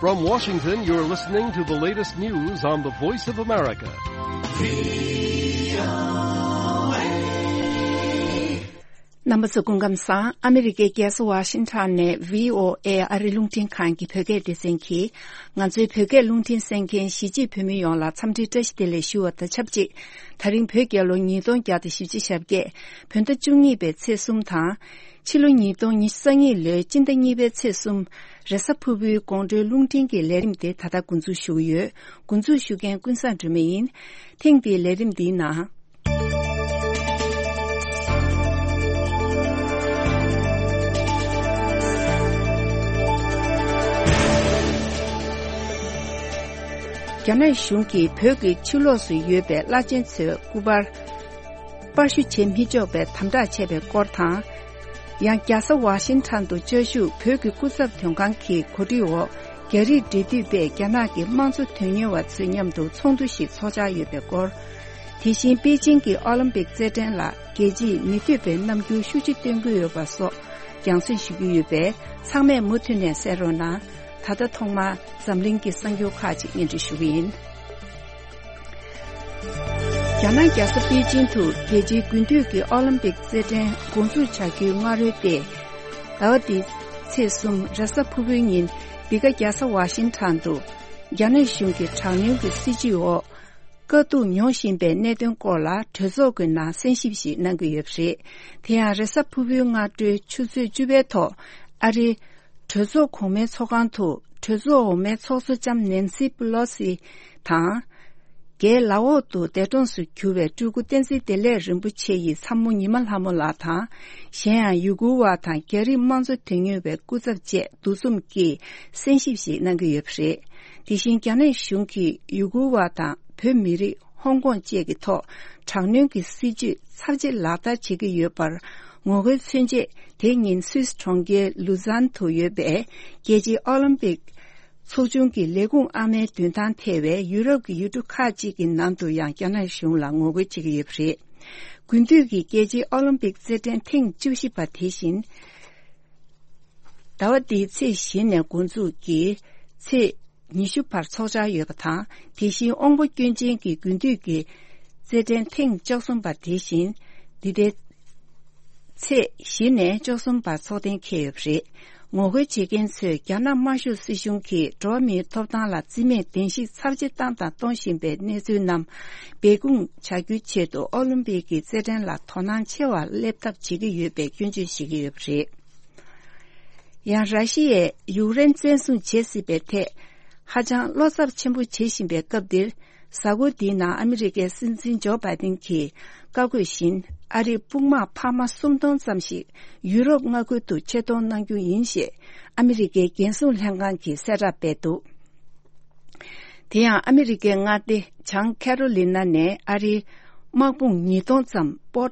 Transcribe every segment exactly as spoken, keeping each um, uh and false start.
From Washington, you're listening to the latest news on the Voice of America. རྣམ་པ་ཚོ་སྐུ་ཁམས་བཟང་། ཨ་མི་རི་ཀའི་རྒྱལ་ས་ཝ་ཤིང་ཊོན་ནས་བྷི་ཨོ་ཨེ་ཨ་རི་རླུང་འཕྲིན་ཁང་གི་བོད་སྐད་སྡེ་ཚན་གྱིས་ང་ཚོའི་བོད་སྐད་རླུང་འཕྲིན་གསན་མཁན་གཞིས་བྱེས་བོད་མི་ཡོངས་ལ་འཚམས་འདྲི་བཀྲ་ཤིས་བདེ་ལེགས་ཞུ་བ་དང་ཆབས་ཅིག། ད་རིང་བོད་རྒྱལ་ལོ་ཉིས་སྟོང་བརྒྱ་དང་བཞི་བཅུ་ཞེ་བརྒྱད། བོད་ཟླ་བཅུ་གཉིས་པའི་ཚེས་གསུམ་དང་། ཕྱི་ལོ་ཉིས་སྟོང་ཉི་ཤུ་རྩ་གཉིས་ལོའི་སྤྱི་ཟླ་གཉིས་པའི་ཚེས་གསུམ། རེས་གཟའ་ཕུར་བུའི་དགོང་དྲོའི་རླུང་འཕྲིན་གྱི་ལས་རིམ་དེ་ད་ལྟ་འགོ་འཛུགས་ཞུ་གི་ཡོད། འགོ་འཛུགས་ཞུ་མཁན་ཀུན་བཟང་སྒྲོལ་མ་ཡིན། ཐེངས་འདིའི་ལས་རིམ་འདིའི་ནང་། རྒྱ་ནག་གཞུང་གིས་བོད་ཀྱི་ཕྱི་ལོགས་སུ་ཡོད་པའི་བླ་ཆེན་ཚོའི་སྐུ་པར་པར་བཤུ་བྱེད་མི་ཆོག་པའི་དམ་དྲག་བྱས་པའི་སྐོར་དང་། ཡང་རྒྱལ་ས་ཝ་ཤིང་ཊོན་དུ་བཅའ་བཞུགས་བོད་ཀྱི་སྐུ་ཚབ་དོན་ཁང་གི་གོ་སྒྲིག་འོག་རྒྱ་རིགས་འབྲེལ་མཐུད་པས་རྒྱ་ནག་གི་དམངས་གཙོ་དོན་གཉེར་བ་ཚོའི་མཉམ་དུ་ཚོགས་འདུ་ཞིག་ཚོགས་འཆར་ཡོད་པའི་སྐོར། དེ་བཞིན་པེ་ཅིང་གི་ཨོ་ལིམ་པིག་རྩེད་འགྲན་ལ་རྒྱལ་སྤྱིས་མི་འདོད་པའི་རྣམ་འགྱུར་ཤུགས་ཆེ་སྟོན་གྱི་ཡོད་པ་སོགས་རྒྱང་སྲིང་ཞུ་རྒྱུ་ཡོད་པས་ཚང་མས་མུ་མཐུད་ནས་གསན་རོགས་གནང་། ད་ལྟ་ཐོག་མར་འཛམ་གླིང་གི་གསར་འགྱུར་ཁག་ཅིག་སྙན་སྒྲོན་ཞུ་གི་ཡིན། རྒྱ་ནག་རྒྱལ་ས་པེ་ཅིང་དུ་རྒྱལ་སྤྱིའི་དགུན་དུས་ཀྱི་ཨོ་ལིམ་པིག་རྩེད་འགྲན་འགོ་འཛུགས་བྱ་རྒྱུའི་སྔ་རོལ་ཏེ། ཟླ་བ་འདིའི་ཚེས་གསུམ་རེས་གཟའ་ཕུར་བུའི་ཉིན་འདི་ག་རྒྱལ་ས་ཝ་ཤིང་ཊོན་དུ་རྒྱ་ནག་གཞུང་གི་དྲག་གནོན་གྱི་སྲིད་བྱུས་འོག་དཀའ་སྡུག་མྱོང་བཞིན་པའི་གནད་དོན་སྐོར་ལ་གྲོས་ཚོགས་ཀྱི་ནང་གསན་ཞིབ་ཞིག་གནང་གི་ཡོད་པ་རེད། དེ་ཡང་རེས་གཟའ་ཕུར་བུའི་སྔ་དྲོའི་ཆུ་ཚོད་བཅུ་པའི་ཐོག་ཨ་རིའི་གྲོས་ཚོགས་གོང་མའི་ཚོགས་ཁང་དུ་གྲོས་ཚོགས་འོག་མའི་ཚོགས་གཙོ་ལྕམ་ནན་སི་པི་ལོ་སི་དང་། རྒྱའི་ལའོ་ཏུ་འདས་གྲོངས་སུ་གྱུར་བའི་སྤྲུལ་སྐུ་བསྟན་འཛིན་བདེ་ལེགས་རིན་པོ་ཆེ་ཡི་ཚ་མོ་ཉི་མ་ལྷ་མོ་ལགས་དང་། གཞན་ཡང་ཡུ་གུར་བ་དང་རྒྱ་རིགས་དམངས་གཙོ་དོན་གཉེར་བའི་སྐུ་ཚབ་བཅས་འདུ་འཛོམས་ཀྱིས་གསན་ཞིབ་ཞིག་གནང་གི་ཡོད་པ་རེད། དེ་བཞིན་རྒྱ་ནག་གཞུང་གིས་ཡུ་གུར་བ་དང་བོད་མི་རིགས། ཧོང་ཀོང་བཅས་ཀྱི་ཐོག་དྲག་གནོན་གྱི་སྲིད་བྱུས་ཚབས་ཆེ་ལག་བསྟར་བྱེད་ཀྱི་ཡོད་པར་ངོ་རྒོལ་མཚོན་ཆེད། དེ་ཉིན་སུད་སི་གྲོང་ཁྱེར་ལུ་ཛན་དུ་ཡོད་པའི་རྒྱལ་སྤྱིའི་ཨོ་ལིམ་པིག་ཚོགས་ཆུང་གི་ལས་ཁུངས་ཨ་མའི་མདུན་ཐང་ཐེ་བའི་ཡུ་རོབ་ཀྱི་ཡུལ་གྲུ་ཁག་ཅིག་གི་ནང་དུ་ཡང་རྒྱ་ནག་གཞུང་ལ་ངོ་རྒོལ་བྱེད་ཀྱི་ཡོད་པ་རེད། དགུན་དུས་ཀྱི་རྒྱལ་སྤྱིའི་ཨོ་ལིམ་པིག་རྩེད་འགྲན་ཐེངས་བཅུ་བཞི་པ་དེ་བཞིན། ཟླ་བ་འདིའི་ཚེས་བཞི་ནས་འགོ་འཛུགས་ཀྱིས་ཚེས་ཉི་ཤུ་བར་ཚོགས་འཆར་ཡོད་པ་དང་། དེ་བཞིན་དབང་པོ་སྐྱོན་ཅན་གྱི་དགུན་དུས་ཀྱི་རྩེད་འགྲན་ཐེངས་བཅུ་གསུམ་པ་དེ་བཞིན་འདི་ཟླའི་ཚེས་བཞི་ནས་བཅུ་གསུམ་བར་ཚོགས་གཏན་འཁེལ་ཡོད་པ་རེད། ངོ་རྒོལ་བྱེད་མཁན་ཚོས་རྒྱ་ནག་དམར་ཤོག་སྲིད་གཞུང་གིས་འགྲོ་བ་མིའི་ཐོབ་ཐང་ལ་བརྩི་མེད་གདན་ཞིག་ཚབས་ཆེ་བཏང་དང་གཏོང་བཞིན་པའི་གནས་ཚུལ་རྣམས་སྦས་སྐུང་བྱ་རྒྱུའི་ཆེད་དུ་ཨོ་ལིམ་པིག་གི་རྩེད་འགྲན་ལ་དོ་སྣང་ཆེ་བ་སླེབས་ཐབས་བྱེད་ཀྱི་ཡོད་པའི་སྐྱོན་བརྗོད་བྱེད་ཀྱི་ཡོད་པ་རེད། ཡང་ར་ཤི་ཡས་ཡུཀ་རེན་བཙན་བཟུང་བྱེད་སྲིད་པའི་ཐད་ཧ་ཅང་བློ་འཚབ་ཆེན་པོ་བྱེད་བཞིན་པའི་སྐབས་འདིར། གཟའ་འཁོར་འདིའི་ནང་ཨ་མི་རི་ཀའི་སྲིད་འཛིན་ཇོ་བྷའི་ཏིན་གྱིས་བཀའ་བཀོད་བཞིན། ཨ་རིའི་དཔུང་དམག་འཕར་མ་སུམ་སྟོང་ཙམ་ཞིག་ཡུ་རོབ་མངའ་ཁུལ་དུ་ཆེད་གཏོང་གནང་རྒྱུ་ཡིན་ཞེས་ཨ་མི་རི་ཀའི་རྒྱལ་སྲུང་ལྷན་ཁང་གིས་གསལ་བསྒྲགས་སྤེལ་འདུག་དེ་ཡང་ཨ་མི་རི་ཀའི་མངའ་སྡེ་བྱང་ཁེ་རོ་ལི་ན་ནས་ཨ་རིའི་དམག་དཔུང་ཉིས་སྟོང་ཙམ་པོ།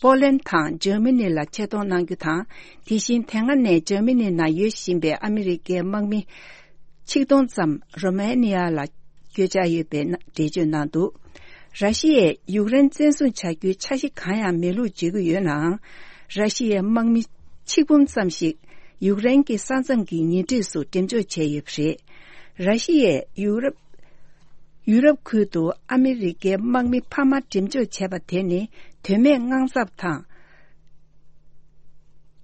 པོ་ལན་དང་འཇར་མ་ནི་ལ་ཆེད་གཏོང་གནང་རྒྱུ་དང་། དེ་བཞིན་དེ་སྔ་ནས་འཇར་མ་ནི་ནང་ཡོད་བཞིན་པའི་ཨ་མི་རི་ཀའི་དམག་མི་ཆིག་སྟོང་ཙམ་རོ་མ་ནི་ཡ་ལ་བསྐྱོད་འཆར་ཡོད་པའི་འགྲེལ་བརྗོད་གནང་འདུག་ར་ཤི་ཡས་ཡུཀ་རེན་བཙན་བཟུང་བྱ་རྒྱུའི་འཆར་གཞི་གང་ཡང་མེད་ལུགས་བརྗོད་ཀྱི་ཡོད་ནའང་། ར་ཤི་ཡའི་དམག་མི་ཆིག་འབུམ་ཙམ་ཞིག་ཡུཀ་རེན་གྱི་ས་མཚམས་ཀྱི་ཉེ་འཁྲིས་སུ་འགྲེམས་འཇོག་བྱས་ཡོད་པ་རེད། ར་ཤི་ཡས་ཡུ་རོབ། ཡུ་རོབ་ཁུལ་དུ་ཨ་མི་རི་ཀའི་དམག་མི་འཕར་མ་འགྲེམས་འཇོག་བྱས་པ་དེ་ནི་དོན་མེད་དངངས་འཚབ་དང་།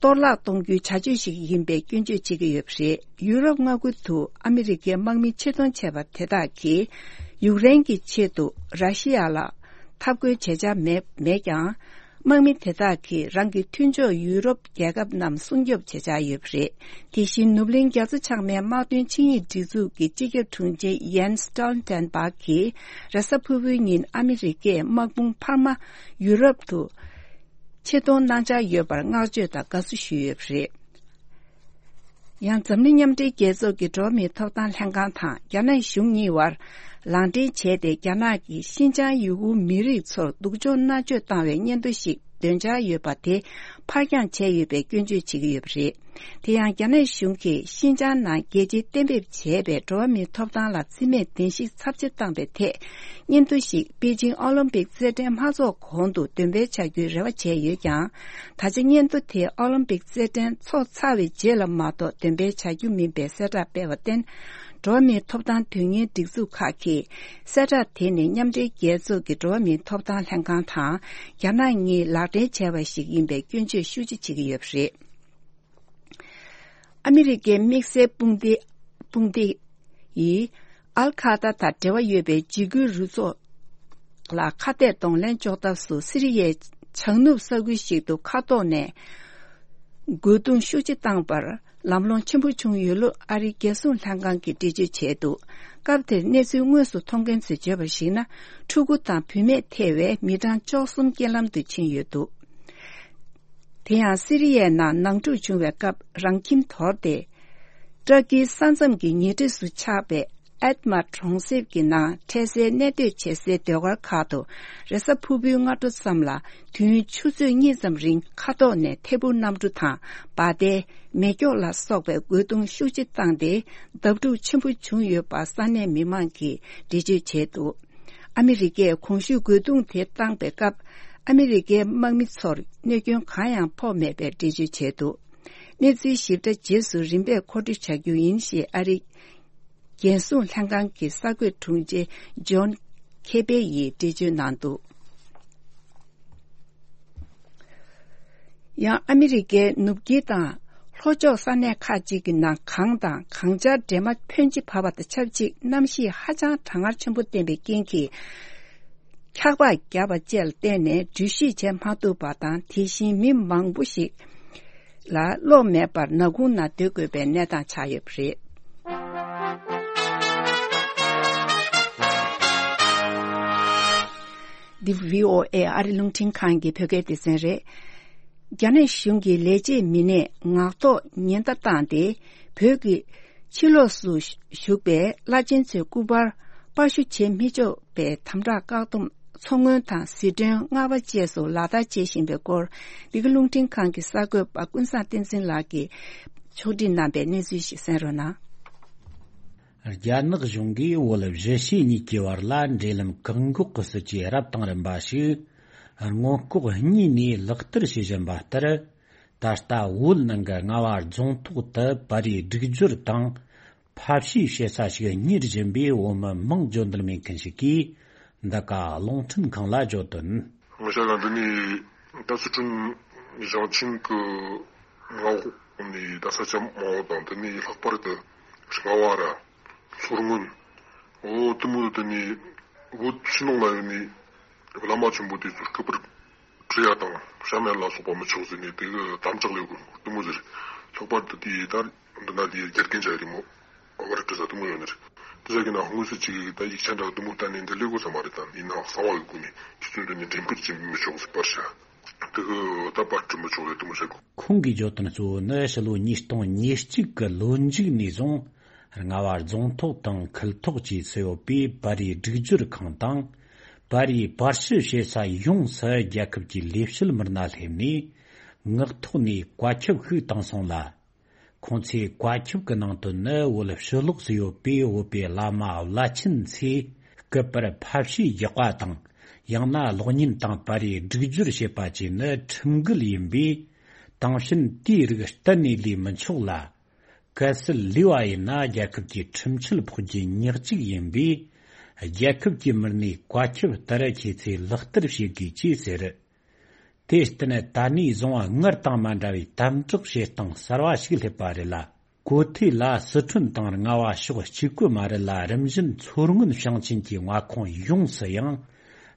གཏོར་བརླག་གཏོང་རྒྱུའི་བྱ་སྤྱོད་ཞིག་ཡིན་པའི་སྐྱོན་བརྗོད་བྱེད་ཀྱི་ཡོད་པ་རེད། ཡུ་རོབ་མངའ་ཁུལ་དུ་ཨ་མི་རི་ཀའི་དམག་མི་ཆེད་གཏོང་བྱས་པ་དེ་དག་གིས་ཡུཀ་རེན་གྱི་ཆེད་དུ་ར་ཤི་ཡ་ལ་འཐབ་རྒོལ་བྱེད་འཆར་མེད་མེད་ཀྱང་། དམག་མི་དེ་དག་གིས་རང་གི་མཐུན་ཕྱོགས་ཡུ་རོབ་རྒྱལ་ཁབ་རྣམས་སྲུང་སྐྱོབ་བྱེད་འཆར་ཡོད་པ་རེད། དེ་བཞིན་ནུབ་གླིང་རྒྱ་མཚོ་བྱང་མའི་དམག་དོན་ཆིངས་ཡིག་སྒྲིག་འཛུགས་ཀྱི་སྤྱི་ཁྱབ་དྲུང་ཆེ་ཡན་སི་སྟོལ་ཊེན་བྷག་གིས་རེས་གཟའ་ཕུར་བུའི་ཉིན་ཨ་མི་རི་ཀས་དམག་དཔུང་འཕར་མ་ཡུ་རོབ་ཏུ་ཆེད་གཏོང་གནང་འཆར་ཡོད་པར་བསྔགས་བརྗོད་དང་དགའ་བསུ་ཞུས་ཡོད་པ་རེད། ཡང་འཛམ་གླིང་མཉམ་འབྲེལ་རྒྱལ་ཚོགས་ཀྱི་འགྲོ་བ་མིའི་ཐོབ་ཐང་ལྷན་ཁང་དང་རྒྱ་ནག་གཞུང་གཉིས་བར་ལག་འབྲེལ་བྱས་ཏེ། རྒྱ་ནག་གིས་ཤིན་ཅང་ཡུ་གུར་མི་རིགས་ཚོར་སྡུག་སྦྱོང་མནར་གཅོད་བཏང་བའི་སྙན་ཐོ་ཞིག་འདོན་འཆར་ཡོད་པ་དེ་ཕར་འགྱངས་བྱས་ཡོད་པའི་སྐྱོན་བརྗོད་བྱེད་ཀྱི་ཡོད་པ་རེད། དེ་ཡང་རྒྱ་ནག་གཞུང་གིས་ཤིན་ཅང་ནང་རྒྱལ་སྤྱིས་གཏན་འབེབས་བྱས་པའི་འགྲོ་བ་མིའི་ཐོབ་ཐང་ལ་བརྩི་མེད་གདན་ཞིག་ཚབས་ཆེ་བཏང་པའི་ཐད། སྙན་ཐོ་ཞིག་པེ་ཅིང་ཨོ་ལིམ་པིག་རྩེད་འགྲན་མ་ཚོགས་གོང་དུ་འདོན་སྤེལ་བྱ་རྒྱུའི་རེ་བ་བྱས་ཡོད་ཀྱང་། ད་ཆ་སྙན་ཐོ་དེ་ཨོ་ལིམ་པིག་རྩེད་འགྲན་ཚོགས་ཚར་བའི་རྗེས་ལ་མ་གཏོགས་འདོན་སྤེལ་བྱ་རྒྱུ་མིན་པའི་གསལ་བསྒྲགས་སྤེལ་བར་བརྟེན། འགྲོ་བ་མིའི་ཐོབ་ཐང་དོན་གཉེར་སྒྲིག་འཛུགས་ཁག་གིས་གསལ་བསྒྲགས་དེ་ནི་མཉམ་འབྲེལ་རྒྱལ་ཚོགས་ཀྱི་འགྲོ་བ་མིའི་ཐོབ་ཐང་ལྷན་ཁང་དང་རྒྱ་ནག་གཉིས་ལག་འབྲེལ་བྱས་པ་ཞིག་ཡིན་པའི་སྐྱོན་བརྗོད་ཤུགས་ཆེ་བྱེད་ཀྱི་ཡོད་པ་རེད། ཨ་མི་རི་ཀའི་དམིགས་བསལ་དཔུང་སྡེ་དཔུང་སྡེ་ཡིས་ཨལ་ཁ་ད་དང་འབྲེལ་བ་ཡོད་པའི་འཇིགས་སྐུལ་རུ་ཚོགས་ལ་ཁ་གཏད་གདོང་ལེན་འཇོག་ཐབས་སུ་སི་རི་ཡའི་བྱང་ནུབ་ས་ཁུལ་ཞིག་ཏུ་མཁའ་ཐོག་ནས་རྒོལ་རྡུང་ཤུགས་ཆེ་བཏང་པར་ལམ་ལྷོང་ཆེན་པོ་བྱུང་ཡོད་ལུགས་ཨ་རིའི་རྒྱལ་སྲུང་ལྷན་ཁང་གིས་འགྲེལ་བརྗོད་བྱས་འདུག་སྐབས་དེར་གནས་ཚུལ་དངོས་སུ་མཐོང་མཁན་ཚོས་བརྗོད་པར་གཞིགས་ན། ཕྲུ་གུ་དང་བུད་མེད་ཐེ་བའི་མི་གྲངས་བཅུ་གསུམ་རྐྱེན་ལམ་དུ་ཕྱིན་ཡོད་འདུག་དེ་ཡང་སི་རི་ཡའི་ནང་ནང་འཁྲུག་བྱུང་བའི་སྐབས་རང་ཁྱིམ་དོར་ཏེ། ཏྲ་ཀིའི་ས་མཚམས་ཀྱི་ཉེ་འཁྲིས་སུ་ཆགས་པའི་ཨེད་མ་གྲོང་གསེབ་ཀྱི་ནང་འཕྲལ་སེལ་གནས་སྡོད་བྱེད་སའི་སྡོད་སྒར་ཁག་ཏུ་རེས་གཟའ་ཕུར་བུའི་སྔ་དྲོ་ཙམ་ལ་དུས་ཡུན་ཆུ་ཚོད་གཉིས་ཙམ་རིང་མཁའ་ཐོག་ནས་ཐད་འཕུར་གནམ་གྲུ་དང་འབའ་སྡེ། མེ་སྒྱོགས་ལ་སོགས་པའི་རྒོལ་རྡུང་ཤུགས་ཆེ་བཏང་སྟེ་བརྡབ་འཁྲུག་ཆེན་པོ་བྱུང་ཡོད་པ་ས་གནས་མི་མང་གིས་འགྲེལ་བརྗོད་བྱས་འདུག་ཨ་མི་རི་ཀས་གོང་ཞུས་རྒོལ་རྡུང་དེ་བཏང་པའི་སྐབས་ཨ་མི་རི་ཀའི་དམག་མི་ཚོར་གནོད་སྐྱོན་གང་ཡང་ཕོག་མེད་པའི་འགྲེལ་བརྗོད་བྱས་འདུག་གནས་ཚུལ་ཞིབ་ཕྲ་རྗེས་སུ་རིམ་པས་མཁོ་སྤྲོད་བྱ་རྒྱུ་ཡིན་ཞེས་ཨ་རིའི་རྒྱལ་སྲུང་ལྷན་ཁང་གི་གསར་འགོད་དྲུང་ཆེ་ཇོན་ཁེ་པེ་ཡིས་འགྲེལ་བརྗོད་གནང་འདུག་ཡང་ཨ་མི་རི་ཀའི་ནུབ་དཀྱིལ་དང་ལྷོ་ཕྱོགས་ས་གནས་ཁག་ཅིག་གི་ནང་གངས་དང་གངས་ཆར་འདྲེས་མ་ཕོན་ཆེ་བབས་པ་དང་ཆབས་ཅིག་གནམ་གཤིས་ཧ་ཅང་གྲང་ངར་ཆེན་པོ་བསྟན་པའི་རྐྱེན་གྱིས། འཁྱག་པ་བརྒྱབ་པ་བཅས་ལ་བརྟེན་ནས་འགྲུལ་བཞུད་བྱེད་མ་ཐུབ་པ་དང་། དེ་བཞིན་མི་མང་པོ་ཞིག་ལ་གློག་མེད་པར་ནག་ཁུང་ནང་སྡོད་དགོས་པའི་གནས་སྟངས་ཆགས་ཡོད་པ་རེད། འདི་བྷི་ཨོ་ཨེ་ཨ་རི་རླུང་འཕྲིན་ཁང་གི་བོད་སྐད་སྡེ་ཚན་རེད། རྒྱ་ནག་གཞུང་གི་ལས་བྱེད་མི་སྣས་ངག་ཐོག་ཉེན་བརྡ་བཏང་སྟེ། བོད་ཀྱི་ཕྱི་ལོགས་སུ་བཞུགས་པའི་བླ་ཆེན་ཚོའི་སྐུ་པར་པར་ཞུ་བྱེད་མི་ཆོག་པའི་དམ་དྲག་བཀག་སྡོམ། མཚོ་སྔོན་དང་ཟི་ཁྲོན། རྔ་བ་བཅས་སུ་ལག་བསྟར་བྱེད་བཞིན་པའི་སྐོར། འདི་ག་རླུང་འཕྲིན་ཁང་གི་གསར་འགོད་པ་ཀུན་བཟང་བསྟན་འཛིན་ལགས་ཀྱིས་ཕྱོགས་སྒྲིག་གནང་པའི་གནས་ཚུལ་ཞིག་གསན་རོགས་གནང་། རྒྱ་ནག་གཞུང་གིས་བོད་བཞི་ཤོད་གཉིས་ཀྱི་བར་ལ་འབྲེལ་ལམ་བཀག་འགོག་གི་སྲིད་ཇུས་རབ་དང་རིམ་པ་ཞིག་སྔོན་ལྐོག་གཉིས་ནས་ལག་བསྟར་བྱེད་བཞིན་པ་ལྟར། ད་ལྟ་བོད་ནང་གི་རྔ་བ་རྫོང་ཐོག་ཏུ་པར་རིས་སྒྲིག་སྦྱོར་དང་ཕབ་བཤུས་བྱེད་ས་ཞིག་གཉེར་བཞིན་པའི་བོད་མི་མིང་བརྗོད་འདོད་མེད་མཁན་ཞིག་གིས་འདི་ག་རླུང་འཕྲིན་ཁང་ལ་བརྗོད་དོན། ང་ཞ་ལ་འདི་ནི་ད་སི་ཁྲོན་ཞིང་ཆེན་གྱི་མངའ་འོག་ནི་ད་ས་ཆ་མང་བོ་དང་། འདི་ནི་ལྷག་པར་དུ་རྔ་བ་ར་མཚོ་སྔོན། འོ་དེ་མོ་དེ་ནི་བོད་ཕྱི་ནང་ལ་ཡོད་ནི་བླ་མ་ཆེན་པོ་དེ་ཚོ་སྐུ་པར་བྲི་ཡ་དང་ཤ་མེད་ལ་སོགས་པ་མི་ཆོག་ཟེར་ནས་དེ་གི་དམ་དྲག་ལས་དགོས་དེ་མོ་ཟེར། ལྷག་པར་དུ་དེ་ད་འདི་ན་དེ་རྒྱ་རྒན་ཆ་རི་མོ་བར་བྲི་ས་དེ་མོ་ཡོད་ནི་རེད། དེ་ཟ་གི་ན་དངོས་སུ་ཅིག་ད་ཡིག་ཆ་འདྲ་དེ་མོ་ལྟ་ནས་འདི་ལས་དགོས་ས་མ་རེད། ད་ཡིན་ནའང་གསང་བ་གི་སྒོ་ནས་ཁྱེད་ཚོས་འདི་ནས་འགྲེམས་སྤེལ་བྱེད་མི་ཆོག་ཟེར་པར་ཤ། དེ་གི་ད་པར་བྲི་མི་ཆོག་ཟེར་དེ་མོ་བཤད་གོ། ཁོང་གིས་བརྗོད་དོན་གཙོ་བོ་ནི་ཕྱི་ལོ་ཉིས་སྟོང་ཉེར་གཅིག་གི་ལོ་མཇུག་ནས་བཟུང་རྔ་བ་རྫོང་ཐོག་དང་ཁུལ་ཐོག་བཅས་སུ་ཡོད་པའི་པར་རིས་སྒྲིག་སྦྱོར་ཁང་དང་། པར་རིས་པར་ཞུ་བྱེད་ས་ཡོངས་སུ་རྒྱལ་ཁབ་ཀྱི་ལས་བྱེད་མི་སྣ་སླེབས་ནས་ངག་ཐོག་ནས་བཀའ་ཁྱབ་ཤིག་བཏང་སོང་ལ། ཁོང་ཚོས་བཀའ་ཁྱབ་ཀྱི་ནང་དོན་ནི་བོད་ཕྱི་ལོགས་སུ་ཡོད་པའི་བོད་པའི་བླ་མ་བླ་ཆེན་ཚོས་སྐུ་པར་ཕབ་བཤུས་རྒྱག་པ་དང་། ཡང་ན་གློག་བརྙན་དང་པར་རིས་སྒྲིག་སྦྱོར་བྱེད་པ་བཅས་ནི་ཁྲིམས་འགལ་ཡིན་པས། དེང་ཕྱིན་དེའི་རིགས་གཏན་ནས་ལས་མི་ཆོག་ལ། གལ་སྲིད་ལས་པ་ཡིན་ན་རྒྱལ་ཁབ་ཀྱི་ཁྲིམས་ཆད་ཕོག་རྒྱུ་ཉག་གཅིག་ཡིན་པས། རྒྱལ་ཁབ་ཀྱི་མི་སྣའི་བཀའ་ཁྱབ་ལྟར་ཁྱེད་ཚོས་ལག་བསྟར་བྱེད་དགོས་ཅེས་ཟེར། དེར་བརྟེན་ད་ནས་བཟུང་སྔར་དང་མ་འདྲ་བའི་དམ་དྲག་བྱེད་སྟངས་གསར་བ་ཞིག་སླེབས་པ་རེད་ལ། གོ་ཐོས་ལ་སི་ཁྲོན་དང་རྔ་བ་ཕྱོགས་གཅིག་པུ་མ་རེད་ལ། རིམ་བཞིན་མཚོ་སྔོན་ཞིང་ཆེན་གྱི་མངའ་ཁོངས་ཡོངས་སུ་ཡང་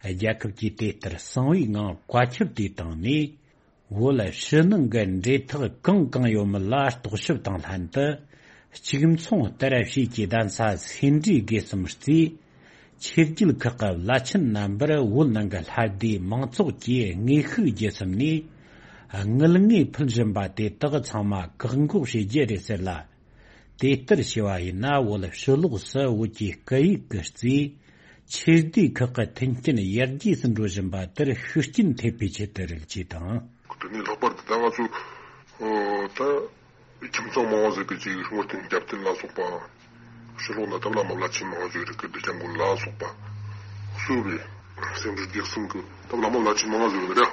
རྒྱལ་ཁབ་ཀྱིས་དེ་ལྟར་གསང་བའི་ངང་བཀའ་ཁྱབ་དེ་བཏང་ནས། བོད་ཕྱི་ནང་གི་འབྲེལ་ཐག་གང་གང་ཡོད་མེད་ལ་རྟོག་ཞིབ་དང་ལྷན་དུ། གཅིག་མཚུངས་ལྟར་བྱས་ཀྱི་གདན་ས་སེ་འབྲས་དགེ་གསུམ་རྩིས། ཆོས་བརྒྱུད་ཁག་གི་བླ་ཆེན་རྣམ་པར་བོད་ནང་གི་ལྷ་སྡེ་མང་ཚོགས་ཀྱིས་དངོས་ཤུགས་བརྒྱུད་གསུམ་ནས་དངུལ་དངོས་ཕུལ་བཞིན་པ་དེ་དག་ཚང་མ་བཀག་འགོག་བྱེད་རྒྱུ་རེད་ཟེར་ལ། དེ་ལྟར་བྱས་པ་ཡིན་ན་བོད་ཕྱི་ལོགས་སུ་བོད་ཀྱི་སྐད་ཡིག་གི་རྩིས། ཆོས་སྡེ་ཁག་གི་མཐུན་རྐྱེན་ཡར་རྒྱས་སུ་འགྲོ་བཞིན་པ་དེར་ཤུགས་རྐྱེན་ཐེབས་པའི་ཆེད་དུ་རེད་ཅེས་དང་། དེ་ནས་ལྷག་པར་དུ་ད་ང་ཚོ་ཨོ་ད་ཁྱིམ་ཚང་མང་བ་ཟིག་གི་ཅིག་བསྔོ་རྟེན་རྒྱབ་རྟེན་ལ་སོགས་པ། ཕྱི་ལོགས་ན་ད་བླ་མ་བླ་ཆེན་མང་བ་ཟིག་རེད། སྐུ་བདེ་སྐྱབས་མགོན་ལ་སོགས་པ་གསོལ་བའི་སེམས་འགྲུལ་རྒྱག་སེམས་ཀྱི་ད་བླ་མ་བླ་ཆེན་མང་བ་ཟིག་རེད།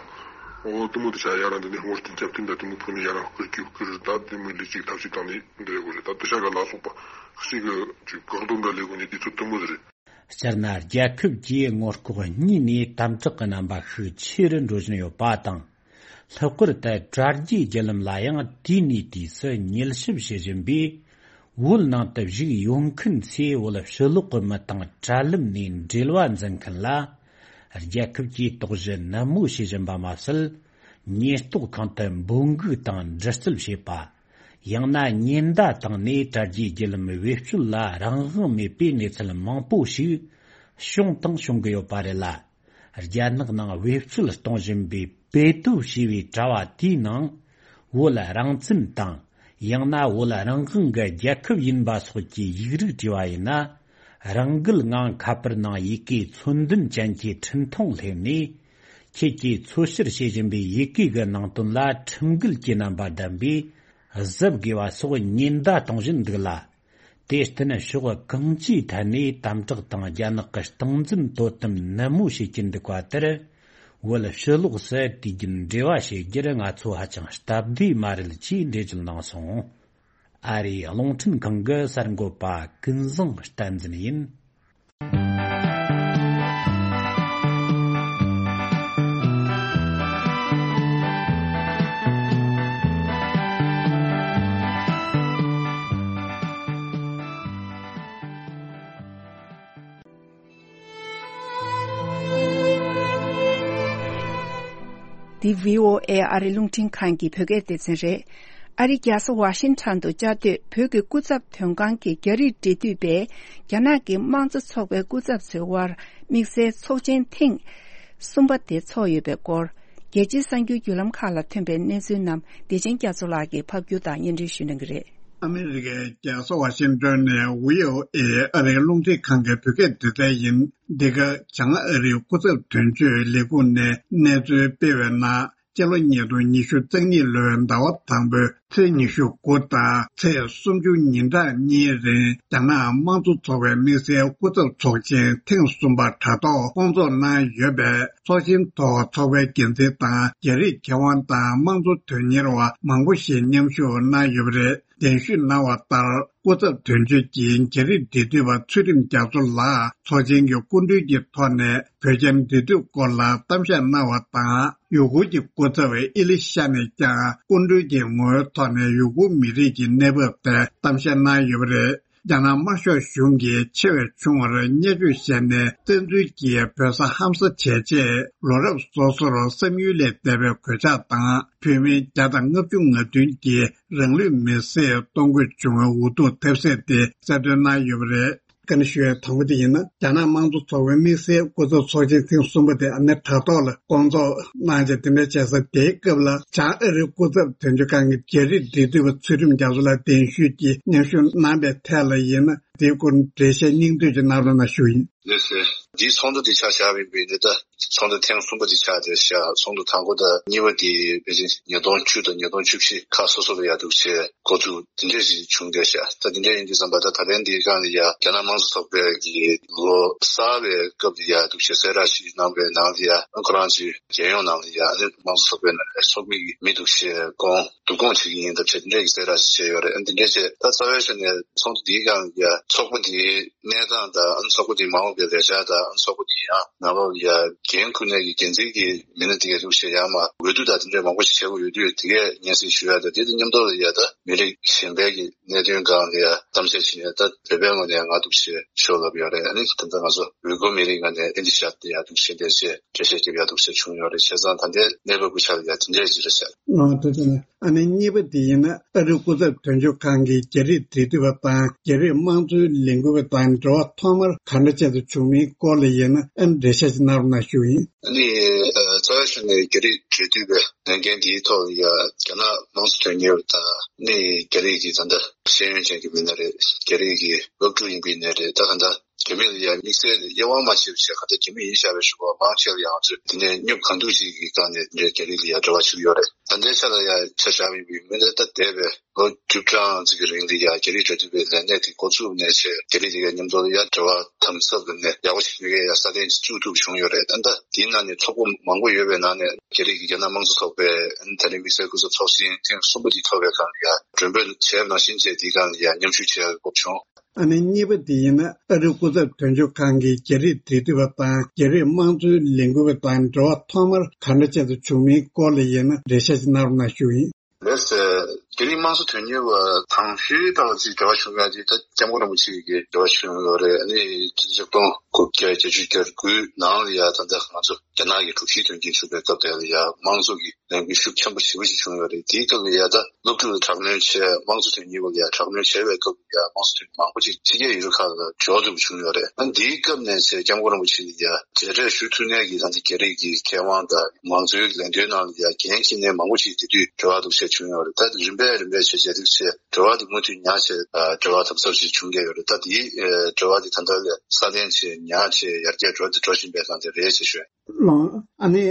ཨོ་དེ་མོ་དེ་ཆ་ཡ་རང་འདི་ནས་ཧོར་དེ་འཇབ་རྟེན་ད་དེ་མོ་ཕུག་ནས་ཡ་རང་བསྐུར་གྱི་བསྐུར་ད་དེ་མོ་ལས་ཅིག་ཐབས་ཤེས་བཏང་ནས་འདི་ཡོད་རེད། ད་དེ་ཤ་ག་ལ་སོགས་པ་ཞིག་གི་ཅིག་བཀག་སྡོམ་འདྲ་ལས་དགོས་ནས་དུས་ཚོད་དེ་མོ་ཟེར་རེད། སྤྱིར་ན་རྒྱལ་ཁབ་ཀྱིས་ངོ་ལྐོག་གཉིས་ནས་དམ་དྲག་གི་རྣམ་པ་ཤུགས་ཆེ་རུ་འགྲོ་བཞིན་ཡོད་པ་དང་། ལྷག་པར་དུ་དྲ་རྒྱའི་བརྒྱུད་ལམ་ལ་ཡང་དུས་ནས་དུས་སུ་མཉེས་ཞིབ་བྱེད་བཞིན་པས། བོད་ནང་དུ་བཞུགས་ཡོད་མཁན་ཚོས་བོད་ཕྱི་ལོགས་ཀྱི་མི་དང་དྲ་ལམ་ནས་འབྲེལ་བ་འཛིན་མཁན་ལ། རྒྱལ་ཁབ་ཀྱིས་དོགས་གཞི་ནན་མོ་བྱེད་བཞིན་པ་མ་ཟད། ཉེན་རྟོག་ཁང་དུ་འབོད་འགུག་དང་འདྲི་རྩད་བྱེད་པ། ཡང་ན་ཉེན་བརྡ་བཏང་ནས་དྲ་རྒྱའི་བརྒྱུད་ལམ་བེད་སྤྱོད་ལ་རང་དབང་མེད་པའི་གནས་ཚུལ་མང་པོ་ཞིག་བྱུང་དང་འབྱུང་གི་ཡོད་པ་རེད་ལ། རྒྱ་ནག་ནང་བེད་སྤྱོད་གཏོང་བཞིན་པའི་བེ་ཏོ་ཞེས་པའི་དྲ་བ་དེའི་ནང་། བོད་རང་བཙན་དང་། ཡང་ན་བོད་རང་དབང་གི་རྒྱལ་ཁབ་ཡིན་པ་སོགས་ཀྱི་ཡིག་རིགས་བྲིས་པ་ཡིན་ན། རང་འགུལ་ངང་ཁ་པར་ནང་ཡི་གེ་ཚོན་ལྡན་ཅན་གྱི་འཕྲིན་ཐུང་སླེབས་ནས། ཁྱེད་ཀྱིས་འཚོལ་བཤེར་བྱེད་བཞིན་པའི་ཡི་གེ་གི་ནང་དོན་ལ་ཁྲིམས་འགལ་གྱི་རྣམ་པ་ལྡན་པས་གཟབ་དགོས་པ་སོགས་ཉེན་བརྡ་གཏོང་བཞིན་འདུག་ལ། དེར་བརྟེན་ཕྱོགས་གང་ཅིའི་ཐད་ནས་དམ་དྲག་དང་རྒྱ་ནག་གི་སྟངས་འཛིན་དོ་དམ་ནན་མོ་བྱེད་ཀྱིན་འདུག་པ་དེར། བོད་ཕྱི་ལོགས་སུ་དུས་རྒྱུན་འབྲེལ་བ་བྱེད་རྒྱུར་ང་ཚོ་ཧ་ཅང་སྟབས་བདེ་མ་རེད་ཅེས་འགྲེལ་བརྗོད་གནང་སོང་། ཨ་རིའི་རླུང་འཕྲིན་ཁང་གི་གསར་འགོད་པ་ཀུན་བཟང་བསྟན་འཛིན་ཡིན། འདི་བྷི་ཨོ་ཨེ་ཨ་རི་རླུང་འཕྲིན་ཁང་གི་བོད་སྐད་སྡེ་ཚན་རེད། ཨ་རི་རྒྱལ་ས་ཝ་ཤིང་ཊོན་དུ་བཅའ་སྡོད་བོད་ཀྱི་སྐུ་ཚབ་དོན་ཁང་གི་རྒྱ་རིགས་འབྲེལ་མཐུད་པས་རྒྱ་ནག་གི་དམངས་གཙོ་ཚོགས་པའི་སྐུ་ཚབ་ཚོའི་དབར་དམིགས་བསལ་ཚོགས་ཆེན་ཐེངས་གསུམ་པ་དེ་ཚོགས་ཡོད་པའི་སྐོར། རྒྱལ་སྤྱིའི་གསར་འགྱུར་བརྒྱུད་ལམ་ཁག་ལ་ཐོན་པའི་གནས་ཚུལ་རྣམས་བདེ་ཆེན་རྒྱ་མཚོ་ལགས་ཀྱིས་ཕབ་སྒྱུར་དང་སྙན་སྒྲོན་ཞུ་གནང་གི་རེད། ཨ་མི་རི་ཀའི་རྒྱལ་ས་ཝ་ཤིང་ཊོན་ནས་བྷི་ཨོ་ཨེ་ཨ་རིའི་རླུང་འཕྲིན་ཁང་གི་བོད་སྐད་སྡེ་ཚན་ཡིན། འདི་ག་བྱང་ཨ་རིའི་སྐུ་ཚབ་དོན་གཅོད་ལས་ཁུངས་ནས་གནས་ཚུལ་སྤེལ་བའི་ནང་། སྤྱི་ལོ་ཉིས་སྟོང་ཉི་ཤུ་རྩ་གཉིས་ལོའི་ཟླ་བ་དང་པོའི་ཚེས་ཉི་ཤུ་དགུ་དང་ཚེས་སུམ་ཅུ་ཉིན་གྲངས་གཉིས་རིང་རྒྱ་ནག་དམངས་གཙོ་ཚོགས་པའི་དམིགས་བསལ་སྐུ་ཚབ་ཚོགས་ཆེན་ཐེངས་གསུམ་པ་དྲ་ཐོག་བསྐོང་ཚོགས་གནང་ཡོད་པས། ཚོགས་ཆེན་ཐོག་ཚོགས་པའི་འགན་འཛིན་དང་རྒྱ་རིགས་མཁས་དབང་དང་དམངས་གཙོ་དོན་གཉེར་བ་མང་པོ་ཞིག་མཉམ་ཞུགས་གནང་ཡོད་པ་རེད། གདན་ཞུས་གནང་བ་ལྟར། སྐུ་ཚབ་དོན་གཅོད་ཀྱིས་རྒྱ་རིགས་འབྲེལ་མཐུད་པ་ཚུལ་ཁྲིམས་རྒྱ་མཚོ་ལགས་ཚོགས་ཆེན་གྱི་སྐུ་མགྲོན་གྱི་ཐོག་ནས་བོད་རྒྱ་འབྲེལ་མཐུད་སྐོར་ལ་གཏམ་བཤད་གནང་བ་དང་། ཡུ་གུར་གྱི་སྐུ་ཚབ་ཨི་ལི་ཤ་ནས་ཀྱང་སྐུ་མགྲོན་གྱི་ངོ་བོའི་ཐོག་ནས་ཡུ་གུར་མི་རིགས་ཀྱི་གནས་བབ་ཐད་གཏམ་བཤད་གནང་ཡོད་པ་རེད། རྒྱ་ནག་དམར་ཤོག་གཞུང་གིས་ཆེ་བའི་ཆུང་བར་བརྙས་བཅོས་བྱས་ནས་བཙན་འཛུལ་གྱིས་བོད་ས་ཧམ་ཟ་བྱས་རྗེས། ལོ་རབས་སོ་སོར་བསམ་ཡུལ་ལས་འདས་པའི་གོད་ཆག་དང་། བོད་མི་བརྒྱ་དང་ལྔ་བཅུ་ང་བདུན་གྱིས་རང་ལུས་མེར་སྲེག་གཏོང་དགོས་བྱུང་བའི་འུ་ཐུག་ཐེབས་ཚད་དེ་གསལ་སྟོན་གནང་ཡོད་པ་རེད། བཀའ་འདྲི་ཞུ་ཡའི་དང་པོ་དེ་ཡིན་ན། རྒྱ་ནག་དམངས་གཙོ་ཚོགས་པའི་དམིགས་བསལ་སྐུ་ཚབ་ཚོགས་ཆེན་ཐེངས་གསུམ་པ་དེ་ཨ་ནི་དྲ་ཐོག་ལ་བསྐོང་ཚོགས་གནང་རྗེས་དེ་འདྲ་བྱས་ས་དེའི་སྐབས་ལ། བྱང་ཨ་རིའི་སྐུ་ཚབ་དོན་གཅོད་ཁང་གི་རྒྱ་རིགས་འབྲེལ་མཐུད་པ་ཚུལ་ཁྲིམས་རྒྱ་མཚོ་ལགས་གདན་ཞུས་ཀྱིས་མཉམ་ཞུགས་གནང་པའི་ཐད་ལ་ཡིན་ན། དེའི་སྐོར་འགྲེལ་བཤད་སྙིང་བསྡུས་ཀྱི་གནང་རོགས་གནང་ཞུ་ཡིན། ལགས་སོ། འདིའི་ཚོགས་འདུ་འདི་ཆ་བཞག་པ་ཡིན་པས་ནི། ད་ཚོགས་འདུ་ཐེངས་གསུམ་པ་འདི་ཆགས་བསྡད་ཤག་ཚོགས་འདུ་དང་པོ་དང་གཉིས་པ་འདི་ཕལ་ཆེར་ཉིས་སྟོང་བཅུ་དང་ཉིས་སྟོང་བཅུ་བཞི་ཁག་སོ་སོ་ལ་ཡ་འདུག་བྱས་འགོ་འཛུགས་འདི་འདྲས་ཞིག་བྱུང་བསྡད་ཤག་ད་འདི་འདྲས་ཡིན་དུས་ཙམ་པ། ད་ད་ལན་འདིའི་སྒང་ལ་ཡ་རྒྱ་ནག་དམངས་གཙོ་ཚོགས་པའི་གི་ལོ་གསར་བའི་སྐབས་ལ་ཡ་འདུག་བྱས་གསལ་བསྒྲགས་ཤིག་གནང་བའི་ནང་ལ་ཡ། ཁོ་རང་ཚོའི་རྒྱལ་ཡོངས་ནང་ལ་ཡ་ཨ་ནི་དམངས་གཙོ་ཚོགས་པའི་ནང་ལ་ཚོགས་མི་གི་མི་འདུག་བྱས་བསྐོང་བསྡུ་སྐོང་བྱེད་ཀྱི་ཡིན་ད་བྱས་འདི་འདྲས་ཀྱི་གསལ་བསྒྲགས་ཤིག་བྱས་ཡོད་རེད། ཨ་འདི་འདྲས་བྱས་ད་རྩ་བའི་ཆ་ནས་ཚོགས་འདུ་འདིའི་སྒང་ལ་ཡ་ཚོགས་པ་འདིའི་གནས་སྟངས་དང་། ཨ་ནི་ཚོགས་པ་འདིའི་མ་འོངས་པའི་ལས་འཆར་དང་། ཨ་ནི་ཚོགས་པ་འདིའི་ཡང་ནང་ལོགས་ལ་ཡ་འགན་འཁུར་མཁན་གྱི་འགན་འཛིན་གྱི་མི་སྣ་དེ་ག་འདུག་བྱས་ཡར་མར་འོས་བསྡུ་དང་དེ་འདྲའི་མང་པོ་ཞིག་བྱེད་དགོས་ཡོད་དུས། དེ་གས་སྙན་སེང་ཞུ་ཡ་དང་། དེ་དང་མཉམ་དུ་ལ་ཡ་ད་མི་རིགས་གཞན་པའི་གི་གནད་དོན་སྒང་ལ་ཡ་གཏམ་བཤད་བྱེད་ཡ། ད་བོད་པའི་ངོས་ནས་ང་འདུག་བྱས་ཤོག་ལབ་ཡོད་རེད། ཨ་ནི་ད་ལྟ་ང་ཚོ་ཝུའི་གུར་མི་རིགས་ངོས་ནས་ཨ་ནི་བཞག་སྟེ་ཡ་འདུག་བྱས་འདུག་བྱས་འགྲེལ་བཤད་རྒྱབ་ཡ་འདུག་བྱས་བྱུང་ཡོད་རེད། བྱས་ཙང་ད་ལྟའི་གནས་བབ་ཀྱི་ཆ་ལ་ཡ་དེ་འདྲས་ཅིག་རེད་ཤག་ཨ་དེ་ཚོ་ནས། ཨ་ནི་གཉིས་པ་དེ་ཡིན་ན། ཨ་རིའི་སྐུ་ཚབ་དོན་གཅོད་ཁང་གི་རྒྱ་རིགས་འབྲེལ་མཐུད་པ་དང་རྒྱ་རིགས་དམངས་གཙོའི་ལས་འགུལ་བ་དང་འབྲེལ་བ་ཐོག་མར་ག་འདྲ་ཅན་དུ་བྱུང་མིན་སྐོར་ལ་ཡིན་ན། ཨ་ནི་འགྲེལ་བཤད་ཅིག་གནང་རོགས་གནང་ཞུ་ཡིན། ཨ་ནི་ཨ་རྩ་བའི་ཆ་ནས་རྒྱ་རིགས་འབྲེལ་མཐུད་པའི་ལས་འགན་འདིའི་ཐོག་ལ་ཡ་རྒྱ་ནག་དམངས་གཙོ་དོན་གཉེར་བ་དང་། ཨ་ནི་རྒྱ་རིགས་ཀྱི་ད་ལྟ་ཤེས་ཡོན་ཅན་གྱི་མི་སྣ་རེད། རྒྱ་རིགས་ཀྱི་སློབ་ཕྲུག་ཡིན་པའི་ནས་རེད། ད་ག་འདྲ་ རྒྱ་མི་ལ་ཡ་དམིགས་བསལ་དབྱེ་བ་མ་ཕྱེ་བའི་ཆེད་ག་ད་རྒྱ་མི་ཡིན་བཞག་པའི་ཞུ་བ་མང་ཆེ་ལ་ཡང་ང་ཚོས་དེ་ནས་སྙོབ་གང་ཐུབ་ཞིག་གི་སྒང་ནས་འདྲའི་རྒྱ་རིགས་ལ་ཡ་འབྲེལ་བ་ཞུ་གི་ཡོད་རེད། ད་ལྟའི་ཆ་ལ་ཡ་ཆ་བཞག་པ་ཡིན་པའི་མི་ལ་ད་འདས་པའི་ལོ་བཅུ་གྲངས་ཅིག་གི་རིང་ལ་ཡ་རྒྱ་རིགས་འབྲེལ་མཐུད་པའི་ལས་གནས་དེ་འགོ་བཙུགས་ནས་བྱས་རྒྱ་རིགས་དེ་གའི་མཉམ་དུ་ལ་ཡ་འབྲེལ་བ་དམ་ཟབ་ལ་ནས་ཡག་པོ་ཞིག་མེད་མཁན་ཡ་སྲ་བརྟན་ཅིག་བཙུགས་ཐུབ་བྱུང་ཡོད་རེད། ད་ལྟ་དེའི་ནང་ནས་ཚོགས་པ་མང་པོ་ཡོད་པའི་ནང་ནས་རྒྱ་རིགས་ཀྱི་རྒྱ་ནག་དམངས་གཙོ་ཚོགས་པའི་ཨ་ནི་ད་རིང་དམིགས་བསལ་སྐུ་ཚབ་ཚོགས་ཆེན་ཐེངས་གསུམ་པ་དེ་ཐོབ་པའི་སྒང་ལ་ཡ་མགྲོན་འབོད་བྱས་པ་ནང་བཞིན་བྱས་དེའི་སྒང་ལ་ཡ་མཉམ་ཞུགས་བྱེད་ཡག་གི་སྐོར་བྱུང་། ཨ་ནི་གཉིས་པ་དེ་ཡིན་ན་ཨ་རིའི་སྐུ་ཚབ་དོན་གཅོད་ཁང་གིས་རྒྱ་རིགས་འབྲེལ་མཐུད་པ་དང་རྒྱ་རིགས་དམངས་གཙོའི་ལས་འགུལ་བ་དང་འབྲེལ་བ་ཐོག་མར་ག་འདྲ་ཅན་དུ་བྱུང་མིན་སྐོར་ལ་ཡིན་ན་འགྲེལ་བཤད་ཅིག་གནང་རོགས་གནང་ཞུ་ཡིན། ལགས་སོ། རྒྱ་རིགས་དམངས་གཙོ་དོན་གཉེར་བ་དང་ཤོས་ལྟ་བུ་ཅིག་འབྲེལ་བ་བྱུང་ཡ་དེ་ད་སྐྱབས་མགོན་རིན་པོ་ཆེ་གིས་འབྲེལ་བ་བྱུང་ཡོད་རེད། ཨ་ནི་ཆིག་སྟོང་དགུ་བརྒྱ་བརྒྱད་ཅུ་གྱ་དགུའི་ནང་ལ་ཡ་ད་ལྟ་ང་ཚོ་རྒྱ་ནག་གི་དྲུག་བཞིའི་དོན་རྐྱེན་བྱུང་བའི་སྐབས་དེ་ལ་ཡ་དམངས་གཙོ་གི་ལས་འགུལ་ཤུགས་ཆེན་པོ་ཞེ་པོ་ཞིག་བྱུང་ཡོད་རེད། དེའི་སྐབས་ལ་ཡ་ད་སློབ་ཕྲུག་ལ་དྲག་གནོན་བྱས། དམངས་གཙོ་དོན་གཉེར་བ་ལ་ཡ་དྲག་གནོན་བྱས་པའི་སྐབས་ལ་ཡ་དམངས་གཙོ་དོན་མང་པོ་ཅིག་ཕྱི་རྒྱལ་ཡུལ་གྲུ་ཁག་ལ་འབྱོར་ཐུབ་བྱུང་ཡོད་རེད། ཨ་འདིའི་སྐབས་ནས་བྱས་སྐྱབས་མགོན་རིན་པོ་ཆེ་ལ་ཡ་མཇལ་འཕྲད་ཞུ་ཐུབ་མཁན་གྱི་ད་ལྟ་རྒྱ་རིགས་ཀྱི་མཁས་དབང་དང་མང་གཙོའི་ལས་དོན་ནང་ལ་ཡ་འགན་འཁྱེར་མཁན་མང་པོ་ཅིག་དེ་དུས་འབྲེལ་བ་འདུག་བྱས་བྱུང་ཡོད་རེད། ད་རིམ་པས་རིམ་པས་བྱས་བྱས་དུས་བྱས་འབྲེལ་བ་དེ་མུ་མཐུད་ཉར་བྱས་འབྲེལ་བ་དམ་ཟབ་ཞིག་བྱུང་བསྡད་ཡོད་རེད། ད་དེའི་འབྲེལ་བ་དེ་ད་ལྟ་ལས་སྲ་བརྟན་བྱས་ཉར་བྱས་ཡར་རྒྱས་འགྲོ་དེ་འགྲོ་བཞིན་པའི་སྒང་དེ་རེད་ཅེས་ཞུ། ལོ། ཨ་ནི་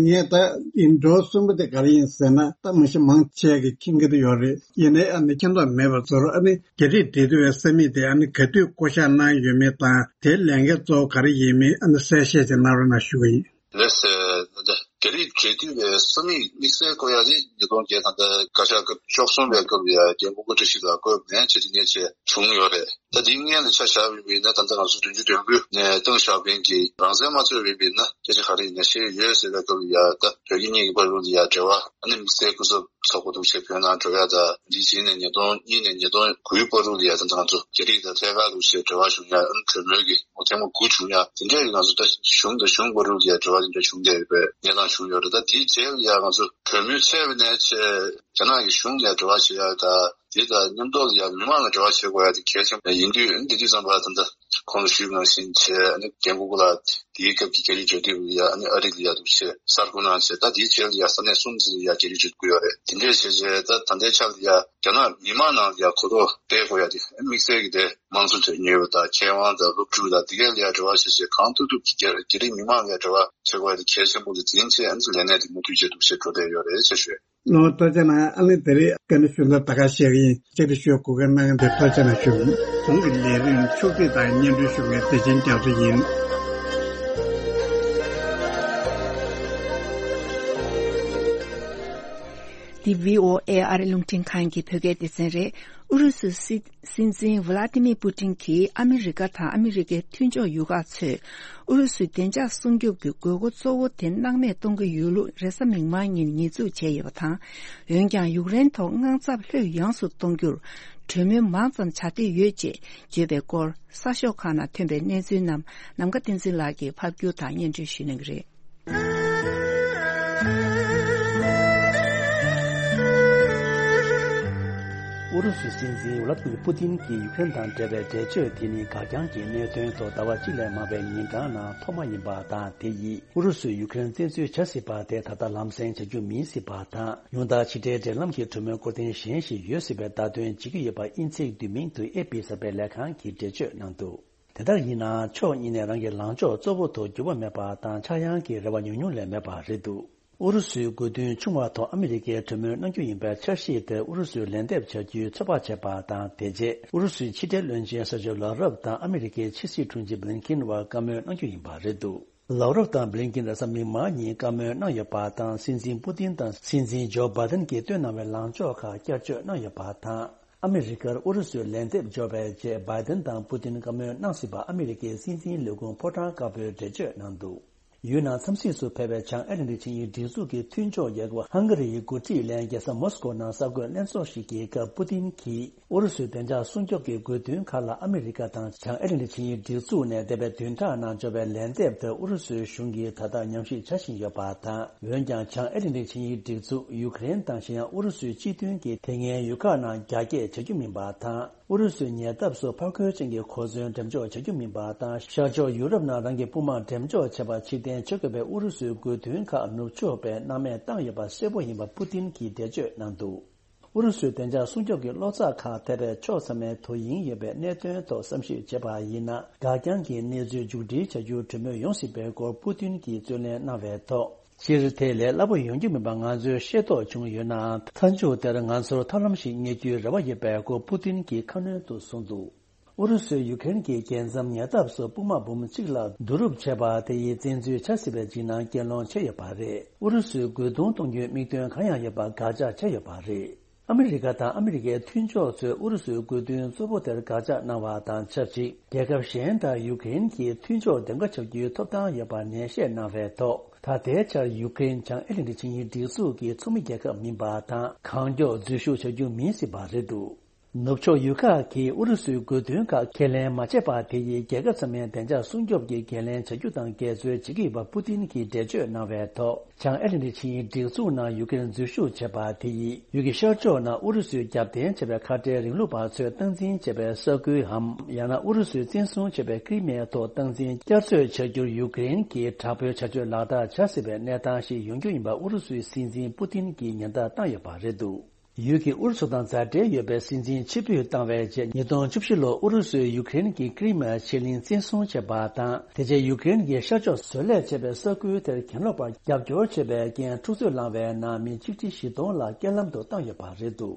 ངས་ད་ཡིན་འགྲོ་གསུམ་པ་དེ་ག་རེ་ཡིན་ཟེར་ན་ད་མི་ཤི་མང་ཆེ་གི་མཁྱེན་གྱི་ཡོད་རེད། ཡིན་ནའི་ཨ་ནི་མཁྱེན་རྟོགས་མེད་པ་ཚོར་ཨ་ནི་རྒྱ་རིགས་འབྲེལ་མཐུད་པའི་ས་མིག་དེ་ཨ་ནི་ག་དུས་བསྐོ་བཞག་གནང་ཡོད་མེད་དང་དེའི་ལས་འགན་གཙོ་བོ་ག་རེ་ཡིན་མིན་ཨ་ནི་གསལ་བཤད་ཅིག་གནང་རོགས་གནང་ཞུ་གི་ཡིན། ལགས་སོ། ད་ལྟ་རྒྱ་རིགས་འབྲེལ་མཐུད་པའི་ས་མིག་དམིགས་བསལ་བསྐོ་ཡག་དེ་ཉིས་སྟོང་བརྒྱད་ད་ལྟ་བཀའ་ཤག་སྐབས་བཅུ་གསུམ་པའི་སྐབས་ལ་ཡ་རྒན་གོང་མ་བཀྲ་ཤིས་ལགས་བསྐོས་ནས་བྱས་དེ་ནས་བྱས་བྱུང་ཡོད་རེད། ད་དེའི་སྔོན་ལ་ཆ་བཞག་པ་ཡིན་ན་ད་ལྟ་ང་ཚོ་བདུན་ཅུ་དོན་དགུ་ནས་ཏེང་ཞའོ་ཕིང་གིས་རང་བཙན་མ་རྩོད་པ་ཡིན་ན་སྐད་ཆ་ག་རེ་ཡིན་ན་བཤད་ཡོད་ཟེར་བའི་སྐབས་ལ་ཡ་ད་བོད་རྒྱ་གཉིས་ཀྱི་བར་དུ་ལ་ཡ་འབྲེལ་བ་ཨ་ནི་དམིགས་བསལ་སྐུ་ཚབ་ཚོགས་པ་འདུག་བྱས་བོད་ནང་འགྲོ་ཡ་ད་འདི་བྱས་ནས་ཉིས་སྟོང་གཉིས་ནས་ཉིས་སྟོང་དགུའི་བར་དུ་ལ་ཡ་ད་ལྟ་ང་ཚོ་རྒྱ་རིགས་དང་ཐད་ཀར་འདུག་བྱས་འབྲེལ་བ་བྱུང་ཡ་ཨ་ནི་གྲོས་མོལ་གྱི་ཐེངས་མ་དགུ་བྱུང་ཡ་དེ་འདྲ་ཡི་ང་ཚོ་ད་གཞུང་དང་གཞུང་བར་དུ་ལ་ཡ་འབྲེལ་བ་དེ་འདྲ་བྱུང་བསྡད་ཡོད་པའི་གནས་སྟངས་བྱུང་ཡོད་རེད། ད་དེའི་རྗེས་ལ་ཡ་ང་ཚོ་གྲོས་མོལ་ཚར་བ་ནས་བྱས་རྒྱ་ནག་གི་གཞུང་ལ་ཡ་འབྲེལ་བ་བྱེད་ཡ་ད། དེ་དང་མཉམ་དུ་ཡང་མི་མང་ལ་འབྲེལ་བ་བྱེད་དགོས་ཡ་དེ་གལ་ཆེན་པོ་ཡིན་དུས། འདི་དུས་ཙམ་པ་ད་ལྟ་གོང་ལ་ཞུས་པ་ནང་བཞིན་བྱས་ཨ་ནི་རྒན་གོང་མ་ལགས་དེའི་སྐབས་ཀྱི་རྒྱ་རིགས་འབྲེལ་མཐུད་ལ་ཡ་ཨ་ནི་ཨ་རི་ལ་ཡ་འདུག་བྱས་གསར་འགོད་གནང་བྱས། ད་དེའི་རྗེས་ལ་ཡ་ས་གནས་གསུམ་ཙམ་ལ་ཡ་རྒྱ་རིགས་འབྲེལ་མཐུད་ཡོད་རེད། དེ་འདྲས་བྱས་བྱས་ད་ད་ལྟའི་ཆར་ལ་ཡ་རྒྱ་ནག་མི་མང་ནང་ལ་ཡ་གོ་རྟོགས་སྤེལ་དགོས་ཡ་དེ་དམིགས་བསལ་གྱི་དེ་དམངས་གཙོ་དོན་གཉེར་བ་དང་མཁས་དབང་དང་སློབ་ཕྲུག་དང་དེ་གས་ལ་ཡ་འབྲེལ་བ་བྱས་བྱས་གང་ཐུབ་ཐུབ་ཀྱིས་རྒྱ་རྒྱ་རིགས་མི་མང་ལ་ཡ་འབྲེལ་བ་བྱེད་དགོས་ཡ་དེ་གལ་ཆེན་པོ་ལ་འཛིན་བྱས་ཨ་ནི་ལས་གནས་དེ་མུ་མཐུད་བྱས་འདུག་བྱས་འགྲོ་བསྡད་ཡོད་རེད་ཅེས་ཞུས། ལོ་ཐུགས་རྗེ་གནང་། ཨ་ནི་དེ་རིང་བཀའ་འདྲི་ཞུ་མཁན་ད་ག་ཤེད་ཀྱི་ཡིན། བཅར་འདྲི་ཞུ་དགོས་མཁན་གནང་མཁན་དེ་ཐུགས་རྗེ་གནང་ཞུ། གོང་གི་ལས་རིམ་ཕྱོགས་སྒྲིག་དང་སྙན་སྒྲོན་ཞུ་མཁན་བདེ་ཆེན་རྒྱ་མཚོ་ཡིན། འདི་བྷི་ཨོ་ཨེ་ཨ་རི་རླུང་འཕྲིན་ཁང་གི་བོད་སྐད་སྡེ་ཚན་རེད། ཨུ་རུ་སུའི་སྲིད་སྲིད་འཛིན་ཝ་ལ་ཏི་མིར་པུ་ཏིན་གྱིས་ཨ་མི་རི་ཀ་དང་ཨ་མི་རི་ཀའི་མཐུན་ཕྱོགས་ཡུལ་ཁག་ཚོས་ཨུ་རུ་སུའི་བདེ་འཇགས་སྲུང་སྐྱོབ་ཀྱི་དགོས་མཁོ་གཙོ་བོ་དེ་སྣང་མེད་གཏོང་གི་ཡོད་ལུགས་རེས་གཟའ་མིག་དམར་ཉིན་ཉེས་འཛུགས་བྱས་ཡོད་པ་དང་། འོན་ཀྱང་ཡུཀ་རེན་ཐོག་དངངས་འཚབ་ལྷོད་ཡངས་སུ་གཏོང་རྒྱུར་གྲོས་མོལ་མང་ཙམ་བྱ་འདོད་ཡོད་ཅེས་བརྗོད་པའི་སྐོར་གསར་ཤོག་ཁག་ནང་ཐོན་པའི་གནས་ཚུལ་རྣམས་ནམ་མཁའ་བསྟན་འཛིན་ལགས་ཀྱིས་ཕབ་སྒྱུར་དང་སྙན་སྒྲོན་ཞུ་གནང་གི་རེད། ཨུ་རུ་སུའི་སྲིད་འཛིན་ཝ་ལ་ཏི་མིར་པུ་ཏིན་གྱིས་ཡུཀ་རེན་དང་འབྲེལ་བའི་འགྲེལ་བརྗོད་དེ་ནི་འགག་རྐྱང་གི་གནད་དོན་ཐོག་ཟླ་བ་གཅིག་ལས་མང་བའི་ཉིན་གྲངས་ནང་ཐོག་མ་ཡིན་པ་དང་། དེ་ཡིས་ཨུ་རུ་སུས་ཡུཀ་རེན་བཙན་འཛུལ་བྱ་སྲིད་པ་དེ་ད་ལྟ་ལམ་སེང་བྱ་རྒྱུ་མིན་སྲིད་པ་དང་། ཉུང་མཐར་ཕྱི་འབྲེལ་འབྲེལ་ལམ་གྱི་གྲོས་མོལ་སྐོར་ཐེངས་གཞན་ཞིག་ཡོད་སྲིད་པའི་བརྡ་སྟོན་བྱེད་ཀྱི་ཡོད་པ་དབྱིན་ཚིག་བསྡུས་མིང་དུ་ཨེ་ཕི་གསར་པའི་ལས་ཁང་གིས་འགྲེལ་བརྗོད་གནང་འདུག་དེ་ལྟར་ཡིན་ནའང་ཕྱོགས་གཉིས་ནས་རང་གི་ལངས་ཕྱོགས་གཙོ་བོ་དུ་འགྱུར་བ་མེད་པ་དང་ཆག་ཡང་གི་རེ་བ་ཉུང་ཉུང་ལས་མེད་པ་རེད་འདུག་ཨུ་རུ་སུའི་དགོས་འདུན་ཆུང་བ་ཐོག་ཨ་མི་རི་ཀས་གྲོས་མོལ་གནང་རྒྱུ་ཡིན་པའི་འཆར་གཞི་དེར་ཨུ་རུ་སུས་ལན་འདེབས་བྱ་རྒྱུའི་ཚོད་དཔག་བྱས་པ་དང་། དེ་རྗེས་ཨུ་རུ་སུའི་ཕྱི་འབྲེལ་བློན་ཆེན་ས་ཆོ་ལོ་རབ་དང་ཨ་མི་རི་ཀའི་ཕྱི་སྲིད་དྲུང་ཆེ་བྷི་ལིན་ཀིན་བར་བཀའ་མོལ་གནང་རྒྱུ་ཡིན་པ་རེད་འདུག་ལའོ་རོབ་དང་བྷི་ལིན་ཀིན་རེས་གཟའ་མིག་དམར་ཉིན་བཀའ་མོལ་གནང་ཡོད་པ་དང་། སྲིད་འཛིན་པུ་ཏིན་དང་སྲིད་འཛིན་ཇོ་བྷའི་ཏིན་གྱིས་བཏོན་གནང་བའི་ལངས་ཕྱོགས་ཁག་བསྐྱར་བཅོས་གནང་ཡོད་པ་དང་། ཨ་མི་རི་ཀར་ཨུ་རུ་སུའི་ལན་འདེབས་འབྱོར་བའི་རྗེས་བྷའི་ཏིན་དང་པུ་ཏིན་བཀའ་མོལ་གནང་སྲིད་པ་ཨ་མི་རི་ཀའི་སྲིད་འཛིན་ལས་ཁུངས་ཕོ་བྲང་དཀར་པོས་འགྲེལ་བརྗོད་གནང་འདུག་ཡུལ་ནང་འཚམས་གཟིགས་སུ་ཕེབས་པའི་བྱང་ཨེ་ལན་ཌི་ཆིངས་ཡིག་སྒྲིག་འཛུགས་ཀྱི་མཐུན་ཕྱོགས་རྒྱལ་ཁབ་ཧང་ག་རིའི་འགོ་ཁྲིད་ལས་རྒྱལ་ས་མོ་སི་ཀོ་ནང་གསར་འགོད་ལྷན་ཚོགས་ཤིག་གི་སྐབས་པུ་ཏིན་གྱིས། ཨུ་རུ་སུའི་བདེ་འཇགས་སྲུང་སྐྱོབ་ཀྱི་དགོས་འདུན་ཁག་ལ་ཨ་མི་རི་ཀ་དང་བྱང་ཨེ་ལན་ཌི་ཆིངས་ཡིག་སྒྲིག་འཛུགས་ནས་འདས་པའི་བདུན་ཕྲག་ནང་འབྱོར་བའི་ལན་འདེབས་དེར་ཨུ་རུ་སུའི་གཞུང་གིས་ད་ལྟ་ཉམས་ཞིབ་བྱ་བཞིན་ཡོད་པ་དང་། འོན་ཀྱང་བྱང་ཨེ་ལན་ཌི་ཆིངས་ཡིག་སྒྲིག་འཛུགས་ཡུཀ་རེན་དང་གཞན་ཡང་ཨུ་རུ་སུའི་སྤྱི་མཐུན་གྱི་དེ་སྔའི་ཡུལ་ཁག་ནང་རྒྱ་སྐྱེད་བྱ་རྒྱུ་མིན་པ་དང་། ཨུ་རུ་སུའི་ཉེ་འདབས་སུ་ཕར་རྒོལ་ཅན་གྱི་གོ་མཚོན་འགྲེམས་འཇོག་བྱ་རྒྱུ་མིན་པ་དང་། ཤར་ཕྱོགས་ཡུ་རོབ་ནང་རང་གི་དཔུང་དམག་འགྲེམས་འཇོག་བྱེད་པར་ཕྱིར་འཐེན་བྱེད་དགོས་པའི་ཨུ་རུ་སུའི་དགོས་འདུན་ཁག་ནུབ་ཕྱོགས་པས་སྣང་མེད་བཏང་ཡོད་པ་གསལ་པོ་ཡིན་པ་པུ་ཏིན་གྱིས་འགྲེལ་བརྗོད་གནང་འདུག་ཨུ་རུ་སུའི་བདེ་འཇགས་སྲུང་སྐྱོབ་ཀྱི་བློ་རྩ་ཁག་ཐེ་བའི་ཕྱོགས་ཚང་མའི་དོ་དབྱིངས་ཡོད་པའི་གནད་དོན་ཐོག་བསམ་ཞིབ་བྱས་པ་ཡིན་ན། འགག་རྐྱང་གི་གནས་ཚུལ་མཇུག་སྒྲིལ་བྱ་རྒྱུར་གྲོས་མོལ་ཡོང་སྲིད་པའི་སྐོར་པུ་ཏིན་གྱིས་རྩོད་ལེན་གནང་བའི་ཐོག་སྤྱིར་དེ་ལས་སླ་པོ་ཡོང་རྒྱུ་མིན་པ་ང་ཚོས་ཤེས་རྟོགས་བྱུང་ཡོད་ནའང་། མཐའ་མཇུག་དེར་ང་ཚོར་ཐབས་ལམ་ཞིག་རྙེད་རྒྱུའི་རེ་བ་ཡོད་པའི་སྐོར་པུ་ཏིན་གྱིས་ཁ་སྣོན་དུ་གསུངས་འདུག་ཨུ་རུ་སུས་ཡུ་ཀེ་རེན་གྱི་རྒྱལ་མཚམས་ཉེ་འདབས་སུ་དཔུང་དམག་འབུམ་གཅིག་ལ་བསྡུ་རུབ་བྱས་པ་དེ་ཡིས་བཙན་འཛུལ་བྱ་སྲིད་པའི་འཇིགས་སྣང་སྐྱེ་སློང་བྱས་ཡོད་པ་རེད། ཨུ་རུ་སུས་རྒོལ་རྡུང་གཏོང་རྒྱུའི་དམིགས་དོན་གང་ཡང་ཡོད་པ་དགག་བྱ་བྱས་ཡོད་པ་རེད། ཨ་མི་རི་ཀ་དང་ཨ་མི་རི་ཀའི་མཐུན་ཕྱོགས་ཚོས་ཨུ་རུ་སུའི་རྒོལ་རྡུང་གཙོ་བོ་དེར་དགག་བྱ་གནང་བ་དང་ཆབས་ཅིག་རྒྱལ་ཁབ་གཞན་དང་ཡུ་ཀེ་རེན་གྱི་མཐུན་ཕྱོགས་འདེམས་ཀ་བྱ་རྒྱུའི་ཐོབ་ཐང་ཡོད་པ་ནན་བཤད་གནང་བའི་ཐོག་ད་ལྟའི་ཆར་ཡུ་ཀེ་རེན་བྱང་ཨེ་ལན་ཏི་ཆིངས་ཡིག་སྒྲིག་འཛུགས་ཀྱི་ཚོགས་མི་རྒྱལ་ཁབ་མིན་པ་དང་། གང་མགྱོགས་འཛུལ་ཞུགས་བྱ་རྒྱུ་མིན་སྲིད་པ་རེད་འདུག་ནུབ་ཕྱོགས་ཡུལ་ཁག་གིས་ཨུ་རུ་སུའི་རྒོལ་རྡུང་ཁག་ཁས་ལེན་མ་བྱས་པ་དེ་ཡིས་རྒྱལ་ཁབ་ཚང་མའི་བདེ་འཇགས་སྲུང་སྐྱོབ་ཀྱི་འགན་ལེན་བྱ་རྒྱུ་དང་འགལ་འཛོལ་བྱེད་ཀྱི་ཡོད་པ་པུ་ཏིན་གྱིས་འགྲེལ་བརྗོད་གནང་བའི་ཐོག་བྱང་ཨེ་ལན་ཏི་ཆིངས་ཡིག་སྒྲིག་འཛུགས་ནང་ཡུ་ཀེ་རེན་འཛུལ་ཞུགས་བྱས་པ་དེ་ཡིས་ཡུལ་གྱི་ཤར་ཕྱོགས་ནང་ཨུ་རུ་སུས་རྒྱབ་རྟེན་བྱས་པའི་ཁ་བྲལ་རིང་ལུགས་པ་ཚོས་སྟངས་འཛིན་བྱས་པའི་ས་ཁུལ་འམ། ཡང་ན་ཨུ་རུ་སུས་བཙན་བཟུང་བྱས་པའི་ཀི་རི་མའི་ཐོག་སྟངས་འཛིན་བསྐྱར་གསོ་བྱ་རྒྱུར་ཡུ་ཀེ་རེན་གྱིས་དྲག་པོའི་བྱ་སྤྱོད་ལག་བསྟར་བྱ་སྲིད་པའི་གནས་སྟངས་ཤིག་ཡོང་རྒྱུ་ཡིན་པ་ཨུ་རུ་སུའི་སྲིད་འཛིན་པུ་ཏིན་གྱིས་ཉེན་བརྡ་བཏང་ཡོད་པ་རེད་འདུག་ཡུལ་གྱི་ཨུ་རུ་སུ་དང་མཛའ་འབྲེལ་ཡོད་པའི་སྲིད་འཛིན་ཕྱིར་འབུད་བཏང་བའི་རྗེས། ཉིས་སྟོང་བཅུ་བཞི་ལོར་ཨུ་རུ་སུས་ཡུ་ཀེ་རེན་གྱི་ཀི་རི་མ་ཆེ་གླིང་བཙན་བཟུང་བྱས་པ་དང་། དེ་རྗེས་ཡུ་ཀེ་རེན་གྱི་ཤར་ཕྱོགས་བཟོ་ལས་བྱེད་པའི་ས་ཁུལ་དེར་གྱེན་ལོག་པར་རྒྱབ་སྐྱོར་བྱས་པའི་རྐྱེན། འཁྲུག་རྩོད་ལངས་པའི་ནང་མི་ཆིག་ཁྲི་བཞི་སྟོང་ལ་རྐྱེན་ལམ་དུ་བཏང་ཡོད་པ་རེད་འདུག་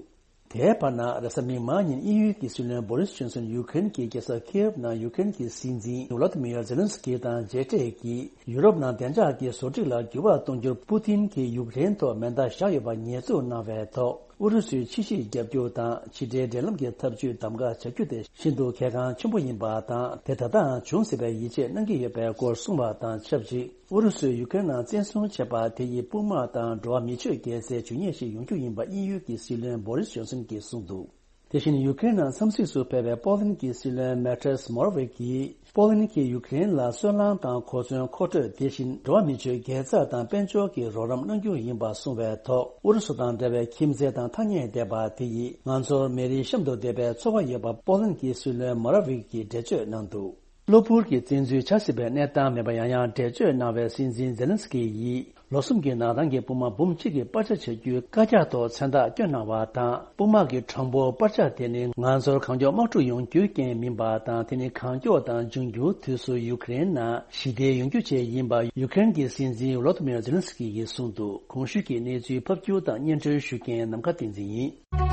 དེའི་བར་ན། རེས་གཟའ་མིག་དམར་ཉིན་དབྱིན་ཡུལ་གྱི་སྲིད་བློན་བོ་རིས་ཇོན་སོན་ཡུ་ཀེ་རེན་གྱི་རྒྱལ་ས་ཁིའེབ་ནང་ཡུ་ཀེ་རེན་གྱི་སྲིད་འཛིན་ཝོ་ལོ་ཏི་མིར་ཛེ་ལན་སི་ཀི་དང་མཇལ་འཕྲད་ཀྱིས། ཡུ་རོབ་ནང་བདེ་འཇགས་ཀྱི་བཟོ་སྒྲིག་ལ་འགྱུར་བ་གཏོང་རྒྱུར་པུ་ཏིན་གྱིས་ཡུཀ་རེན་ཐོག་མེ་མདའ་བཞག་ཡོད་པ་ཉེས་འཛུགས་གནང་བའི་ཐོག་ཨུ་རུ་སུའི་ཕྱི་སྲིད་རྒྱབ་སྐྱོར་དང་ཕྱི་འབྲེལ་འབྲེལ་ལམ་གྱི་འཐབ་ཇུས་གདམ་ག་བྱ་རྒྱུ་དེ་ཤིན་ཏུ་གལ་འགངས་ཆེན་པོ་ཡིན་པ་དང་། དེ་ད་ལྟའང་འབྱུང་སྲིད་པའི་ཡིད་ཆེས་གནང་གི་ཡོད་པའི་སྐོར་གསུངས་པ་དང་ཆབས་ཅིག་ཨུ་རུ་སུས་ཡུཀ་རེན་ནང་བཙན་བཟུང་བྱས་པ་དེ་ཡིས་དཔུང་དམག་དང་འགྲོ་བ་མིའི་ཆོས་རྒྱལ་སའི་ཇུས་ཉེས་ཤིག་ཡོང་རྒྱུ་ཡིན་པ་དབྱིན་ཡུལ་གྱི་སྲིད་བློན་བོ་རིས་ཇོན་སོན་གྱིས་གསུངས་འདུག་དེ་བཞིན་ཡུ་ཀེ་རེན་ནང་འཚམས་གཟིགས་སུ་ཕེབས་པའི་པོ་ལན་གྱི་སྲིད་བློན་མེ་ཏྲེས་མོ་ར་ཝེ་ཀྱིས། པོ་ལན་གྱིས་ཡུ་ཀེ་རེན་ལ་སོལ་རླངས་དང་གོ་མཚོན་མཁོ་སྤྲོད། དེ་བཞིན་འགྲོ་བ་མིའི་ཆོས་རྒྱལ་ཚབ་དང་དཔལ་འབྱོར་གྱི་རོགས་རམ་གནང་རྒྱུ་ཡིན་པ་གསུངས་པའི་ཐོག་ཨུ་རུ་སུ་དང་འབྲེལ་བའི་ཁྱིམ་མཚེས་དང་ཐག་ཉེ་བསྡད་པ་དེ་ཡིས་ང་ཚོར་མི་རིགས་གཤམ་དུ་བསྡད་པའི་ཚོར་བ་ཡོད་པ་པོ་ལན་གྱི་སྲིད་བློན་མོ་ར་ཝེ་ཀྱིས་འགྲེལ་བརྗོད་གནང་འདུག་གློ་བུར་གྱི་བཙན་འཛུལ་བྱ་སྲིད་པའི་གནས་སྟངས་མེད་པ་ཡང་ཡང་འགྲེལ་བརྗོད་གནང་བའི་སྲིད་འཛིན་ཛེ་ལན་སི་ཀི་ཡིས། ལོ་གསུམ་གྱི་ནང་ཐང་གི་དཔུང་དམག་འབུམ་གཅིག་གི་སྤར་ཆ་བྱ་རྒྱུའི་བཀའ་རྒྱ་ཐོག་མཚན་རྟགས་བསྐྱོན་གནང་བ་དང་། དཔུང་དམག་གི་གྲངས་འབོར་སྤར་ཆ་དེ་ནི་ང་ཚོར་གང་མགྱོགས་དམག་འཁྲུག་ཡོང་རྒྱུའི་རྐྱེན་མིན་པ་དང་། དེ་ནི་གང་མགྱོགས་དང་འབྱུང་འགྱུར་དུས་སུ་ཡུཀ་རེན་ནང་ཞི་བདེ་ཡོང་རྒྱུ་བཅས་ཡིན་པ་ཡུཀ་རེན་གྱི་སྲིད་འཛིན་ཝོ་ལོ་ཏི་མིར་ཛེ་ལན་སི་ཀི་ཡིས་གསུངས་འདུག་གོང་ཞུས་ཀྱི་གནས་ཚུལ་ཕབ་སྒྱུར་དང་སྙན་སྒྲོན་ཞུ་མཁན་ནམ་མཁའ་བསྟན་འཛིན་ཡིན།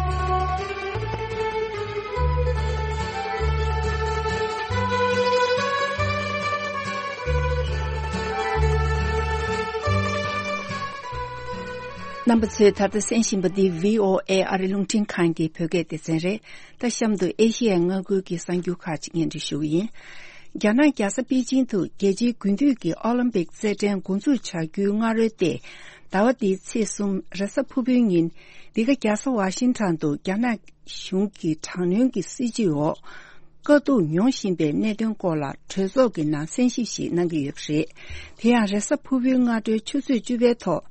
རྣམ་པ་ཚོས་ད་ལྟ་གསན་བཞིན་པ་འདི་བྷི་ཨོ་ཨེ་ཨ་རི་རླུང་འཕྲིན་ཁང་གི་བོད་སྐད་སྡེ་ཚན་རེད། ད་གཤམ་དུ་ཨེ་ཤི་ཡའི་མངའ་ཁུལ་གྱི་གསར་འགྱུར་ཁག་ཅིག་སྙན་སྒྲོན་ཞུ་གི་ཡིན། རྒྱ་ནག་རྒྱལ་ས་པེ་ཅིང་དུ་རྒྱལ་སྤྱིའི་དགུན་དུས་ཀྱི་ཨོ་ལིམ་པིག་རྩེད་འགྲན་འགོ་འཛུགས་བྱ་རྒྱུའི་སྔ་རོལ་ཏེ། ཟླ་བ་འདིའི་ཚེས་གསུམ་རེས་གཟའ་ཕུར་བུའི་ཉིན། འདི་ག་རྒྱལ་ས་ཝ་ཤིང་ཊོན་དུ་རྒྱ་ནག་གཞུང་གི་དྲག་གནོན་གྱི་སྲིད་བྱུས་འོག་དཀའ་སྡུག་མྱོང་བཞིན་པའི་གནད་དོན་སྐོར་ལ་གྲོས་ཚོགས་ཀྱི་ནང་གསན་ཞིབ་ཞིག་གནང་གི་ཡོད་པ་རེད། དེ་ཡང་རེས་གཟའ་ཕུར་བུའི་སྔ་དྲོའི་ཆུ་ཚོད་བཅུ་པའི་ཐོག་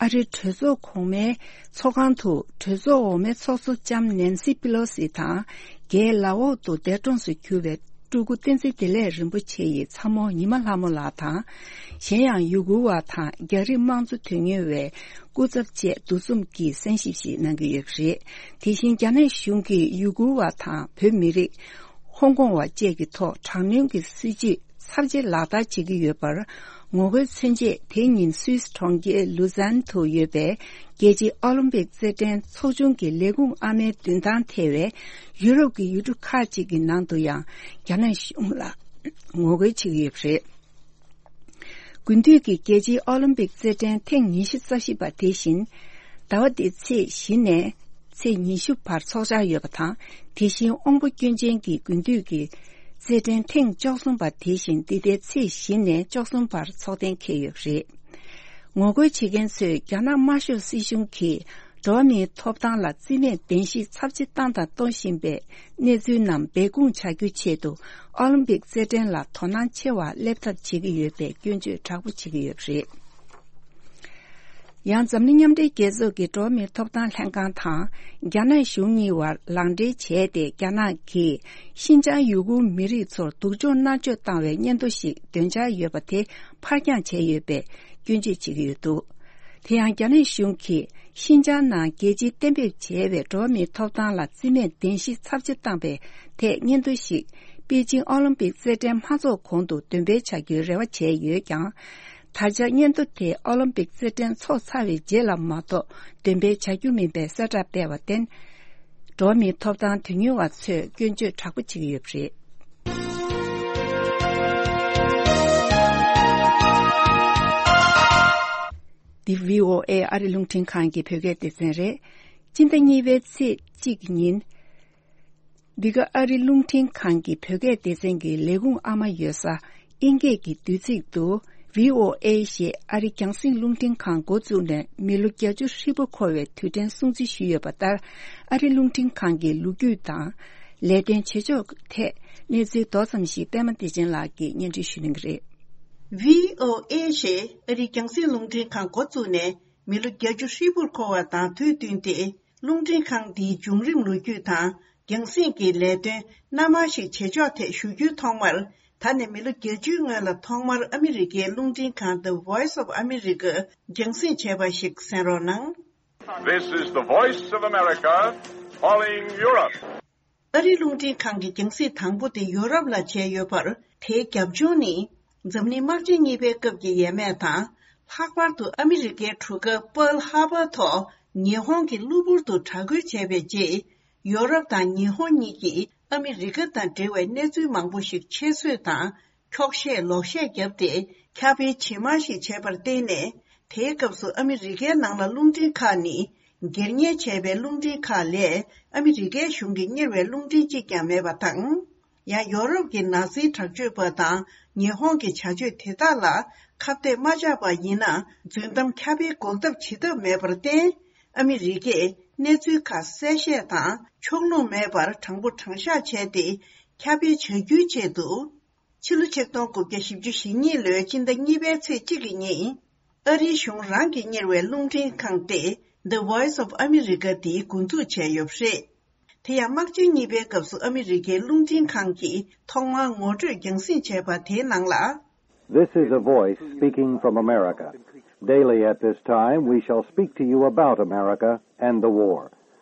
ཨ་རིའི་གྲོས་ཚོགས་གོང་མའི་ཚོགས་ཁང་དུ་གྲོས་ཚོགས་འོག་མའི་ཚོགས་གཙོ་ལྕམ་ནེན་སི་པི་ལོ་སི་དང་། རྒྱའི་ལའོ་ཏུ་འདས་གྲོངས་སུ་གྱུར་བའི་སྤྲུལ་སྐུ་བསྟན་འཛིན་བདེ་ལེགས་རིན་པོ་ཆེ་ཡི་ཚ་མོ་ཉི་མ་ལྷ་མོ་ལགས་དང་། གཞན་ཡང་ཡུ་གུར་བ་དང་རྒྱ་རིགས་དམངས་གཙོ་དོན་གཉེར་བའི་སྐུ་ཚབ་བཅས་འདུ་འཛོམས་ཀྱིས་གསན་ཞིབ་ཞིག་གནང་གི་ཡོད་པ་རེད། དེ་བཞིན་རྒྱ་ནག་གཞུང་གིས་ཡུ་གུར་བ་དང་བོད་མི་རིགས། ཧོང་ཀོང་བ་བཅས་ཀྱི་ཐོག་དྲག་གནོན་གྱི་སྲིད་བྱུས་ཚབས་ཆེ་ལག་བསྟར་བྱེད་ཀྱི་ཡོད་པར་ངོ་རྒོལ་མཚོན་ཆེད། དེ་ཉིན་སུད་སི་གྲོང་ཁྱེར་ལུ་ཛན་དུ་ཡོད་པའི་རྒྱལ་སྤྱིའི་ཨོ་ལིམ་པིག་རྩེད་འགྲན་ཚོགས་ཆུང་གི་ལས་ཁུངས་ཨ་མའི་མདུན་ཐང་ཐེ་བའི་ཡུ་རོབ་ཀྱི་ཡུལ་གྲུ་ཁག་ཅིག་གི་ནང་དུ་ཡང་རྒྱ་ནག་གཞུང་ལ་ངོ་རྒོལ་བྱེད་ཀྱི་ཡོད་པ་རེད། དགུན་དུས་ཀྱི་རྒྱལ་སྤྱིའི་ཨོ་ལིམ་པིག་རྩེད་འགྲན་ཐེངས་ཉི་ཤུ་རྩ་བཞི་པ་དེ་བཞིན། ཟླ་བ་འདིའི་ཚེས་བཞི་ནས་ཚེས་ཉི་ཤུ་བར་འཚོགས་འཆར་ཡོད་པ་དང་། དེ་བཞིན་དབང་པོ་སྐྱོན་ཅན་གྱི་དགུན་དུས་ཀྱི་རྩེད་འགྲན་ཐེངས་བཅུ་གསུམ་པ་དེ་བཞིན་འདི་ཟླའི་ཚེས་བཞི་ནས་བཅུ་གསུམ་བར་འཚོགས་གཏན་འཁེལ་ཡོད་པ་རེད། ངོ་རྒོལ་བྱེད་མཁན་ཚོས་རྒྱ་ནག་དམར་ཤོག་སྲིད་གཞུང་གིས་འགྲོ་བ་མིའི་ཐོབ་ཐང་ལ་བརྩི་མེད་གདན་ཞུ་ཚབས་ཆེ་བཏང་དང་གཏོང་བཞིན་པའི་གནས་ཚུལ་རྣམས་སྦས་སྐུང་བྱ་རྒྱུའི་ཆེད་དུ་ཨོ་ལིམ་པིག་རྩེད་འགྲན་ལ་དོ་སྣང་ཆེ་བ་སླེབས་ཐབས་བྱེད་ཀྱི་ཡོད་པའི་སྐྱོན་བརྗོད་དྲག་པོ་བྱེད་ཀྱི་ཡོད་པ་རེད། ཡང་འཛམ་གླིང་མཉམ་འབྲེལ་རྒྱལ་ཚོགས་ཀྱི་འགྲོ་བ་མིའི་ཐོབ་ཐང་ལྷན་ཁང་དང་རྒྱ་ནག་གཞུང་གཉིས་བར་ལག་འབྲེལ་བྱས་ཏེ། རྒྱ་ནག་གིས་ཤིན་ཅང་ཡུ་གུར་མི་རིགས་ཚོར་སྡུག་སྦྱོང་མནར་གཅོད་བཏང་བའི་སྙན་ཐོ་ཞིག་འདོན་འཆར་ཡོད་པ་དེ་ཕར་འགྱངས་བྱས་ཡོད་པའི་སྐྱོན་བརྗོད་བྱེད་ཀྱི་ཡོད་འདུག་དེ་ཡང་རྒྱ་ནག་གཞུང་གིས་ཤིན་ཅང་ནང་རྒྱལ་སྤྱིའི་གཏན་འབེབས་བྱས་པའི་འགྲོ་བ་མིའི་ཐོབ་ཐང་ལ་བརྩི་མེད་གདན་ཞུ་ཚབས་ཆེ་བཏང་པའི་ཐད་སྙན་ཐོ་ཞིག་པེ་ཅིང་ཨོ་ལིམ་པིག་རྩེད་འགྲན་མ་འཚོགས་གོང་དུ་འདོན་སྤེལ་བྱ་རྒྱུའི་རེ་བ་བྱས་ཡོད་ཀྱང་། ད་ཆ་སྙན་ཐོ་དེ་ཨོ་ལིམ་པིག་རྩེད་འགྲན་འཚོགས་ཚར་བའི་རྗེས་ལ་མ་གཏོགས་འདོན་སྤེལ་བྱ་རྒྱུ་མིན་པའི་གསལ་བསྒྲགས་སྤེལ་བར་བརྟེན། འགྲོ་བ་མིའི་ཐོབ་ཐང་དོན་གཉེར་བ་ཚོས་སྐྱོན་བརྗོད་དྲག་པོ་བྱེད་ཀྱི་ཡོད་པ་རེད། འདི་བྷི་ཨོ་ཨེ་ཨ་རི་རླུང་འཕྲིན་ཁང་གི་བོད་སྐད་སྡེ་ཚན་རེད། སྤྱི་ཟླ་གཉིས་པའི་ཚེས་གཅིག་གི་ཉིན། འདི་ག་ཨ་རི་རླུང་འཕྲིན་ཁང་གི་བོད་སྐད་སྡེ་ཚན་གྱི་ལས་ཁུངས་ཨ་མ་ཡོད་ས་དབྱིན་སྐད་ཀྱི་བསྡུས་ཚིག་ཏུ་བྷི་ཨོ་ཨེ་ཞེས་ཨ་རི་རྒྱང་སྲིང་རླུང་འཕྲིན་ཁང་འགོ་བཙུགས་ནས་མི་ལོ་བརྒྱད་ཅུ་ཧྲིལ་པོ་འཁོར་བའི་དུས་དྲན་སྲུང་བརྩི་ཞུས་ཡོད་པ་ལྟར། ཨ་རི་རླུང་འཕྲིན་ཁང་གི་ལོ་རྒྱུས་དང་ལས་དོན་བྱེད་ཕྱོགས་ཐད་གནས་ཚུལ་མདོ་ཙམ་ཞིག་པད་མ་བདེ་ཆེན་ལགས་ཀྱིས་སྙན་སྒྲོན་ཞུ་གནང་གི་རེད། བྷི་ཨོ་ཨེ་ཞེས་ཨ་རི་རྒྱང་སྲིང་རླུང་འཕྲིན་ཁང་འགོ་བཙུགས་ནས་མི་ལོ་བརྒྱད་ཅུ་ཧྲིལ་པོར་འཁོར་བ་དང་དུས་བསྟུན་ཏེ། རླུང་འཕྲིན་ཁང་འདིའི་བྱུང་རིམ་ལོ་རྒྱུས་དང་རྒྱང་སྲིང་གི་ལས་དོན་སྣ་མང་ཞིག་བྱེད་ཕྱོགས་ཐད་ཞུ་རྒྱུའི་ཐོག་མར། ད་ནས་མི་ལོ་བརྒྱད་ཅུའི་སྔོན་ལ་ཐོག་མར་ཨ་མི་རི་ཀའི་རླུང་འཕྲིན་ཁང་The Voice of America རྒྱང་སྲིང་བྱས་པ་ཞིག་གསན་རོགས་གནང་། This is the Voice of America calling Europe. ཨ་རིའི་རླུང་འཕྲིན་ཁང་གི་རྒྱང་སྲིང་དང་པོ་དེ་ཡོ་རོབ་ལ་བྱས་ཡོད་པར། དེའི་རྒྱབ་ལྗོངས་ནི། འཛམ་གླིང་དམག་ཆེན་གཉིས་པའི་སྐབས་ཀྱི་ཡས་མས་དང་། ལྷག་པར་དུ་ཨ་མི་རི་ཀའི་གྲུ་ཁ་Pearl Harbor ཐོག་ཉི་ཧོང་གི་གློ་བུར་དུ་དྲག་རྒོལ་བྱས་པའི་རྗེས། ཡོ་རོབ་དང་ཉི་ཧོང་གཉིས་ཀྱིས་ཨ་མི་རི་ཀ་དང་འབྲེལ་བའི་གནས་ཚུལ་མང་པོ་ཞིག་ཆེད་བཟོས་དང་། འཁྱོག་བཤད་ལོག་བཤད་བརྒྱབ་སྟེ། ཁྱབ་སྤེལ་ཇེ་མང་ཞིག་བྱས་པར་བརྟེན་ནས། དེའི་སྐབས་སུ་ཨ་མི་རི་ཀའི་ནང་ལ་རླུང་འཕྲིན་ཁག་ནི། སྒེར་གཉེར་བྱས་པའི་རླུང་འཕྲིན་ཁག་ལས་ཨ་མི་རི་ཀའི་གཞུང་གིས་གཉེར་བའི་རླུང་འཕྲིན་གཅིག་ཀྱང་མེད་པ་དང་། ཡང་ཡོ་རོབ་ཀྱི་ནཱ་ཛིའི་དྲག་སྤྱོད་པ་དང་ཉི་ཧོང་གི་བྱ་སྤྱོད་དེ་དག་ལ་ཁ་གཏད་མ་བཅག་པ་ཡིན་ན། རྫུན་གཏམ་ཁྱབ་སྤེལ་འགོག་ཐབས་བྱེད་ཐབས་མེད་པར་བརྟེན། ཨ་མི་རི་ཀས་གནས་ཚུལ་ཁག་གསལ་བཤད་དང་ཕྱོགས་ལྷུང་མེད་པར་དྲང་པོ་དྲང་བཞག་བྱས་ཏེ། ཁྱབ་སྤེལ་བྱ་རྒྱུའི་ཆེད་དུ། ཕྱི་ལོ་ཆིག་སྟོང་དགུ་བརྒྱ་བཞི་བཅུ་ཞེ་གཉིས་ལོའི་སྤྱི་ཟླ་གཉིས་པའི་ཚེས་གཅིག་གི་ཉིན། ཨ་རིའི་གཞུང་རང་གིས་གཉེར་བའི་རླུང་འཕྲིན་ཁང་སྟེ། The Voice of America དེའི་འགོ་འཛུགས་བྱས་ཡོད་པ་རེད། དེ་ཡང་དམག་ཆེན་གཉིས་པའི་སྐབས་སུ་ཨ་མི་རི་ཀའི་རླུང་འཕྲིན་ཁང་གིས་ཐོག་མར་ངོ་སྤྲོད་རྒྱང་སྲིང་བྱས་པ་དེའི་ནང་ལ། This is a voice speaking from America. Daily at this time, we shall speak to you about America and the war.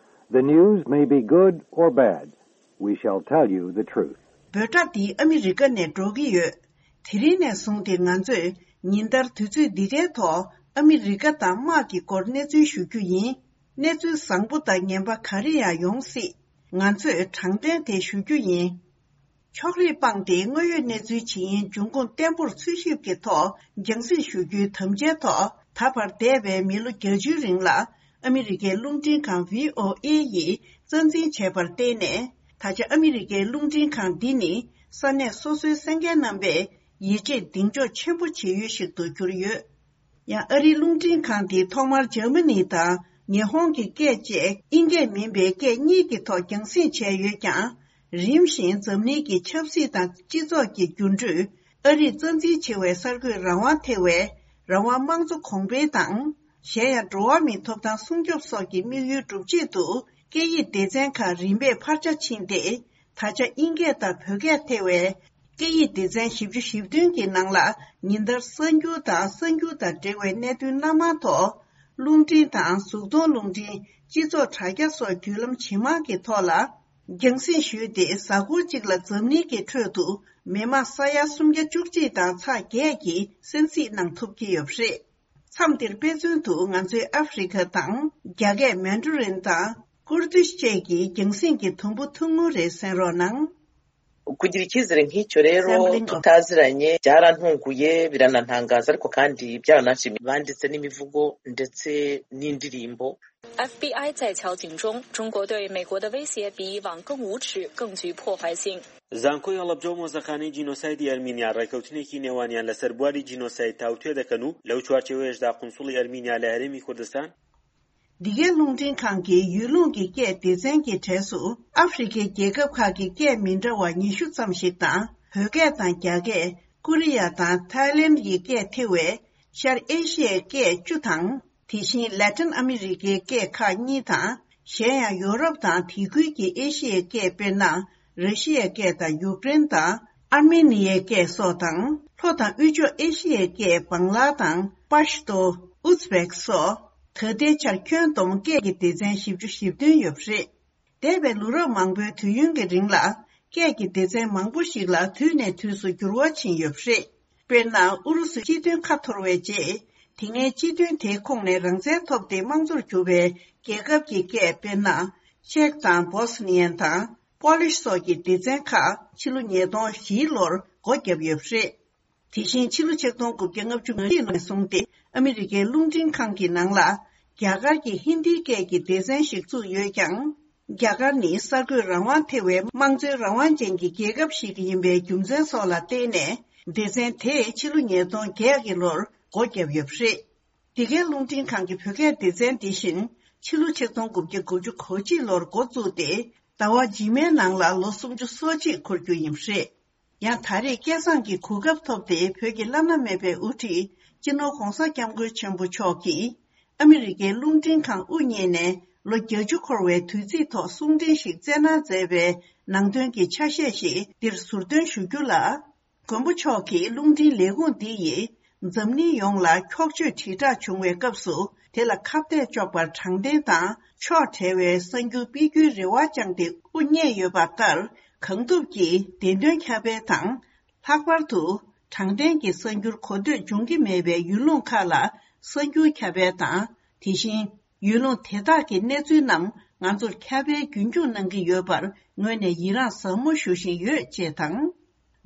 The news may be good or bad. We shall tell you the truth. འབོད་སྒྲ་འདི་ཨ་མི་རི་ཀ་ནས་སྒྲོག་གི་ཡོད། དེ་རིང་ནས་བཟུང་སྟེ་ང་ཚོས་ཉིན་ལྟར་དུས་ཚོད་འདི་འདྲའི་ཐོག་ཨ་མི་རི་ཀ་དང་དམག་གི་སྐོར་གནས་ཚུལ་ཞུ་རྒྱུ་ཡིན། གནས་ཚུལ་བཟང་པོ་དང་ངན་པ་ག་རེ་ཡང་ཡོང་སྲིད། ང་ཚོས་དྲང་བདེན་དེ་ཞུ་རྒྱུ་ཡིན། ཕྱོགས་རིས་སྤངས་ཏེ་དངོས་ཡོད་གནས་ཚུལ་ཇི་ཡིན་འབྱུང་ཁུངས་བརྟན་པོར་འཚོལ་ཞིབ་ཀྱི་ཐོག་རྒྱང་སྲིང་ཞུ་རྒྱུའི་དམ་བཅའི་ཐོག་ད་བར་འདས་པའི་མི་ལོ་བརྒྱད་ཅུའི་རིང་ལ་ཨ་མི་རི་ཀའི་རླུང་འཕྲིན་ཁང་བྷི་ཨོ་ཨེ་ཡིས་རྩ་འཛིན་བྱས་པར་བརྟེན་ནས། ད་ཆ་ཨ་མི་རི་ཀའི་རླུང་འཕྲིན་ཁང་འདི་ནི་ས་གནས་སོ་སོའི་གསན་མཁན་རྣམ་པས་ཡིད་ཆེས་གདེང་འཇོག་ཆེན་པོ་བྱེད་ཡུལ་ཞིག་ཏུ་གྱུར་ཡོད། ཡང་ཨ་རིའི་རླུང་འཕྲིན་ཁང་འདིས་ཐོག་མར་འཇར་མ་ནི་དང་ཉི་ཧོང་གི་སྐད་བཅས་དབྱིན་སྐད་མིན་པའི་སྐད་གཉིས་ཀྱི་ཐོག་རྒྱང་སྲིང་བྱས་ཡོད་ཀྱང་། རིམ་བཞིན་འཛམ་གླིང་གི་ཆབ་སྲིད་དང་སྤྱི་ཚོགས་ཀྱི་འགྱུར་འགྲོས། ཨ་རིས་རྩ་འཛིན་བྱེད་པའི་གསར་འགོད་རང་དབང་ཐེ་བའི་རང་དབང་དམངས་གཙོ་གོང་འཕེལ་དང་། གཞན་ཡང་འགྲོ་བ་མིའི་ཐོབ་ཐང་སྲུང་སྐྱོབ་སོགས་ཀྱི་དམིགས་ཡུལ་སྒྲུབ་ཆེད་དུ། སྐད་ཡིག་སྡེ་ཚན་ཁག་རིམ་པས་འཕར་ཆ་ཕྱིན་ཏེ། ད་ཆ་དབྱིན་སྐད་དང་བོད་སྐད་ཐེ་བའི་སྐད་ཡིག་སྡེ་ཚན་བཞི་བཅུ་ཞེ་བདུན་གྱི་ནང་ལ་ཉིན་ལྟར་གསར་འགྱུར་དང་གསར་འགྱུར་དང་འབྲེལ་བའི་གནད་དོན་སྣ་མང་ཐོག་རླུང་འཕྲིན་དང་གཟུགས་མཐོང་རླུང་འཕྲིན། སྤྱི་ཚོགས་དྲ་རྒྱ་སོགས་བརྒྱུད་ལམ་ཇི་མང་གི་ཐོག་ལ་རྒྱང་སྲིང་ཞུས་ཏེ། གཟའ་འཁོར་གཅིག་ལ་འཛམ་གླིང་གི་ཁྲོད་དུ་མི་མང་ས་ཡ་སུམ་བརྒྱ་བཅུ་གཅིག་དང་ཚེག་བརྒྱད་ཀྱིས་གསན་གཟིགས་གནང་ཐུབ་ཀྱི་ཡོད་པ་རེད། མཚམས་འདིར་དཔེ་མཚོན་དུ་ང་ཚོའི་ཨ་ཧྥེ་རི་ཁ་དང་རྒྱ་སྐད་མན་ཌ་རིན་དང་ཀུར་ཏིཤ་བཅས་ཀྱི་རྒྱང་སྲིང་གི་དུམ་བུ་ཐུང་ངུ་རེ་གསན་རོགས་གནང་། Kudiriki zirngi chorero tutaziranye jara nhunguye birana ntangazar kokandi byana shimi bandi tseni mivugo ndetse nindirimbofbi 在敲警中，中国对美国的威胁比以往更无耻、更具破坏性。 زانکۆی هەڵەبجە و مۆزەخانەی جینۆسایدی ئەرمینیا ڕێکەوتنێکی نێوانیان لەسەر بواری جینۆساید تاوتوێ دەکەن و لەو چوارچێوەیەشدا قونسوڵی ئەرمینیا لە هەرێمی کوردستان. འདི་གའི་རླུང་འཕྲིན་ཁང་གིས་ཡུལ་ལུང་གི་སྐད་སྡེ་ཚན་གྱི་གྲས་སུ་ཨ་ཧྥེ་རི་ཁའི་རྒྱལ་ཁབ་ཁག་གི་སྐད་མི་འདྲ་བ་ཉི་ཤུ་ཙམ་ཞིག་དང་། བོད་སྐད་དང་རྒྱ་སྐད། ཀོ་རི་ཡ་དང་ཐའི་ལེན་གྱི་སྐད་ཐེ་བའི་ཤར་ཨེ་ཤི་ཡའི་སྐད་བཅུ་དང་། དེ་བཞིན་ལ་ཏིན་ཨ་མི་རི་ཀའི་སྐད་ཁག་གཉིས་དང་། གཞན་ཡང་ཡོ་རོབ་དང་དེ་ཁུལ་གྱི་ཨེ་ཤི་ཡའི་སྐད། དཔེར་ན། ར་ཤི་ཡའི་སྐད་དང་ཡུཀ་རེན་དང་ཨར་མེ་ནི་ཡའི་སྐད་སོགས་དང་། ལྷོ་དང་དབུས་ཕྱོགས་ཨེ་ཤི་ཡའི་སྐད་བང་ལ་དང་པཱཤ་ཏོ། ཨུ་ཛི་བེག་སོགས། ད་ལྟའི་ཆར་ཁྱོན་བསྡོམས་སྐད་ཀྱི་སྡེ་ཚན་བཞི་བཅུ་ཞེ་བདུན་ཡོད་པ་རེད། འདས་པའི་ལོ་རབས་མང་པོའི་དུས་ཡུན་གྱི་རིང་ལ། སྐད་ཀྱི་སྡེ་ཚན་མང་པོ་ཞིག་ལ་དུས་ནས་དུས་སུ་འགྱུར་བ་ཕྱིན་ཡོད་པ་རེད། དཔེར་ན། ཨུ་རུ་སུའི་སྤྱི་མཐུན་ཁ་འཐོར་བའི་རྗེས། དེ་སྔའི་སྤྱི་མཐུན་དེའི་ཁོངས་ནས་རང་བཙན་ཐོབ་སྟེ་དམངས་གཙོར་གྱུར་པའི་རྒྱལ་ཁབ་ཀྱི་སྐད། དཔེར་ན། ཅེཀ་དང་། བོ་སི་ནི་ཡན་དང་། པོ་ལིཤ་སོགས་ཀྱི་སྡེ་ཚན་ཁག་ཕྱི་ལོ་ཉིས་སྟོང་བཞིའི་ལོར་སྒོ་བརྒྱབ་ཡོད་པ་རེད། དེ་བཞིན་ཕྱི་ལོ་ཆིག་སྟོང་དགུ་བརྒྱ་ལྔ་བཅུ་ང་གཅིག་ལོ་ནས་བཟུང་སྟེ། ཨ་མི་རི་ཀའི་རླུང་འཕྲིན་ཁང་གི་ནང་ལ། རྒྱ་གར་གྱི་ཧིན་དིའི་སྐད་ཀྱི་སྡེ་ཚན་ཞིག་བཙུགས་ཡོད་ཀྱང་། རྒྱ་གར་ནི་གསར་འགོད་རང་དབང་ཐེ་བའི་དམངས་གཙོའི་རང་དབང་ཅན་གྱི་རྒྱལ་ཁབ་ཞིག་ཡིན་པའི་རྒྱུ་མཚན་སོགས་ལ་བརྟེན་ནས། སྡེ་ཚན་དེས་ཕྱི་ལོ་ཉིས་སྟོང་བརྒྱད་ཀྱི་ལོར་སྒོ་བརྒྱབ་ཡོད་པ་རེད། འདི་གའི་རླུང་འཕྲིན་ཁང་གི་བོད་སྐད་སྡེ་ཚན་འདི་བཞིན། ཕྱི་ལོ་ཆིག་སྟོང་དགུ་བརྒྱ་དགུ་བཅུ་གོ་གཅིག་ལོར་འགོ་བཙུགས་ཏེ། ཟླ་བ་རྗེས་མའི་ནང་ལ་ལོ་སུམ་ཅུ་སོ་གཅིག་འཁོར་རྒྱུ་ཡིན་པ་རེད། ཡང་ད་རེས་སྐལ་བཟང་གིས་གོ་སྐབས་ཐོབ་སྟེ། བོད་ཀྱི་བླ་ན་མེད་པའི་དབུ་ཁྲིད་སྤྱི་ནོར་༧གོང་ས་༧སྐྱབས་མགོན་ཆེན་པོ་མཆོག་གིས། ཨ་མི་རི་ཀའི་རླུང་འཕྲིན་ཁང་དབུ་བརྙེས་ནས་ལོ་བརྒྱད་ཅུ་འཁོར་བའི་དུས་ཚིགས་ཐོག་གསུང་འཕྲིན་ཞིག་བསྩལ་གནང་མཛད་པའི་ནང་དོན་གྱི་ཆ་ཤས་ཤིག་འདིར་ཟུར་འདོན་ཞུ་རྒྱུ་ལ། མགོན་པོ་མཆོག་གིས་རླུང་འཕྲིན་ལས་ཁུངས་འདི་ཡིས་འཛམ་གླིང་ཡོངས་ལ་འཁྱོག་བརྗོད་དྲིལ་བསྒྲགས་བྱུང་བའི་སྐབས་སུ། དེ་ལ་ཁ་གཏད་གཅོག་པར་དྲང་བདེན་དང་ཕྱོགས་བྲལ་བའི་གསར་འགྱུར་སྤེལ་རྒྱུའི་རེ་བ་བཅངས་ཏེ་དབུ་བརྙེས་ཡོད་པ་ལྟར། གང་ཐུབ་ཀྱིས་བདེན་དོན་ཁྱབ་སྤེལ་དང་། ལྷག་པར་དུ། དྲང་བདེན་གྱི་གསར་འགྱུར་གོ་ཐོས་འབྱུང་གི་མེད་པའི་ཡུལ་ལུང་ཁག་ལ་གསར་འགྱུར་ཁྱབ་སྤེལ་དང་། དེ་བཞིན། ཡུལ་ལུང་དེ་དག་གི་གནས་ཚུལ་རྣམས་ང་ཚོར་ཁྱབ་སྤེལ་རྒྱུན་འཁྱོངས་གནང་གི་ཡོད་པར་ངོས་ནས་ཡི་རངས་ཟབ་མོ་ཞུ་བཞིན་ཡོད། ཅེས་དང་།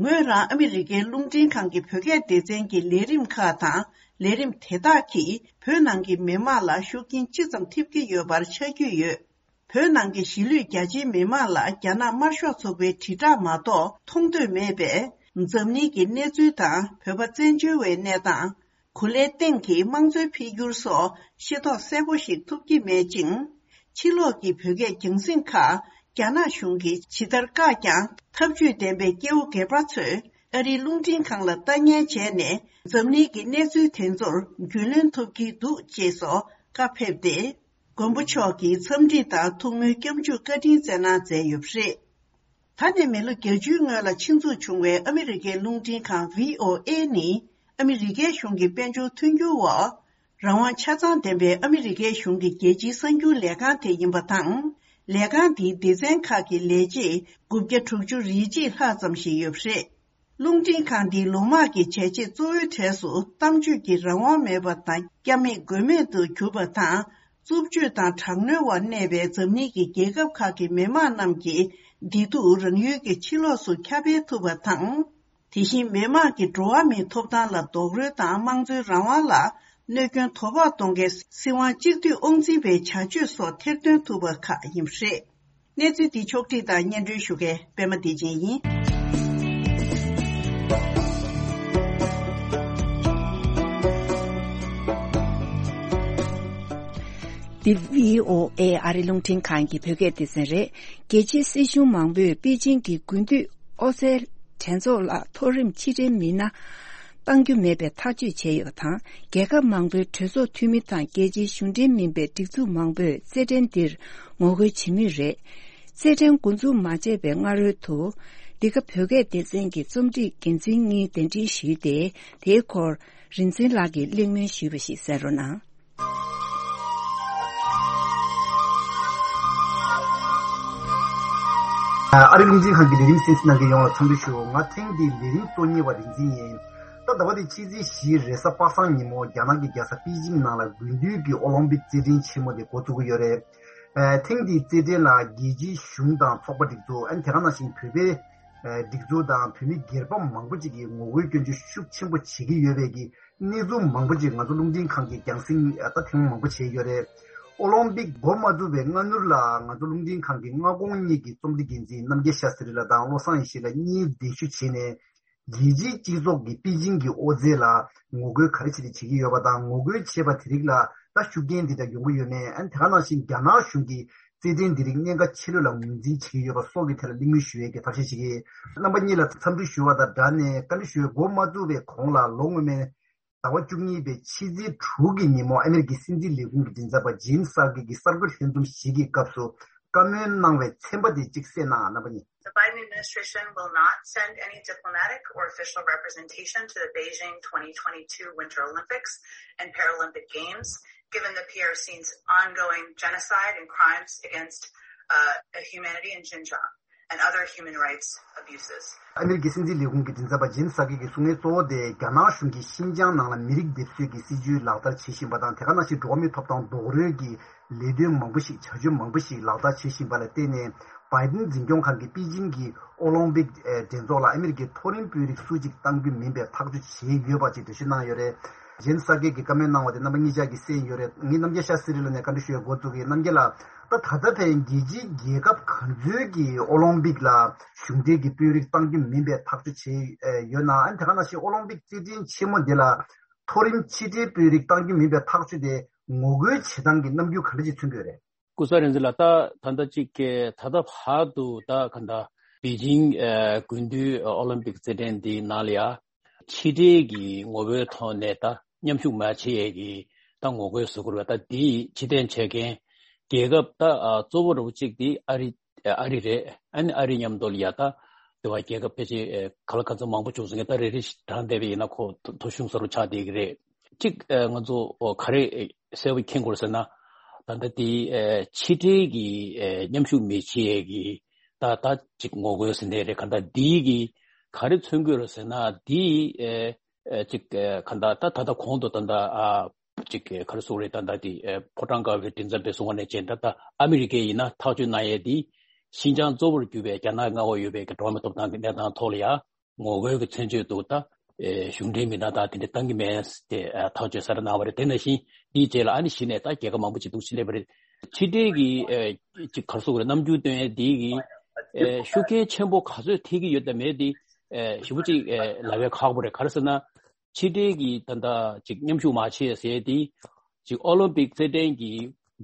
ངོས་རང་ཨ་མི་རི་ཀའི་རླུང་འཕྲིན་ཁང་གི་བོད་སྐད་སྡེ་ཚན་གྱི་ལས་རིམ་ཁག་དང་། ལས་རིམ་དེ་དག་གིས་བོད་ནང་གི་མི་མང་ལ་ཤུགས་རྐྱེན་ཅི་ཙམ་ཐེབས་ཀྱི་ཡོད་པར་ཆ་རྒྱུས་ཡོད། བོད་ནང་གི་གཞིས་ལུས་རྒྱ་ཆེའི་མི་མང་ལ་རྒྱ་ནག་དམར་ཤོག་ཚོགས་པའི་དྲིལ་བསྒྲགས་མ་གཏོགས་མཐོང་འདོད་མེད་པས། འཛམ་གླིང་གི་གནས་ཚུལ་དང་བོད་པ་བཙན་བྱོལ་བའི་གནས་སྟངས། གོ་ལའི་སྟེང་གི་དམངས་གཙོའི་འཕེལ་འགྱུར་སོགས་ཤེས་རྟོགས་གསལ་པོ་ཞིག་ཐུབ་ཀྱི་མེད་ཅིང་། ཕྱི་ལོགས་ཀྱི་བོད་སྐད་རྒྱང་སྲིང་ཁག་རྒྱ་ནག་གཞུང་གིས་ཇི་ལྟར་བཀག་ཀྱང་། ཐབས་ཇུས་ལྡན་པའི་སྐྱེ་བོ་སྒེར་པ་ཚོས་ཨ་རིའི་རླུང་འཕྲིན་ཁང་ལ་ལྟ་ཉན་བྱས་ནས། འཛམ་གླིང་གི་གནས་ཚུལ་དེ་ཚོར་རྒྱུས་ལོན་ཐུབ་ཀྱི་འདུག་ཅེས་སོགས་བཀའ་ཕེབས་ཏེ། མགོན་པོ་མཆོག་གིས་འཚམས་འདྲི་དང་ཐུགས་སྨོན་སྐྱབས་འཇུག་བཀའ་དྲིན་བསྩལ་གནང་མཛད་ཡོད་པ་རེད། ད་ནས་མི་ལོ་བརྒྱད་ཅུའི་སྔོན་ལ་ཆེད་འཛུགས་བྱུང་བའི་ཨ་མི་རི་ཀའི་རླུང་འཕྲིན་ཁང་བྷི་ཨོ་ཨེ་ནི། ཨ་མི་རི་ཀའི་གཞུང་གི་དཔལ་འབྱོར་མཐུན་འགྱུར་འོག་རང་དབང་ཆ་ཚང་ལྡན་པའི་ཨ་མི་རི་ཀའི་གཞུང་གི་རྒྱལ་སྤྱིའི་གསར་འགྱུར་ལས་ཁང་དེ་ཡིན་པ་དང་། ལས་ཁང་འདིའི་སྡེ་ཚན་ཁག་གི་ལས་བྱེད་དགུ་བརྒྱ་དྲུག་ཅུ་རེ་གཅིག་ལྷག་ཙམ་ཞིག་ཡོད་པ་རེད། རླུང་འཕྲིན་ཁང་འདིའི་ལོ་དམག་གི་བྱས་རྗེས་གཙོ་བོའི་གྲས་སུ། གཏམ་བརྗོད་ཀྱི་རང་དབང་མེད་པ་དང་། སྐྱབས་མེད་མགོན་མེད་དུ་གྱུར་པ་དང་། རྩུབ་སྤྱོད་དང་དྲག་གནོན་འོག་གནས་པའི་འཛམ་གླིང་གི་རྒྱལ་ཁབ་ཁག་གི་མི་དམངས་རྣམས་ཀྱིས་བདེ་སྡུག་རང་ཡུལ་གྱི་ཕྱི་ལོགས་སུ་ཁྱབ་སྤེལ་ཐུབ་པ་དང་། དེ་བཞིན་མི་དམངས་ཀྱི་འགྲོ་བ་མིའི་ཐོབ་ཐང་ལ་རྡོག་རོལ་དང་། དམངས་གཙོའི་རང་དབང་ལ་གནོད་སྐྱོན་དོ་ཕོག་གཏོང་མཁན་སྲིད་དབང་གཅིག་སྡུད་དབང་འཛིན་པའི་བྱ་སྤྱོད་སོགས་ཐེར་འདོན་ཐུབ་པ་ཁག་ཡིན་པ་རེད། གནས་ཚུལ་འདི་ཕྱོགས་བསྒྲིགས་དང་སྙན་སྒྲོན་ཞུ་མཁན་པད་མ་བདེ་ཆེན་ཡིན། འདི་བྷི་ཨོ་ཨེ་ཨ་རི་རླུང་འཕྲིན་ཁང་གི་བོད་སྐད་སྡེ་ཚན་རེད། རྒྱལ་སྤྱིའི་སྲིད་གཞུང་མང་པོས་པེ་ཅིང་གི་དགུན་དུས་ཨོ་རྩལ་འགྲན་ཚོགས་ལ་མཐོ་རིམ་ཕྱིར་དྲན་མི་སྣ་གཏང་རྒྱུ་མེད་པའི་ཐག་གཅོད་བྱས་ཡོད་པ་དང་། རྒྱལ་ཁབ་མང་པོའི་གྲོས་ཚོགས་འཐུས་མི་དང་རྒྱལ་སྤྱིའི་གཞུང་འབྲེལ་མིན་པའི་སྒྲིག་འཛུགས་མང་པོས་རྩེད་འགྲན་འདིར་ངོ་རྒོལ་བྱེད་མུས་རེད། རྩེད་འགྲན་འགོ་འཛུགས་མ་བྱས་པའི་སྔ་རོལ་དུ། འདི་ག་བོད་སྐད་སྡེ་ཚན་གྱི་རྩོམ་སྒྲིག་འགན་འཛིན་གཉིས་གདན་འདྲེན་ཞུས་ཏེ། དེའི་སྐོར་རིག་འཛིན་ལགས་ཀྱིས་གླེང་མོལ་ཞུས་པ་ཞིག་གསན་རོགས་གནང་། ཨ་རི་རླུང་འཕྲིན་ཁང་གི་ལས་རིམ་གསན་གཟིགས་གནང་མཁན་ཡོངས་ལ་འཚམས་འདྲི་ཞུ། ང་ཐེངས་འདིའི་ལས་རིམ་གཙོ་གཉེར་བ་རིག་འཛིན་ཡིན། ད་ཟླ་བ་འདིའི་ཕྱི་ཚེས་བཞིའི་རེས་གཟའ་པ་སངས་ཉིན་མོ་རྒྱ་ནག་གི་རྒྱལ་ས་པེ་ཅིང་ནང་ལ་དགུན་དུས་ཀྱི་ཨོ་ལིམ་པིག་རྩེད་འགྲན་ཆེན་མོ་དེ་འགོ་བཙུགས་ཀྱི་ཡོད་རེད། ཨ་ཐེངས་འདིའི་རྩེད་འགྲན་ལ་རྒྱལ་སྤྱིའི་གཞུང་དང་ཚོགས་པ་སྒྲིག་འཛུགས། ཨ་ནི་དེ་ག་ནང་བཞིན་བོད་པའི་ཨ་སྒྲིག་འཛུགས་དང་བོད་མི་སྒེར་པ་མང་པོ་ཅིག་གིས་ངོ་རྒོལ་སྐྱོན་བརྗོད་ཤུགས་ཆེན་པོ་བྱེད་ཀྱི་ཡོད་པའི་གི་གནས་ཚུལ་མང་པོ་ཅིག་ང་ཚོ་རླུང་འཕྲིན་ཁང་གིས་རྒྱང་སྲིང་ད་ཐེངས་མང་པོ་བྱས་ཡོད་རེད། ཨོ་ལིམ་པིག་འགོ་མ་བཙུགས་པའི་སྔ་སྣུར་ལ་ང་ཚོ་རླུང་འཕྲིན་ཁང་གི་སྔ་དགོང་གཉིས་ཀྱི་རྩོམ་སྒྲིག་འགན་འཛིན་རྣམ་རྒྱལ་ཤཱ་སི་རི་ལགས་དང་བློ་བཟང་ཡེ་ཤེས་ལགས་གཉིས་གདན་ཞུ་བྱས་ནས། རྒྱལ་སྤྱིའི་སྤྱི་ཚོགས་ཀྱིས་པེ་ཅིང་གི་ཨོ་རྩེད་ལ་ངོ་རྒོལ་ག་རེ་བྱས་ཏེ་བྱེད་ཀྱི་ཡོད་པ་དང་། ངོ་རྒོལ་བྱས་པ་དེ་རིགས་ལ་ད་ཤུགས་རྐྱེན་འདི་འདྲ་ཡོང་གི་ཡོད་མེད། ཨ་ནི་དེ་ག་ནང་བཞིན་རྒྱ་ནག་གཞུང་གིས་རྩེད་འགྲན་འདི་རིགས་གནད་འགག་ཆེ་ལོས་ལ་ངོས་འཛིན་བྱེད་ཀྱི་ཡོད་པ་སོགས་ཀྱི་ཐད་ལ་གླེང་མོལ་ཞུ་ཡས་ཀྱི་ཐབས་ཤེས་བྱེད་ཀྱི། རྣམ་པ་གཉིས་ལ་འཚམས་འདྲི་ཞུ་བ་དང་སྦྲགས་ནས་བཀའ་འདྲི་ཞུ་ཡས། འགོ་མ་བཙུགས་པའི་གོང་ལ་ལོ་སྔོན་མའི་ཟླ་བ་བཅུ་གཉིས་པའི་ཕྱི་ཚེས་དྲུག་གི་ཉིན་མོ་ཨ་མེ་རི་ཀའི་སྲིད་འཛིན་ལས་ཁུངས་ཀྱི་མགྲིན་ཚབ་པ་ཇེམ་སི་སར་ཀི་གིས་གསར་འགོད་ལྷན་འཛོམས་ཤིག་གི་སྐབས་སུ་ བཀའ་མོལ་གནང་བའི་ཚན་པ་དེ་གཅིག་གསན་གནང་། རྣམ་པ་གཉིས། The Biden administration will not send any diplomatic or official representation to the Beijing twenty twenty-two Winter Olympics and Paralympic Games, given the P R C's ongoing genocide and crimes against uh, humanity in Xinjiang and other human rights abuses. ཨ་མི་རི་ཀའི་སྲིད་འཛིན་ལས་ཁུངས་ཀྱི་མགྲིན་ཚབ་པ་ཇེན་སཱ་ཀེ་གིས་གསུང་མཁན་གཙོ་བོ་དེ་རྒྱ་ནག་གཞུང་གིས་ཤིན་ཅང་ནང་ལ་མི་རིགས་སྡེབ་གསོད་ཀྱི་སྲིད་ཇུས་ལག་བསྟར་བྱེད་བཞིན་པ་དང་། དེ་ག་ནང་བཞིན་འགྲོ་བ་མིའི་ཐོབ་ཐང་རྡོག་རོལ་གྱི་ལས་དོན་མང་པོ་ཞིག་བྱ་སྤྱོད་མང་པོ་ཞིག་ལག་བསྟར་བྱེད་བཞིན་པ་ལ་བརྟེན་ནས། བྷའི་ཏིན་འཛིན་སྐྱོང་ཁང་གིས་པེ་ཅིང་གི་ཨོ་ལིམ་པིག་ཨེ་འགྲན་ཚོགས་ལ་ཨ་མི་རི་ཀའི་མཐོ་རིམ་དཔོན་རིགས་སུ་གཅིག་གཏང་རྒྱུ་མིན་པའི་ཐག་གཅོད་བྱས་ཡོད་པ་ཅིག་འགྲེལ་བཤད་གནང་ཡོད་རེད། ཇེན་སཱ་ཀེ་གིས་བཀའ་མོལ་གནང་བ་དེ་རྣམ་པ་གཉིས་ཆ་གིས་གསན་ཡོད་རེད། ངས་རྣམ་རྒྱལ་ཤཱ་སི་རི་ལ་ནས་བཀའ་འདྲི་ཞུ་ཡ་འགོ་བཙུགས་ཀྱི་ཡིན། རྣམ་རྒྱལ་ལགས། ད་ད་ལྟ་ཕན་རྒྱལ་སྤྱིའི་རྒྱལ་ཁབ་ག་ཚོད་ཀྱིས་ཨོ་ལིམ་པིག་ལ་གཞུང་འབྲེལ་གྱི་དཔོན་རིགས་གཏང་རྒྱུ་མིན་པའི་ཐག་གཅོད་བྱས་ཡོད་ན། ཨ་ནི་དེ་ག་ནང་བཞིན་ཨོ་ལིམ་པིག་རྩེད་འགྲན་ཆེན་མོ་འདི་ལ་མཐོ་རིམ་ཕྱི་འབྲེལ་དཔོན་རིགས་གཏང་རྒྱུ་མིན་པའི་ཐག་གཅོད་དེ་ངོ་རྒོལ་བྱེད་སྟངས་ཀྱི་རྣམ་འགྱུར་ག་འདྲ་ཅིག་མཚོན་གྱི་ཡོད་རེད། སྐུ་ཚེ་རིང་འཛིན་ལགས། ད་ད་ལྟ་ཅིག་གི་ད་ལྟ་བར་དུ་ད་ག་འདྲ་པེ་ཅིང་ཨ་དགུན་དུས་ཨོ་ལིམ་པིག་རྩེད་འགྲན་འདིའི་ནང་ལ་ཡ་ཕྱི་འབྲེལ་གྱི་ངོ་བོའི་ཐོག་ནས་ད་མཉམ་ཞུགས་མ་བྱེད་ཡས་ཀྱི་ད་ངོ་རྒོལ་བཟོ་དགོས་རེད་པ། ད་འདིའི་ཕྱིར་འཐེན་བྱེད་མཁན་རྒྱལ་ཁབ་ད་ཨ་གཙོ་བོ་རུ་གཅིག་དེ་ཨ་རི་ཨ་རི་རེད། ཨ་ནི་ཨ་རི་མཉམ་དུ་ལ་ཡ་ད་དེ་བ་རྒྱལ་ཁབ་ཕལ་ཆེར་ག་ལ་ག་ཚོད་མང་པོ་བྱུང་སོང་གི། ད་རེ་རེ་བཞིན་བགྲངས་བསྡད་པ་ཡིན་ན་ཁོ་ཐོ་གཞུང་ས་རུ་ཆགས་བསྡད་ཀྱི་རེད། གཅིག་ཨ་ང་ཚོ་ག་རེ་གསལ་པོ་མཁྱེན་དགོས་ཟེར་ན། ད་ལྟ་དེ་ཨ་ཕྱི་འབྲེལ་གྱི་ཨ་མཉམ་ཞུགས་མི་བྱེད་ཡས་ཀྱི་ད་ད་ཅིག་ངོ་རྒོལ་ཟེར་ནའི་རེད། ག་འདྲ་འདི་གི་ག་རེ་མཚོན་གྱི་ཡོད་རེད་ཟེར་ན། འདི་ཨ་ཨ་ཅིག་ཨ་ག་འདྲ་ད་ད་ལྟ་གོང་དུ་ད་ལྟ་ཨ་ཅིག་ག་རེ་ཟེར་དགོས་རེད། ད་ལྟ་དེ་ཨ་ཕོ་བྲང་དཀར་པོའི་མགྲིན་ཚབ་པས་གསུངས་པ་ནང་བཞིན་ད་ལྟ་ཨ་མི་རི་ཀས་ཡིན་ན་ཐག་གཅོད་གནང་ཡས་དེ་ཤིན་ཅང་གཙོ་བོར་གྱུར་པའི་རྒྱ་ནག་མངའ་འོག་ཡོད་པའི་གི་འགྲོ་བ་མིའི་ཐོབ་ཐང་གི་གནས་སྟངས་ཐོག་ལ་ཡ་ངོ་རྒོལ་གྱི་མཚོན་བྱེད་དུ་ད་ཨེ་གཞུང་འབྲེལ་མི་སྣ་དང་དེ་འདྲ་གཏང་གི་མེད་ཟེར་ཏེ་ཨ་ཐག་གཅོད་གསར་པ་གནང་བ་རེད། དེ་ནང་བཞིན་དེའི་རྗེས་ལ་ཨ་ནི་གཞི་ནས་ད་རྒྱལ་ཁབ་མང་པོ་ཅིག་འདུག་སེ་སླེབས་པ་རེད། ཕྱི་འབྲེལ་གྱི་ཨེ་ཅིག་ག་རེ་ཟེར་དགོས་རེད། རྣམ་འགྱུར་སྟོན་ཡས་དེ་གི་ཨེ་ཤུགས་རྐྱེན་ཆེན་པོ་ག་ཚོད་ཐེབས་ཀྱི་ཡོད་དམ་མེད་དེ་ཨེ་ཞེ་པོ་ཅིག་ཨེ་ལབ་ཡས་ཁག་པོ་རེད། ག་རེ་ཟེར་ན། ཕྱི་འབྲེལ་གྱི་ད་ལྟ་ཅིག་མཉམ་ཞུགས་མ་བྱེད་ཟེར་དེ་ཅིག་ཨོ་ལིམ་པིག་རྩེད་འགྲན་གྱི་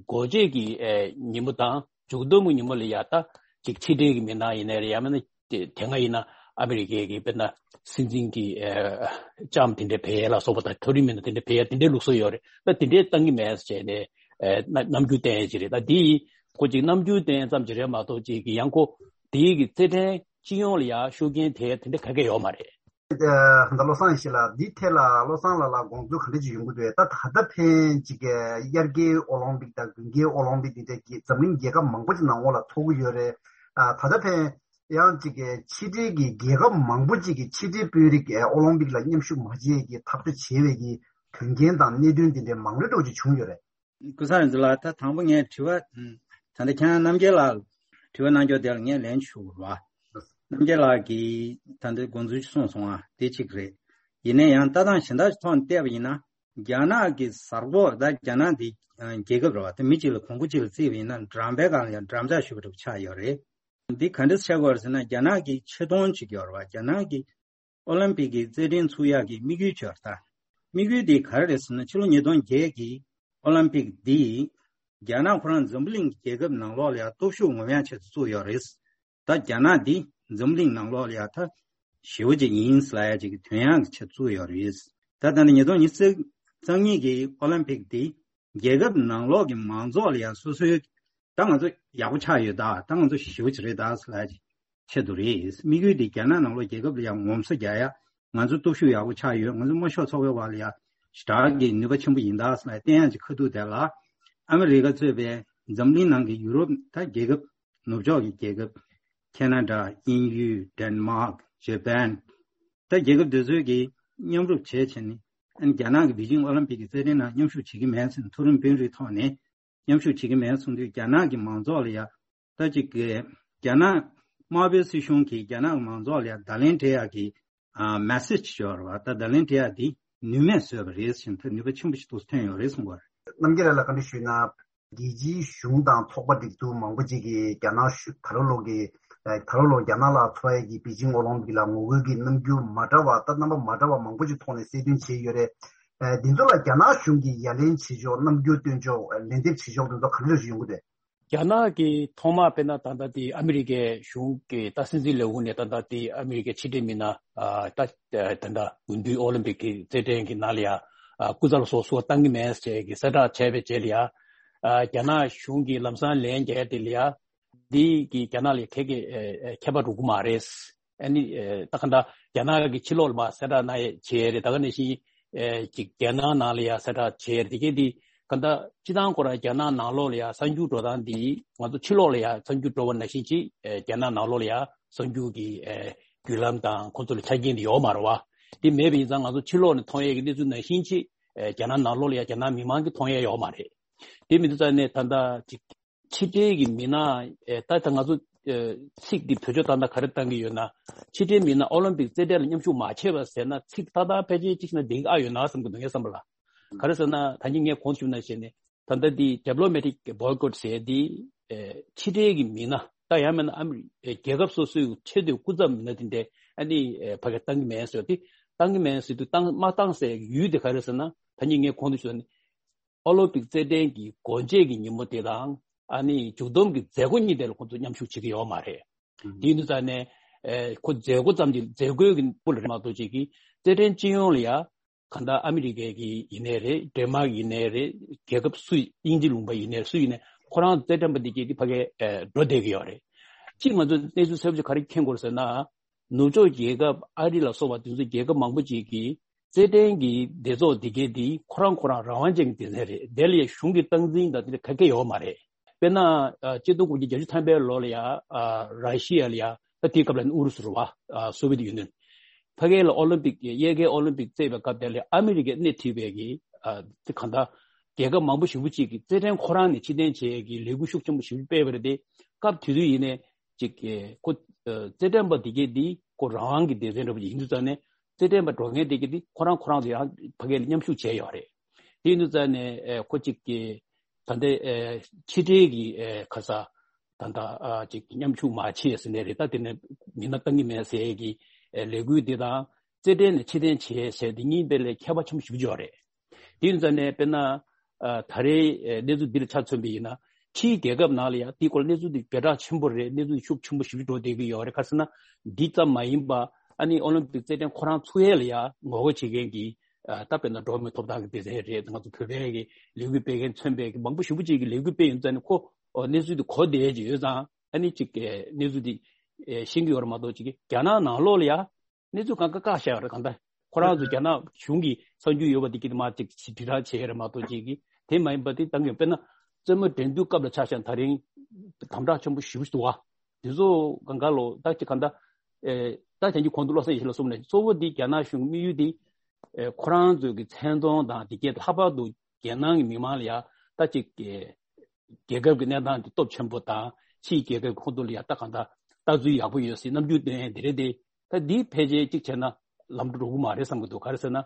སྒོ་འབྱེད་ཀྱི་ཨེ་ཉིན་མོ་དང་མཇུག་སྡོམ་གྱི་ཉིན་མོ་ལ་ཡ་ད་ཅིག་ཕྱི་འབྲེལ་གྱི་མི་སྣ་ཡིན་ནའི་རེད། ཡང་མིན་ན་དེ་དེ་སྔ་ཡིན་ན་ཨ་མི་རི་ཀའི་གི་དཔེར་ན་སྲིད་འཛིན་གྱི་ཨེ་ལྕམ་དེ་འདྲ་ཕེབས་ཡས་ལ་སོགས་པ་དང་མཐོ་རིམ་མི་སྣ་དེ་འདྲ་ཕེབས་ཡས་དེ་འདྲའི་ལུགས་སྲོལ་ཡོད་རེད། ད་དེ་འདྲའི་གཏང་གི་མེད་ཟེར་བྱས་ནས་ཨེ་རྣམ་རྣམ་འགྱུར་བསྟན་ཡས་ཅིག་རེད། ད་འདི་ཁོ་ཅིག་རྣམ་འགྱུར་བསྟན་ཡས་ཙམ་ཅིག་རེད་མ་གཏོགས་ཅིག་གི་ཡང་ཁོ་དེའི་གི་རྩེད་འགྲན་སྤྱི་ཡོངས་ལ་ཡ་ཤུགས་རྐྱེན་ཐེབས་ཡས་དེ་འདྲ་ག་གེ་ཡོད་མ་རེད། ཨ་ད་བློ་བཟང་ཡེ་ཤེས་ལགས། འདི་ཐད་ལ་བློ་བཟང་ལགས་ལ་དགོངས་ཚུལ་ག་འདྲ་ཅིག་ཡོང་གི་འདུག། ད་ད་ལྟ་ཕན་ཅིག་གི་དབྱར་ཁའི་ཨོ་ལིམ་པིག་དང་དགུན་ཁའི་ཨོ་ལིམ་པིག་འདི་འདྲ་གི་འཛམ་གླིང་རྒྱལ་ཁབ་མང་པོ་ཅིག་ནང་ལོགས་ལ་འཚོགས་ཀྱི་ཡོད་རེད། ཨ་ད་ལྟ་ཕན་ཡང་ཅིག་གི་ཕྱི་འབྲེལ་གྱི་རྒྱལ་ཁབ་མང་པོ་ཅིག་གིས་ཕྱི་འབྲེལ་དཔོན་རིགས་ཨོ་ལིམ་པིག་ལ་མཉམ་ཞུགས་མ་བྱེད་ཀྱི་ཐག་གཅོད་བྱས་པའི་གི་དོན་རྐྱེན་དང་གནད་དོན་འདི་འདྲའི་མང་རབས་འདྲ་བོ་ཅིག་བྱུང་ཡོད་རེད། སྐུ་ཚེ་རིང་འཛིན་ལགས། ད་དང་པོ་ངས་དྲི་བ་ད་ལྟ་ཁྱེད་རྣམ་རྒྱལ་ལགས་དྲི་བ་གནང་རྒྱུ་དེ་ལ་ངས་ལན་ཞུ་དགོས་རེད་བ། རྣམ་རྒྱལ་ལགས་ཀྱིས་ད་ལྟ་དགོངས་ཚུལ་གསུངས་སོང་བ་དེ་གཅིག་རེད། ཡིན་ན་ཡང་ལྟ་སྟངས་གཞན་དག་ཐོག་ནས་བལྟས་པ་ཡིན་ན། རྒྱ་ནག་གི་གཟའ་སྐོར་ད་རྒྱ་ནག་འདི་རྒྱལ་ཁབ་རེད་བ། ད་མི་གཅིག་ལ་གོང་བུ་གཅིག་ལ་བརྩིས་པ་ཡིན་ན་འགྲམ་པའི་སྒང་ལ་ཡང་འགྲམ་ལྕག་གཞུས་པ་འདྲ་པོ་ཆགས་ཡོད་རེད། འདི་ག་འདྲ་ཆགས་ཀྱི་ཡོད་རེད་ཟེར་ན། རྒྱ་ནག་གི་ཆེ་མཐོང་ཅིག་ཡོད་རེད་བ། རྒྱ་ནག་གི་ཨོ་ལིམ་པིག་གི་རྩེད་འགྲན་ཚུགས་ཡག་གི་དམིགས་ཡུལ་ཅིག་ཡོད་རེད་ད། དམིགས་ཡུལ་འདི་ག་རེ་རེད་ཟེར་ན། ཕྱི་ལོ་ཉིས་སྟོང་བརྒྱད་ཀྱི་ཨོ་ལིམ་པིག་འདི་རྒྱ་ནག་ཁོ་རང་འཛམ་བུ་གླིང་གི་རྒྱལ་ཁབ་ནང་ལོགས་ལ་ཡང་སྟོབས་ཤུགས་ངོམ་ཡག་ཆེད་དུ་བཙུགས་ཡོད་རེད། ད་རྒྱ་ནག་འདི་འཛམ་བུ་གླིང་ནང་ལོགས་ལ་ཡང་ད་ཞེ་པོ་ཅིག་ཡིན་ཟེར་ལབ་ཡག་ཅིག་གི་ཐོན་ཡག་གི་ཆེད་བཙུགས་ཡོད་རེད། ད་ད་ནི་ཉིས་སྟོང་ཉི་ཤུ་རྩ་གཉིས་ཀྱི་ཨོ་ལིམ་པིག་འདི་རྒྱལ་ཁབ་ནང་ལོགས་ཀྱི་མང་ཚོགས་ལ་ཡང་སོ་སོའི་ད་ང་ཚོ་ཡག་པོ་ཆགས་ཡོད་ད། ད་ང་ཚོ་ཞེ་པོ་ཅིག་རེད་ད་ཟེར་ལབ་ཡག་ཆེད་དུ་རེད། དམིགས་ཡུལ་འདི་རྒྱ་ནག་ནང་ལོགས་རྒྱལ་ཁབ་ལ་ཡང་ངོམ་སོ་རྒྱག་ཡག་ང་ཚོ་སྟོབས་ཤུགས་ཡག་པོ་ཆགས་ཡོད། ང་ཚོ་དམར་ཤོག་ཚོགས་པའི་བར་ལ་ཡང་ཞེ་དྲག་གི་ནུས་པ་ཆེན་པོ་ཡིན་ད་ཟེར་ལབ་བསྟན་ཡག་ཅིག་ཁ་ཐུག་དེ་ལ་ཨ་མི་རི་ཀ་གཙོས་པའི་འཛམ་གླིང་ནང་གི་ཡུ་རོབ་ད་རྒྱལ་ཁབ་ནུབ་ཕྱོགས་ཀྱི་རྒྱལ་ཁབ་ཁེ་ན་ཌ། དབྱིན་ཡུལ། ཌེན་མཱག། ཇ་པན། ད་རྒྱལ་ཁབ་དེ་ཚོས་ཀྱིས་མཉམ་རུབ་བྱས་བྱས་ནས་ཨ་ནི་རྒྱ་ནག་གི་པེ་ཅིང་ཨོ་ལིམ་པིག་གི་རྩེད་འགྲན་ནང་མཉམ་ཞུགས་བྱེད་ཀྱི་མེད་ཟེར་ནས་མཐོ་རིམ་དཔོན་རིགས་ཐོག་ནས་མཉམ་ཞུགས་བྱེད་ཀྱི་མེད་གསུངས་དུས། རྒྱ་ནག་གི་མང་ཚོགས་ལ་ཡ་ད་ཅིག་གི་རྒྱ་ནག་དམར་པོའི་སྲིད་གཞུང་གིས་རྒྱ་ནག་གི་མང་ཚོགས་ལ་ཡ་བརྡ་ལན་སྤྲད་ཡག་གི་ཨ་མེ་སེ་ཇི་ཅིག་ཡོད་རེད་བ། ད་བརྡ་ལན་སྤྲད་ཡག་དེ་ནུས་མེད་བཟོས་པ་རེད་ཟེར་ནས་ད་ནུས་པ་ཆེན་པོ་ཞིག་ཏུ་ཐོན་ཡོད་རེད་གསུངས་པ་རེད། རྣམ་རྒྱལ་ལགས་ལ་བཀའ་འདྲི་ཞུས་ན། རྒྱལ་སྤྱིའི་གཞུང་དང་ཚོགས་པ་སྒྲིག་འཛུགས་མང་པོ་ཅིག་གིས་རྒྱ་ནག་གཞུང་ད་རུང་ལོག་གི་ད་རུང་ལོག་རྒྱ་ནག་ལ་འཚོགས་ཡས་ཀྱི་པེ་ཅིང་ཨོ་ལིམ་པིག་ལ་ངོ་རྒོལ་གྱི་རྣམ་འགྱུར་མ་འདྲ་བ། ད་རྣམ་པ་མ་འདྲ་བ་མང་པོ་ཅིག་ཐོག་ནས་གསལ་སྟོན་བྱས་ཡོད་རེད། འདི་ཚོ་ལ་རྒྱ་ནག་གཞུང་གིས་ཡ་ལན་བྱེད་ཕྱོགས། རྣམ་འགྱུར་སྟོན་ཕྱོགས། ལན་འདེབས་བྱེད་ཕྱོགས་དེ་ཚོ་ག་འདྲ་ཞིག་ཡོང་གི་འདུག། རྒྱ་ནག་གིས་ཐོག་མར་དཔེར་ན་ད་ལྟ་དེ་ཨ་མི་རི་ཀའི་གཞུང་གི་ད་སྲིད་འཛིན་ལས་ཁུངས་ནས་ད་ལྟ་དེ་ཨ་མི་རི་ཀའི་ཕྱི་འབྲེལ་མི་སྣ་ད་ད་ལྟ་དགུན་དུས་ཨོ་ལིམ་པིག་གི་རྩེད་འགྲན་གྱི་ནང་ལ་ཡ་སྐུ་ཚབ་སོགས་སུ་བཏང་གི་མེད་ཅེས་ཀྱི་གསལ་བསྒྲགས་བྱས་པའི་རྗེས་ལ་ཡ། རྒྱ་ནག་གཞུང་གིས་ལམ་སང་ལན་བརྒྱབ་དེ་ལ་ཡ། འདི་གི་རྒྱ་ནག་ལ་ཁེ་ཁེ་ཨེ་ཨེ་ཁྱད་པར་འགྲོ་གི་མ་རེད། ཨ་ནི་ཨེ་ད་ག་འདྲ་རྒྱ་ནག་གི་ཕྱི་ལོགས་ལ་མ་གསལ་བསྒྲགས་གནང་ཡས་བྱས་རེད། ད་ག་ནང་བཞིན་ཨེ་ཅིག་རྒྱ་ནག་ནང་ལ་ཡ་གསལ་བསྒྲགས་བྱས་རེད། དེ་གས་འདི་ག་འདྲ་སྤྱི་བཏང་ཁོ་རང་རྒྱ་ནག་ནང་ལོགས་ལ་ཡ་གསར་འགྱུར་འགྲོ་སྟངས་འདི་ང་ཚོ་ཕྱི་ལོགས་ལ་ཡ་གསར་འགྱུར་འགྲོ་བ་ནང་བཞིན་ཅིག་ཨེ་རྒྱ་ནག་ནང་ལོགས་ལ་ཡ་གསར་འགྱུར་གྱི་ཨེ་བརྒྱུད་ལམ་དང་ཁོ་ཚོ་ལ་ཆ་རྐྱེན་འདི་ཡོད་མ་རེད་བ། འདི་མེད་པ་ཡིན་ཙང་ང་ཚོ་ཕྱི་ལོགས་ནས་མཐོང་ཡས་ཀྱི་གནས་ཚུལ་ནང་བཞིན་ཅིག་ཨེ་རྒྱ་ནག་ནང་ལོགས་ལ་ཡ་རྒྱ་ནག་མི་མང་གིས་མཐོང་ཡས་ཡོད་མ་རེད། དེ་མི་འདུག་ཙང་ནས་ད་ལྟ་ཅིག་ཕྱི་འབྲེལ་གྱི་མི་སྣ་ཨེ་ད་ལྟ་ང་ཚོ་ཨེ་ཚིག་འདི་བེད་སྤྱོད་བཏང་ན་ག་རེ་བཏང་གི་ཡོད་ན། ཕྱི་འབྲེལ་མི་སྣ་ཨོ་ལིམ་པིག་རྩེད་འགྲན་ལ་མཉམ་ཞུགས་མ་བྱས་པ་ཟེར་ན་ཚིག་ཏག་ཏག་ཕལ་ཆེར་གཅིག་ན་འགྲིག་གི་ཨ་ཡོད་ན་བསམ་གྱི་འདུག་ངའི་བསམ་པ་ལ། ག་རེ་ཟེར་ན་ད་གིན་ངས་གོང་དུ་ཞུས་ནང་བཞིན་ནས་ད་ལྟ་འདི་ཌི་པི་ལོ་མེ་ཊིག་བྷོའི་ཀོཊ་ཟེར་འདི་ཨེ་ཕྱི་འབྲེལ་གྱི་མི་སྣ་ད་ཡང་མིན་ན་ཨ་མི་རི་ཨེ་རྒྱལ་ཁབ་སོ་སོའི་ཆེས་མཐོའི་སྐུ་ཚབ་མི་སྣ་དེ་འདྲས་ཨ་ནི་ཨེ་ཕ་གིར་བཏང་གི་མེད་ཟེར་དེ་བཏང་གི་མེད་ཟེར་དུས་བཏང་མ་བཏང་ཟེར་ཡུལ་དེ་ག་རེ་ཟེར་ན་ད་གིན་ངས་གོང་དུ་ཞུས་ནས། ཨོ་ལིམ་པིག་རྩེད་འགྲན་གྱི་སྒོ་འབྱེད་ཀྱི་ཉིན་མོ་དེ་དང་ཨ་ནི་མཇུག་བསྡོམས་ཀྱི་མཛད་སྒོ་གཉིས་དེ་ལ་ཁོ་ཚོ་མཉམ་ཞུགས་བྱེད་ཀྱི་ཡོད་མ་རེད། དེ་ཡིན་དུས་ཙང་ནས་ཨེ་ཁོ་མཛད་སྒོ་ཙམ་གྱི་མཛད་སྒོའི་གི་སྐོར་ལ་རེད་མ་གཏོགས་ཅིག་གི་རྩེད་འགྲན་སྤྱི་ཡོངས་ལ་ཡ་གང་ལྟར་ཨ་མི་རི་ཀའི་གི་ཡིན་ནའི་རེད། ཌེན་མཱག་ཡིན་ནའི་རེད། རྒྱལ་ཁབ་སུ་དབྱིན་ཇི་ལུང་པ་ཡིན་ནའི་སུ་ཡིན་ནའི་ཁོ་རང་རྩེད་འགྲན་པ་འདི་གས་དེ་ཕ་གིར་ཨེ་འགྲོ་བསྡད་ཀྱི་ཡོད་རེད། གཅིག་ང་ཚོས་གནས་ཚུལ་གསར་པ་ཅིག་ག་རེ་མཁྱེན་དགོས་རེད་ཟེར་ན། ནུབ་ཕྱོགས་རྒྱལ་ཁབ་ཨ་རི་ལ་སོགས་པ་དེ་ཚོ་རྒྱལ་ཁབ་མང་པོ་ཅིག་གིས་རྩེད་འགྲན་གྱི་སྡེ་ཚོགས་འདི་གས་འདི་ཁོ་རང་ཁོ་རང་རང་དབང་ཅན་གྱི་སྡེ་ཚན་རེད། དེ་ལ་ཡང་གཞུང་གི་སྟངས་འཛིན་དང་དེ་འདྲ་ག་གེ་ཡོད་མ་རེད། དཔེར་ན་ཨ་ཆིག་སྟོང་དགུ་བརྒྱ་བརྒྱད་ཅུ་ཐམ་པའི་ལོ་ལ་ཡ་ཨ་ར་ཤི་ཡ་ལ་ཡ་ད་དེའི་སྐབས་ལ་ཨུ་རུ་སུ་རེད་བ། ཨ་སོ་བི་ཡེ་ཊི་ཡུ་ནི་ཡན། ཕ་གི་ལ་ཨོ་ལིམ་པིག་གི་དབྱར་ཁའི་ཨོ་ལིམ་པིག་རྩེད་པའི་སྐབས་དེ་ལ་ཨ་མི་རི་ཀས་སྣེ་ཁྲིད་པའི་གི་ཨ་དེ་གང་ལྟར་རྒྱལ་ཁབ་མང་པོ་ཞེ་པོ་ཅིག་གིས་རྩེད་འགྲན་ཁོ་རང་ནས་ཕྱིར་འཐེན་བྱེད་ཡས་ཀྱི་ལས་འགུལ་ཤུགས་ཆེན་པོ་ཞེ་པོ་སྤེལ་བ་རེད་དེ། སྐབས་དེ་དུས་ཡིན་ནའི་ཅིག་གི་ཁོ་ཨ་རྩེད་འགྲན་པ་འདི་གས་འདི་ཁོ་རང་དབང་གི་སྡེ་ཚན་འདྲ་པོ་ཅིག་ཡིན་དུས་ཙང་ནས་རྩེད་འགྲན་པ་འགྲོ་མཁན་དེ་གས་འདི་ཁོ་རང་ཁོ་རང་ཚོ་ཡང་ཕ་གི་ལ་མཉམ་ཞུགས་བྱས་ཡོད་རེད། དེ་ཡིན་དུས་ཙང་ནས་ཨེ་ཁོ་ཅིག་གི་ད་ལྟའི་ཨེ་ཕྱི་འབྲེལ་གྱི་ཨེ་ཁ་ས་ད་ལྟ་ཨ་ཅིག་མཉམ་ཞུགས་མ་བྱས་ཟེར་ནས་རེད། ད་དེ་ནས་མི་སྣ་བཏང་གི་མེད་ཟེར་གྱི་ཨེ་ལས་འགུལ་འདི་དང་རྩེད་འགྲན་ནས་ཕྱིར་འཐེན་བྱས་ཟེར་འདི་གཉིས་དཔེ་ལས་ཁྱད་པར་ཆེན་པོ་ཞེ་པོ་ཅིག་ཡོད་རེད། དེ་ཡིན་ཙང་ནས་དཔེར་ན་ཨ་ད་རེས་ཨེ་གནས་ཚུལ་འདི་ལ་ཆ་མཚོན་པ་ཡིན་ན་ཕྱིའི་རྒྱལ་ཁབ་ནང་ལ་ཡང་དེའི་སྐོར་གནས་ཚུལ་འདི་བྱེ་བྲག་ཆེན་པོ་རེད། གནས་ཚུལ་འདི་ཤུགས་ཆེན་པོ་ཞེ་པོ་ཅིག་འགྲོ་བསྡད་ཀྱི་ཡོད་རེད། ག་རེ་ཟེར་ན་འདི་ཙམ་མ་ཡིན་པ་ཨ་ནི་ཨོ་ལིམ་པིག་རྩེད་འགྲན་ཁོ་རང་ཚུགས་ཡས་ལ་ཡང་ངོ་རྒོལ་བྱེད་མཁན་གྱི་ཨ་ད་དཔེར་ན་འགྲོ་བ་མིའི་ཐོབ་ཐང་གི་སྡེ་ཚན་རེད། ང་ཚོ་བོད་པའི་གི་ལས་འགུལ་སྤེལ་མཁན་མཚོན་པའི་གི་མང་པོ་ཞེ་པོ་ཅིག་གི་ལས་འགུལ་སྤེལ་ཡོང་ཙང་ནི་ཁོ་ཨོ་གནས་ཚུལ་དེ་གོ་བསྡད་ཀྱི་ཡོད་ཙང་ཨ་ནི་ཅིག་གི་གནས་ཚུལ་དེ་ཨེ་ཤེས་ཀྱི་ཡོད་རེད་མ་གཏོགས་ཅིག་གི་རྒྱ་ནག་ནང་ལོགས་ལ་ཡ་གནས་ཚུལ་གང་ག་བཀག་བཞག་ཡོད་རེད། གང་ལྟར་ཁོ་རང་ཚོ་རྒྱ་ནག་གཞུང་གི་གསར་འགྱུར་ཡོད་པ་དེ་གི་དེ་མ་ཅིག་དྲིལ་བསྒྲགས་བྱས་ཡོད་རེད་མ་གཏོགས་ཅིག་གི་དེ་མ་ཡིན་པ་དེ་བཏང་གི་ཡོད། དཔེར་ན་རྩེད་མོ་འགྲན་བསྡུར་སྐབས་ལ་ཆ་བཞག་ན་ད་རིང་དམ་དྲག་ཆེན་པོ་ཞེ་པོ་ཞིག་འདུག་བ། དེ་ཚོ་གང་ག་ལོ་ད་ཅིག་གང་ལྟར་ཨེ་ད་དེང་གི་གོང་དུ་བློ་བཟང་ཡེ་ཤེས་ལགས་གསུངས་ནས་གཙོ་བོ་འདི་རྒྱ་ནག་གཞུང་དམིགས་ཡུལ་འདི་ཨེ་ཁོ་རང་ཚོའི་གི་མཚན་མཐོང་དང་དེ་གའི་ལྷག་པར་དུ་རྒྱལ་ནང་གི་མི་མང་ལ་ཡ་ད་ཅིག་ཨེ་རྒྱལ་ཁབ་ཀྱི་གནས་སྟངས་འདི་སྟོབས་ཆེན་པོ་དང་ཕྱིའི་རྒྱལ་ཁབ་ཁོ་ཚོ་ལ་ཡ་ད་གང་ལྟར་ལྟ་ཚུལ་ཡག་པོ་ཡོད་སྲིད་རྣམ་འགྱུར་སྟོན་ཡས་འདི་རེད་དེ། ད་འདི་ཕལ་ཆེར་གཅིག་བྱས་ན་ལམ་འགྲོ་འགྲོ་གི་མ་རེད་བསམ་གི་འདུག་ག་རེ་ཟེར་ན།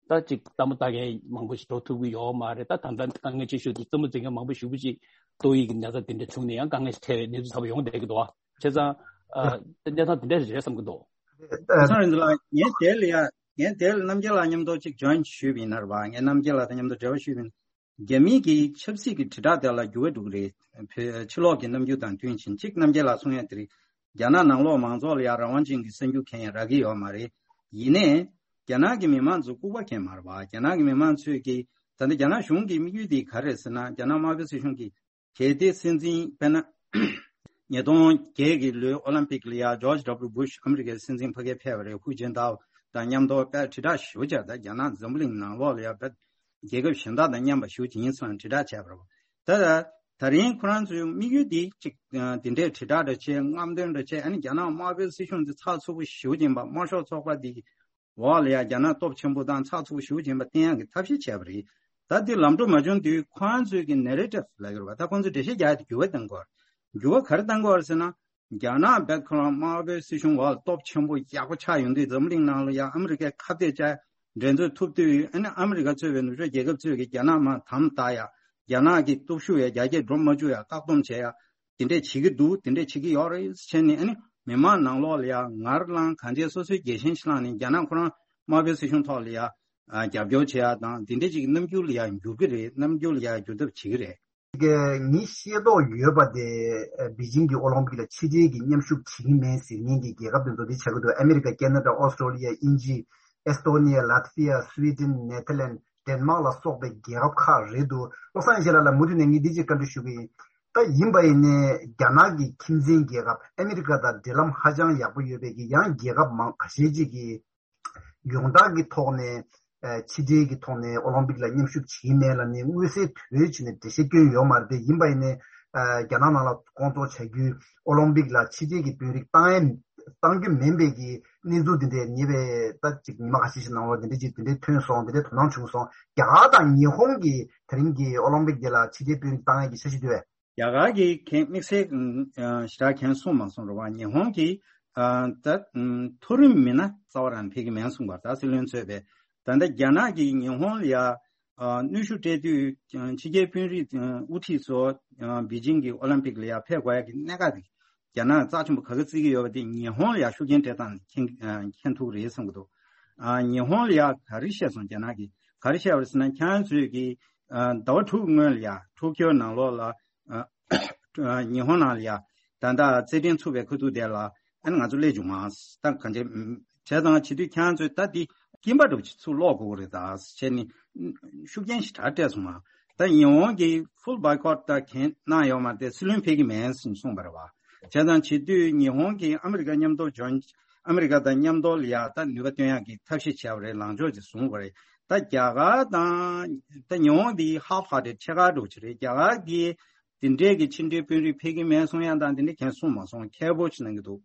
ད་ཅིག་ལྟད་མོ་ལྟ་མཁན་མང་པོ་ཞིག་འགྲོ་ཐུབ་ཀྱི་ཡོད་མ་རེད། ད་ད་ལྟ་དཀའ་ངལ་ཆེ་ཤོས་དེ་རྩེད་མོ་རྩེད་མཁན་མང་པོ་ཞེ་པོ་ཅིག་ཏོག་དབྱིབས་ཀྱི་ན་ཚ་དེ་འདྲ་བྱུང་ནས་ཡང་དཀའ་ངལ་ཞིག་འཕྲད་པའི་གནས་ཚུལ་ཚ་པོ་ཡོང་བསྡད་ཀྱི་འདུག་བ། བྱས་ཙང་ཨ་གནས་སྟངས་དེ་འདྲ་རེད་བསམ་གི་འདུག་བློ་བཟང་རིག་འཛིན་ལགས། ངས་དེ་ལ་ཡ་ངས་དེ་ལ་རྣམ་རྒྱལ་ལགས་མཉམ་དུ་ཅིག་ཇོའིན་ཞུས་པ་ཡིན་ན་རེད་བ། ངས་རྣམ་རྒྱལ་ལགས་དང་མཉམ་དུ་འབྲེལ་བ་ཞུས་པ་ཡིན་ན། རྒྱ་མིའི་གི་ཆབ་སྲིད་ཀྱི་དྲིལ་བསྒྲགས་དེ་ལ་འགྱུར་བ་འགྲོ་གི་རེད། བོད་ཕྱི་ལོགས་ཀྱི་རྣམ་འགྱུར་དང་བསྟུན་ཕྱིན་གཅིག་རྣམ་རྒྱལ་ལགས་གསུང་ཡ་དེ་རེད། རྒྱ་ནག་ནང་ལོགས་མང་ཚོགས་ལ་ཡང་རང་དབང་ཅན་གྱི་གསར་འགྱུར་མཁན་ཡང་རག་གི་ཡོད་མ་རེད། ཡིན་ནའི་རྒྱ་ནག་གི་མི་མང་ཚོ་ལྐུགས་པ་མཁན་མ་རེད་བ། རྒྱ་ནག་གི་མི་མང་ཚོས་ཀྱི་ད་ལྟ་རྒྱ་ནག་གཞུང་གི་དམིགས་ཡུལ་དེ་ག་རེ་རེད་ཟེར་ན། རྒྱ་ནག་དམར་པོའི་སྲིད་གཞུང་གིས་གལ་ཏེ་སྲིད་འཛིན་དཔེར་ན་ཉིས་སྟོང་བརྒྱད་ཀྱི་ལོའི་ཨོ་ལིམ་པིག་ལ་ཡང་ཇོརྗ་ཌབ་ལུ་བྷུ་ཤ་ཨ་མི་རི་ཀའི་སྲིད་འཛིན་ཕ་གིར་ཕེབས་པ་རེད། ཧུའུ་ཅིན་ཏའོ་དང་མཉམ་དུ་དཔེ་དྲིལ་བསྒྲགས་ཞེ་པོ་བྱས། ད་རྒྱ་ནག་འཛམ་བུ་གླིང་ནང་ལོགས་ལ་ཡང་དཔེ་རྒྱལ་ཁབ་གཞན་དག་དང་མཉམ་པ་ཞེ་པོ་ཅིག་ཡིན་ཟེར་ནས་དྲིལ་བསྒྲགས་བྱས་པ་རེད། ད་ད་རིང་ཁོ་རང་ཚོའི་དམིགས་ཡུལ་འདི་གཅིག་དེ་འདྲའི་དྲིལ་བསྒྲགས་འདྲ་བྱས། རྔམ་སྟོན་འདྲ་བྱས། ཨ་ནི་རྒྱ་ནག་དམར་པོའི་སྲིད་གཞུང་འདི་ཚགས་ཚུད་པོ་ཞེ་པོ་ཅིག་ཡིན་པ། དམར་ཤོག་ཚོགས་པ་འདི་འོག་ལ་ཡང་རྒྱ་ནག་སྟོབས་ཆེན་པོ་དང་ཚགས་ཚུད་པོ་ཞེ་པོ་ཅིག་ཡིན་པ་བསྟན་ཡག་གི་ཐབས་ཤེས་བྱས་པ་རེད། ད་འདི་ལམ་འགྲོ་མ་བྱུང་དུས་ཁོ་རང་ཚོའི་གི་ནེ་རེ་ཊིབ་ལབ་ཀྱི་རེད་བ། ད་ཁོང་ཚོས་འགྲེལ་བཤད་རྒྱག་ཡག་དེ་འགྱུར་བ་གཏང་དགོས་རེད། འགྱུར་བ་ག་རེ་གཏང་དགོས་རེད་ཟེར་ན། རྒྱ་ནག་རྦད་ཁོ་རང་དམར་པོའི་སྲིད་གཞུང་འོག་ལ་སྟོབས་ཆེན་པོ་ཡག་པོ་ཆགས་ཡོང་དུས་འཛམ་བུ་གླིང་ནང་ལ་ཡང་ཨ་མི་རི་ཀས་ཁ་གཏད་བཅག་འགྲན་རྩོད་ཐུབ་དུས། ཨ་ནི་ཨ་མི་རི་ཀ་གཙོས་པའི་ནུབ་ཕྱོགས་རྒྱལ་ཁབ་ཚོས་ཀྱིས་རྒྱ་ནག་མར་དམ་བཏགས་ཡ། རྒྱ་ནག་གི་སྟོབས་ཤུགས་ཡ་རྒྱ་སྐྱེད་འགྲོ་མ་བཅུག་ཡ་བཀག་སྡོམ་བྱེད་ཡ། དེ་འདྲས་བྱེད་ཀྱི་འདུག་དེ་འདྲས་བྱེད་ཀྱི་ཡོད་རེད་བྱས་ནས། ཨ་ནི་མི་མང་ནང་ལོགས་ལ་ཡ་ངར་ལངས། གང་བྱས་སོ་སོའི་རྒྱལ་ཞེན་ཞིག་བསླངས་ནས་རྒྱ་ནག་ཁོ་རང་དམར་པོའི་སྲིད་གཞུང་ཐོག་ལ་ཡ་ཨ་རྒྱབ་སྐྱོར་བྱེད་ཡ་དང་དེ་འདྲས་ཅིག་གི་རྣམ་འགྱུར་ལ་ཡ་འགྱུར་གྱི་རེད། རྣམ་འགྱུར་ལ་ཡ་འགྱུར་ཐབས་བྱེད་ཀྱི་རེད། གི་ངས་ཤེས་རྟོགས་ཡོད་པ་དེ་ཨ་པེ་ཅིང་གི་ཨོ་ལིམ་པིག་ལ་ཕྱི་འབྲེལ་གྱི་མཉམ་ཞུགས་བྱེད་ཀྱི་མེད་ཟེར་མཁན་གྱི་རྒྱལ་ཁབ་དེ་ཚོ་དེ་ཆགས་ཀྱི་འདུག་ཨ་མི་རི་ཀ། ཁེ་ན་ཌ། ཨོ་སི་ཊྲེ་ལི་ཡ། དབྱིན་ཇི། ཨེ་སི་ཏོ་ནི་ཡ། ལ་ཐི་ཝི་ཡ། སུའི་ཌེན། ནེ་ཐར་ལེན། ཌེན་མཱག་ལ་སོགས་པའི་རྒྱལ་ཁབ་ཁག་རེད་འདུག་བློ་བཟང་ཡེ་ཤེས་ལགས་ལ་མུ་མཐུད་ནས་ངས་འདི་གཅིག་བཀའ་འདྲི་ཞུ་གི་ཡིན། ད་ཡིན་པ་ཡིན་ནའི་རྒྱ་ནག་གི་ཁྱིམ་མཚེས་རྒྱལ་ཁབ་ཨ་མི་རི་ཀ་དང་འབྲེལ་ལམ་ཧ་ཅང་ཡག་པོ་ཡོད་པའི་གི་ཡང་རྒྱལ་ཁབ་མང་ཁ་ཤས་ཅིག་གིས་ཡོངས་གྲགས་ཀྱི་ཐོག་ནས་ཨ་ཕྱི་འབྲེལ་གྱི་ཐོག་ནས་ཨོ་ལིམ་པིག་ལ་མཉམ་ཞུགས་བྱེད་ཀྱི་མེད་ལབ་ནས་མངོན་གསལ་དོད་བྱས་ནས་འགྲེལ་བཤད་བསྐྱོན་ཡོད་མ་རེད་དེ། ཡིན་པ་ཡིན་ནའི་ཨ་རྒྱ་ནག་ནང་ལ་སྐོང་ཚོགས་བྱ་རྒྱུའི་ཨོ་ལིམ་པིག་ལ་ཕྱི་འབྲེལ་གྱི་དཔོན་རིགས་བཏང་ཡས་བཏང་རྒྱུ་མིན་པའི་གི་གནས་ཚུལ་འདི་འདྲས་ཉེ་བའི་ད་ཅིག་ཉི་མ་ཁ་ཤས་ཤིག་ནང་ལོགས་འདི་འདྲས་ཅིག་འདི་འདྲས་ཐོན་སོང་། འདི་འདྲས་དོ་སྣང་བྱུང་སོང་། རྒྱ་གར་དང་ཉི་ཧོང་གིས་དེ་རིང་གི་ཨོ་ལིམ་པིག་འདི་ལ་ཕྱི་འབྲེལ་དཔོན་རིགས་བཏང་ཡས་ཀྱི་འཆར་གཞི་འདུག་གས། རྒྱ་གར་གྱིས་གན་དམིགས་བསལ་ཨ་ཞེ་དྲག་གན་གསུངས་མ་སོང་རེད་བ། ཉི་ཧོང་གིས་ཨ་ད་ཨམ་མཐོ་རིམ་མི་སྣ་རྩ་བ་རང་ཕེབས་ཀྱི་མེད་གསུངས་པ་རེད། ད་སྲིད་བློན་གཙོས་པའི་ད་ལྟ་རྒྱ་ནག་གིས་ཉི་ཧོང་ལ་ཡ་ཨ་གནོན་ཤུགས་སྤྲད་དུས་ཨ་ཕྱི་རྒྱལ་དཔོན་རིགས་ཨ་དབུ་ཁྲིད་ཚོ་ཨ་པེ་ཅིང་གི་ཨོ་ལིམ་པིག་ལ་ཡ་ཕེབས་དགོས་ཡ་གི་གནད་འགག་དེ་རྒྱ་ནག་རྩ་ཆེན་པོ་ག་གི་བརྩི་གི་ཡོད་པ་དེ་ཉི་ཧོང་ལ་ཡ་ཤུགས་རྐྱེན་སྤྲད་སྟངས་མཁྱེན་ཨ་མཁྱེན་ཐུབ་རེད་བསམ་གི་འདུག་ཨ་ཉི་ཧོང་ལ་ཡ་ག་རེ་བཤད་སོང་། རྒྱ་ནག་གིས་ག་རེ་བཤད་པ་རེད་ཟེར་ན། ཁྱེད་རང་ཚོས་ཀྱིས་ཨ་ཟླ་བ་དྲུག་སྔོན་ལ་ཡ་ཊོ་ཀིའོ་ནང་ལོགས་ལ་ཨ་ཉི་ཧོང་ནང་ལ་ཡ་ད་ལྟ་རྩེད་འགྲན་ཚུགས་པའི་ཁ་ཐུག་དེ་ལ་ཨ་ནི་ང་ཚོ་སླེབས་བྱུང་ང་། ད་གང་བྱས་བྱས་ཙང་བྱེད་དུས་ཁྱེད་རང་ཚོས་ད་འདི་སྐྱིན་པ་འདྲ་པོ་ཅིག་ཚུར་སློག་དགོས་ཀྱི་རེད་ད་བྱས་ནས་ཤུགས་རྐྱེན་ཞེ་དྲག་སྤྲད་སོང་ང་། ད་ཉི་ཧོང་གིས་ཧྥུལ་བྷོའི་ཀོཊ་ད་གན་གནང་ཡོད་མ་རེད་དེ། སྲིད་བློན་ཕེབས་ཀྱི་མེད་ཟེར་གསུངས་པ་རེད་བ། བྱས་ཙང་བྱེད་དུས་ཉི་ཧོང་གིས་ཨ་མི་རི་ཀ་མཉམ་དུ་འཇོན་ཨ་མི་རི་ཀ་དང་མཉམ་དུ་ལ་ཡ་ད་ནུས་པ་བཏོན་ཡག་གི་ཐབས་ཤེས་བྱས་པ་རེད། ལངས་ཕྱོགས་ཅིག་བཟུང་བ་རེད། ད་རྒྱ་གར་དང་ད་ཉི་ཧོང་འདི་ཧབ་ཧར་ཊེཌ་ཕྱེད་ཀ་འདྲ་པོ་ཅིག་རེད། རྒྱ་གར་གིས་དེ་འདྲའི་གི་ཕྱི་འབྲེལ་དཔོན་རིགས་ཕེབས་ཀྱི་མེད་གསུང་ཡ་དང་དེ་འདྲ་གན་གསུངས་མ་སོང་། ཁྱད་པར་ཅིག་གནང་གི་འདུག་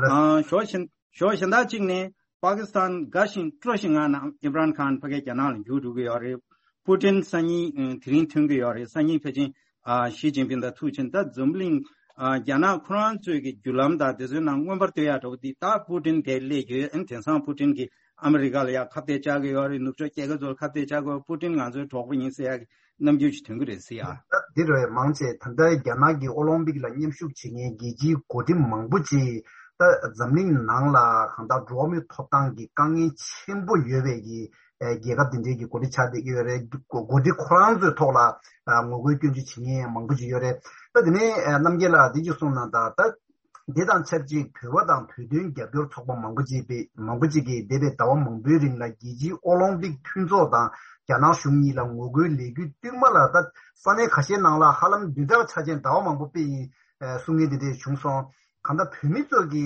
ཨ་ཕྱོགས་གཞན་ཕྱོགས་གཞན་དག་ཅིག་ནས་པ་ཀི་སི་ཐན་དགའ་ཞིང་སྤྲོ་ཞིང་ངང་ནས་ཨིམ་རན་ཁཱན་ཕ་གིའི་རྒྱ་ནག་ལ་འགྱུར་འགྲོ་གི་ཡོད་རེད། པུ་ཏིན་སང་ཉིན་ཨ་དེ་རིང་ཐོན་གི་ཡོད་རེད། སང་ཉིན་ཕལ་ཆེར་ཨ་ཞི་ཅིན་ཕིང་དང་ཐུག་ཕྱིན། ད་འཛམ་གླིང་ཨ་རྒྱ་ནག་ཁོ་རང་ཚོའི་གི་བརྒྱུད་ལམ་དང་དེ་ཚོའི་ནང་མངོན་པར་བསྟོད་ཡག་འདྲ་པོ་འདི་ད་པུ་ཏིན་དེ་སླེབས་ཡོད། ཨ་ནི་དེང་སང་པུ་ཏིན་གྱིས་ཨ་མི་རི་ཀ་ལ་ཡ་ཁ་གཏད་བཅག་གི་ཡོད་རེད། ནུབ་ཕྱོགས་རྒྱལ་ཁབ་ཚོ་ལ་ཁ་གཏད་བཅག་གི་ཡོད། པུ་ཏིན་ང་ཚོའི་གྲོགས་པོ་ཡིན་ཟེར་ཡག་གི་རྣམ་འགྱུར་ཞིག་ཐོན་གི་རེད་ཟེར་ཡ། ད་འདི་རེད། མང་ཆེ་ད་ལྟ་རྒྱ་ནག་གི་ཨོ་ལིམ་པིག་ལ་མཉམ་ཞུགས་བྱེད་མཁན་རྒྱལ་སྤྱིའི་འགོ་ཁྲིད་མང་པོ་ཅིག་ད་འཛམ་གླིང་ནང་ལ་གང་ལྟར་འགྲོ་བ་མིའི་ཐོབ་ཐང་གི་དཀའ་ངལ་ཆེན་པོ་ཡོད་པའི་གི་ཨ་རྒྱལ་ཁབ་དེ་འདྲའི་གི་འགོ་ཁྲིད་ཆགས་བསྡད་ཀྱི་ཡོད་རེད། འགོ་འགོ་ཁྲིད་ཁོ་རང་ཚོའི་ཐོག་ལ་ཨ་ངོ་རྒོལ་སྐྱོན་བརྗོད་བྱེད་མཁན་མང་པོ་ཅིག་ཡོད་རེད། ད་དེ་ནས་ཨ་རྣམ་རྒྱལ་ལགས་འདི་ཅིག་གསུངས་གནང་དང་། ད་འདི་དང་ཆབས་ཅིག་བོད་པ་དང་བོད་དོན་རྒྱབ་སྐྱོར་ཚོགས་པ་མང་པོ་ཅིག་པའི་མང་པོ་ཅིག་གིས་འདས་པའི་ཟླ་བ་མང་པོའི་རིང་ལ་རྒྱལ་སྤྱིའི་ཨོ་ལིམ་པིག་མཐུན་ཚོགས་དང་རྒྱ་ནག་གཞུང་གཉིས་ལ་ངོ་རྒོལ་ལས་འགུལ་བསྟུད་མར་ལ་ད་ས་གནས་ཁ་ཤས་ནང་ལ་ཧ་ལམ་བདུན་ཕྲག་ཆ་ཅན་ཟླ་བ་མང་པོ་སྤེལ་ཡིན་ཨ་གསུང་མཁན་དེ་འདྲས་བྱུང་སོང་། གང་ལྟར་བོད་མི་ཚོ་གི་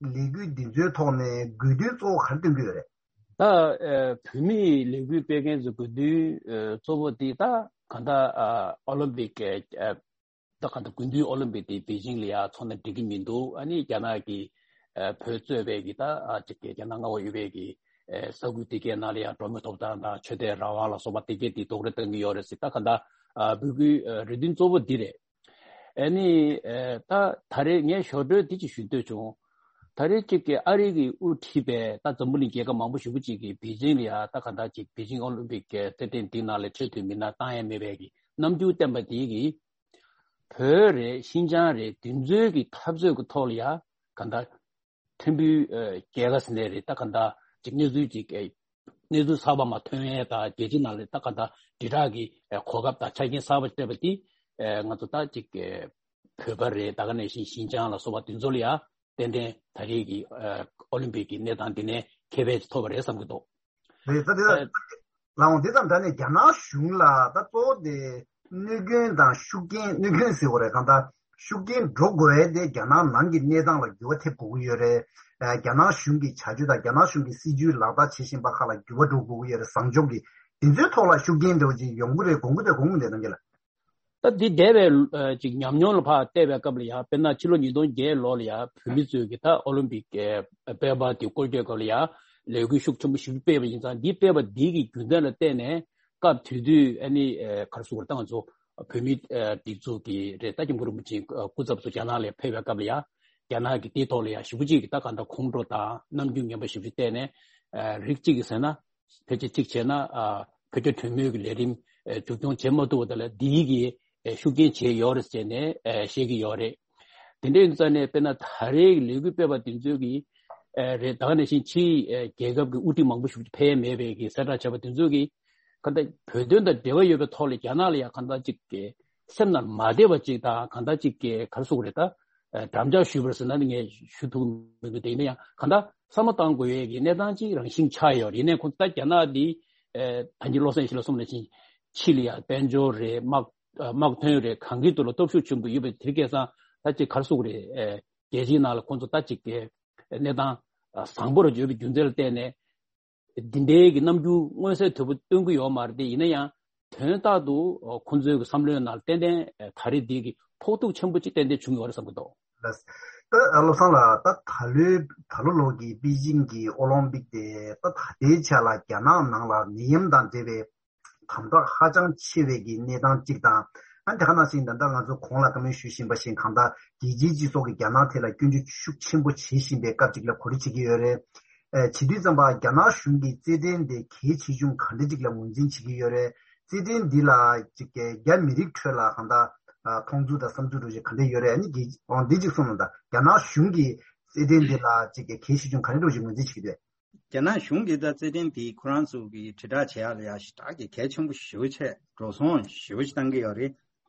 ལས་འགུལ་འདི་ཚོའི་ཐོག་ནས་དགོས་འདུན་གཙོ་བོ་ག་རེ་བཏོན་གྱི་ཡོད་རེད། ད་ཨ་བོད་མིའི་ལས་འགུལ་སྤེལ་མཁན་ཚོའི་དགོས་འདུན་ཨ་གཙོ་བོ་དེ་ད་གང་ལྟར་ཨ་ཨོ་ལིམ་པིག་གི་ཨ་ད་གང་ལྟར་དགུན་དུས་ཨོ་ལིམ་པིག་དེ་པེ་ཅིང་ལ་ཡ་ཚོགས་ན་འགྲིག་གི་མི་འདུག་ཨ་ནི་རྒྱ་ནག་གིས་ཨ་བོད་གཙོས་པའི་གི་ད་ཨ་ཅིག་གི་རྒྱ་ནག་མངའ་འོག་ཡོད་པའི་གི་ཨ་ས་ཁུལ་དེ་གའི་ནང་ལ་ཡ་འགྲོ་བ་མིའི་ཐོབ་ཐང་དང་ཆོས་དད་རང་དབང་ལ་སོགས་པ་དེ་གའི་དེ་རྡོག་རོལ་བཏང་གི་ཡོད་རེད་ཟེར། ད་གང་ལྟར་ཨ་འབོད་སྐུལ་ཨ་རེ་འདུན་གཙོ་བོ་འདི་རེད། ཨ་ནི་ཨ་ད་ད་རེས་ངས་ཞོར་འཕྲོས་འདི་ཅིག་ཞུ་འདོད་བྱུང་། ད་རེས་ཅིག་གི་ཨ་རི་གིས་དབུ་ཁྲིད་པའི་ད་འཛམ་བུ་གླིང་རྒྱལ་ཁབ་མང་པོ་ཞེ་པོ་ཅིག་གིས་པེ་ཅིང་ལ་ཡ་ད་གང་ལྟར་ཅིག་པེ་ཅིང་ཨོ་ལིམ་པིག་གི་རྩེད་འགྲན་འདི་ནང་ལ་ཆེས་མཐོའི་མི་སྣ་བཏང་ཡ་མེད་པའི་གི་རྣམ་འགྱུར་བསྟན་པ་དེ་གིས་བོད་རེད། ཤིན་ཅང་རེད། འདི་ཚོའི་གི་འཐབ་རྩོད་ཀྱི་ཐོག་ལ་ཡ་གང་ལྟར་ཐུམ་འབུའི་ཨ་རྒྱལ་ཁ་ཟེར་ནའི་རེད། ད་གང་ལྟར་ཅིག་གནས་ཚུལ་ཅིག་ཨ་གནས་ཚུལ་གསར་པ་མར་ཐོན་ཡས་དང་རྒྱལ་སྤྱི་ནང་ལ་ད་གང་ལྟར་དྲིལ་བསྒྲགས་ཀྱི་ཨ་གོ་སྐབས་དང་ཆ་རྐྱེན་གསར་པ་སྤྲད་པ་དེ་ཨ་ང་ཚོ་ད་ཅིག་ཨ་བོད་པ་རེད། ད་ག་ནང་བཞིན་ཤིན་ཅང་ལ་སོགས་པ་དེ་ཚོ་ལ་ཡ་ཏན་ཏན་ད་རེས་ཀྱི་ཨ་ཨོ་ལིམ་པིག་གི་གནས་སྟངས་འདི་ནས་ཁེ་ཕན་ཅིག་ཐོབ་པ་རེད་བསམ་གྱི་འདུག་རེད། ད་དེ་ལ་ཨ་ལགས་འོང་། དེ་དང་འདྲ་ནས་རྒྱ་ནག་གཞུང་ལ་ད་གཙོ་བོ་དེ་གནོད་སྐྱོན་དང་ཤུགས་རྐྱེན། གནོད་སྐྱོན་ཟེར་དགོས་རེད། གང་ལྟར་ཤུགས་རྐྱེན་འགྲོ་དགོས་ཡས་དེ་རྒྱ་ནག་ནང་གི་གནས་སྟངས་ལ་འགྱུར་བ་ཐེབས་དགོས་ཀྱི་ཡོད་རེད། ཨ་རྒྱ་ནག་གཞུང་གི་བྱ་སྤྱོད་དང་རྒྱ་ནག་གཞུང་གི་སྲིད་ཇུས་ལག་བསྟར་བྱེད་བཞིན་པ་ཁག་ལ་འགྱུར་བ་འགྲོ་དགོས་ཀྱི་ཡོད་རེད། བཟང་ཕྱོགས་ཀྱི་དེ་ཚོའི་ཐོག་ལ་ཤུགས་རྐྱེན་འདྲ་བོ་ཅིག་ཡོང་གི་རེད། དགོངས་ཀྱི་རེད། དགོངས་ཀྱི་རེད། རྣམ་རྒྱལ་ལགས། ད་འདི་འདས་པའི་ཨ་ཅིག་ཉམས་མྱོང་ལ་ཕར་བལྟས་པའི་སྐབས་ལ་ཡ། དཔེར་ན་ཕྱི་ལོ་ཉིས་སྟོང་བརྒྱད་ལོ་ལ་ཡ་བོད་མི་ཚོས་ཀྱི་ད་ཨོ་ལིམ་པིག་གི་དཔེ་པར་དེ་བཀོལ་སྤྱོད་སྐབས་ལ་ཡ་ལས་འགུལ་ཤུགས་ཆེན་པོ་ཞིག་སྤེལ་བ་ཡིན་ཙང་། འདི་སྤེལ་བ་འདི་གི་རྒྱུ་མཚན་ལ་བརྟེན་ནས་སྐབས་དེ་དུས་ཨ་ནི་ཨ་ག་རེ་ཟེར་དགོས་རེད། ད་ང་ཚོ་བོད་མི་ཨ་སྒྲིག་འཛུགས་ཀྱི་རེད། ད་སྐྱབས་མགོན་རིན་པོ་ཆེའི་སྐུ་ཚབ་ཚོ་རྒྱ་ནག་ལ་ཕེབས་པའི་སྐབས་ལ་ཡ། རྒྱ་ནག་གིས་དེའི་ཐོག་ལ་ཡ་ཞེ་པོ་ཅིག་གི་ད་གང་ལྟར་ཁོང་ཁྲོ་དང་རྣམ་འགྱུར་ངན་པ་ཞེ་པོ་ཅིག་བསྟན་ནས། ཨ་རིགས་གཅིག་གིས་ཟེར་ན། ཕལ་ཆེར་གཅིག་བྱས་ན་ཨ་བོད་རྒྱ་གྲོས་མོལ་གྱི་ལས་རིམ་ཨ་མཇུག་སྐྱོང་བྱེད་མ་ཐུབ་པ་དེ་ལ་འདིའི་གི་ཨ་ཤུགས་རྐྱེན་བྱས་ཡོད་རེད་ཟེར་ནས་ཨ་བཤད་ཀྱི་ཡོད་རེད། དེ་འདྲ་ཡིན་ཙང་ནས་དཔེར་ན་ད་རེས་ཀྱི་ལས་འགུལ་སྤེལ་བ་དེ་ཚོས་ཀྱི་ཨ་རེད། ད་ག་ནང་བཞིན་ཕྱིའི་ཨ་རྒྱལ་ཁབ་ཀྱི་དབུ་ཁྲིད་མང་པོ་ཞིག་ཕེབས་མེད་པའི་གི་གསལ་བསྒྲགས་བྱས་པ་དེ་ཚོས་ཀྱི་གང་ལྟར་བོད་དོན་དང་འབྲེལ་བ་ཡོད་པའི་ཐོག་ལ་རྒྱ་ནག་ལ་ཡང་གང་ལྟར་ཅིག་གི་སེམས་ནང་མ་བདེ་བ་ཅིག་དང་། གང་ལྟར་ཅིག་གི་ག་རེ་ཟེར་དགོས་རེད། ད་ཨ་འགྲམ་ལྕག་གཞུས་པ་ཟེར་ན་ནི་ངས་ཞུ་ཐུབ་མི་འདུག་དེ་ཡིན་ན་ཡང་གང་ལྟར་བསམ་བློ་བཏང་དགོས་ཡས་ཀྱི་གནས་སྟངས་ཅིག་རང་བཞིན་ཆགས་ཡོད་རེད། ཡིན་ནའི་ཁོང་ད་རྒྱ་ནག་འདི་ཨ་ད་གིན་བློ་བཟང་ཡེ་ཤེས་ལགས་གསུངས་ནང་བཞིན་ཕྱི་ལ་ཡ་དཔལ་འབྱོར་རེད། དམག་ དམག་ཐོན་ཡོད་རེད། གང་གི་ཐོག་ལ་སྟོབས་ཤུགས་ཆེན་པོ་ཡོད་པའི་དེ་གས་སང་ད་ཅིག་གར་སོང་རེད། རྒྱལ་སྤྱིའི་ནང་ལ་ཁོང་ཚོ་ད་ཅིག་གནས་སྟངས་བཟང་པོར་ཡོད་པའི་རྒྱུ་མཚན་ལ་བརྟེན་ནས། འདི་འདྲའི་གི་རྣམ་འགྱུར་མངོན་གསལ་དོད་པོ་སྟོན་གྱི་ཡོད་མ་རེད་དེ། ཡིན་ན་ཡང་དོན་དག་ཏུ་ཁོང་ཚོའི་གི་བསམ་བློའི་ནང་ཏན་ཏན་ད་རེས་འདི་གི་ཕོག་ཐུག་ཆེན་པོ་ཅིག་ཏན་ཏན་བྱུང་ཡོད་རེད་བསམ་གྱི་འདུག། ལགས། ད་བློ་བཟང་ལགས། ད་ད་ལོའི་ད་ལོ་ལོ་གི་པེ་ཅིང་གི་ཨོ་ལིམ་པིག་དེ་ད་ད་ལྟའི་ཆ་ལ་རྒྱ་ནག་ནང་ལ་ནད་ཡམས་དང་འབྲེལ་བའི་དམ་དྲག་ཧ་ཅང་ཆེ་བའི་གི་གནས་སྟངས་གཅིག་དང་། ཨ་དེ་ག་ནང་བཞིན་ད་ལྟ་ང་ཚོ་གོང་ལ་བཀའ་མོལ་ཞུ་བཞིན་པ་བཞིན་གང་ལྟར་རྒྱལ་སྤྱིའི་སྤྱི་ཚོགས་ཀྱིས་རྒྱ་ནག་ཐད་ལ་སྐྱོན་བརྗོད་ཤུགས་ཆེན་པོ་བྱེད་བཞིན་པའི་སྐབས་གཅིག་ལ་གོ་སྒྲིག་བྱེད་ཀྱི་ཡོད་རེད། ཨ་བྱེད་དུས་ཙམ་པ་རྒྱ་ནག་གཞུང་གིས་རྩེད་འགྲན་དེ་གལ་ཆེ་ཆུང་ག་འདྲ་ཅིག་ལ་ངོས་འཛིན་བྱེད་ཀྱི་ཡོད་རེད། རྩེད་འགྲན་འདི་ལ་ཅིག་རྒྱ་མི་རིགས་ཁྲོད་ལ་གང་ལྟར་ཨ་མཐོང་ཚུལ་དང་བསམ་ཚུལ་འདྲ་ཞིག་ག་འདྲ་ཡོད་རེད། ཨ་ནི་རྒྱལ་འོང་འདི་གཅིག་གསུངས་གནང་དང་། རྒྱ་ནག་གཞུང་གིས་རྩེད་འགྲན་འདི་ལ་ཅིག་གལ་ཆེ་ཆུང་ག་འདྲ་ཅིག་ངོས་འཛིན་བྱེད་ཀྱི་འདུག། རྒྱ་ནག་གཞུང་གིས་ད་རྩེད་འགྲན་འདི་ཁོ་རང་ཚོ་གི་དྲིལ་བསྒྲགས་བྱེད་ཡག་ལ་ཡ་ཞེ་དྲག་གི་གལ་ཆེན་པོ་ཞེ་པོ་ཅིག་འགྲོ་སོང་ཞེ་པོ་ཅིག་བཏང་གི་ཡོད་རེད།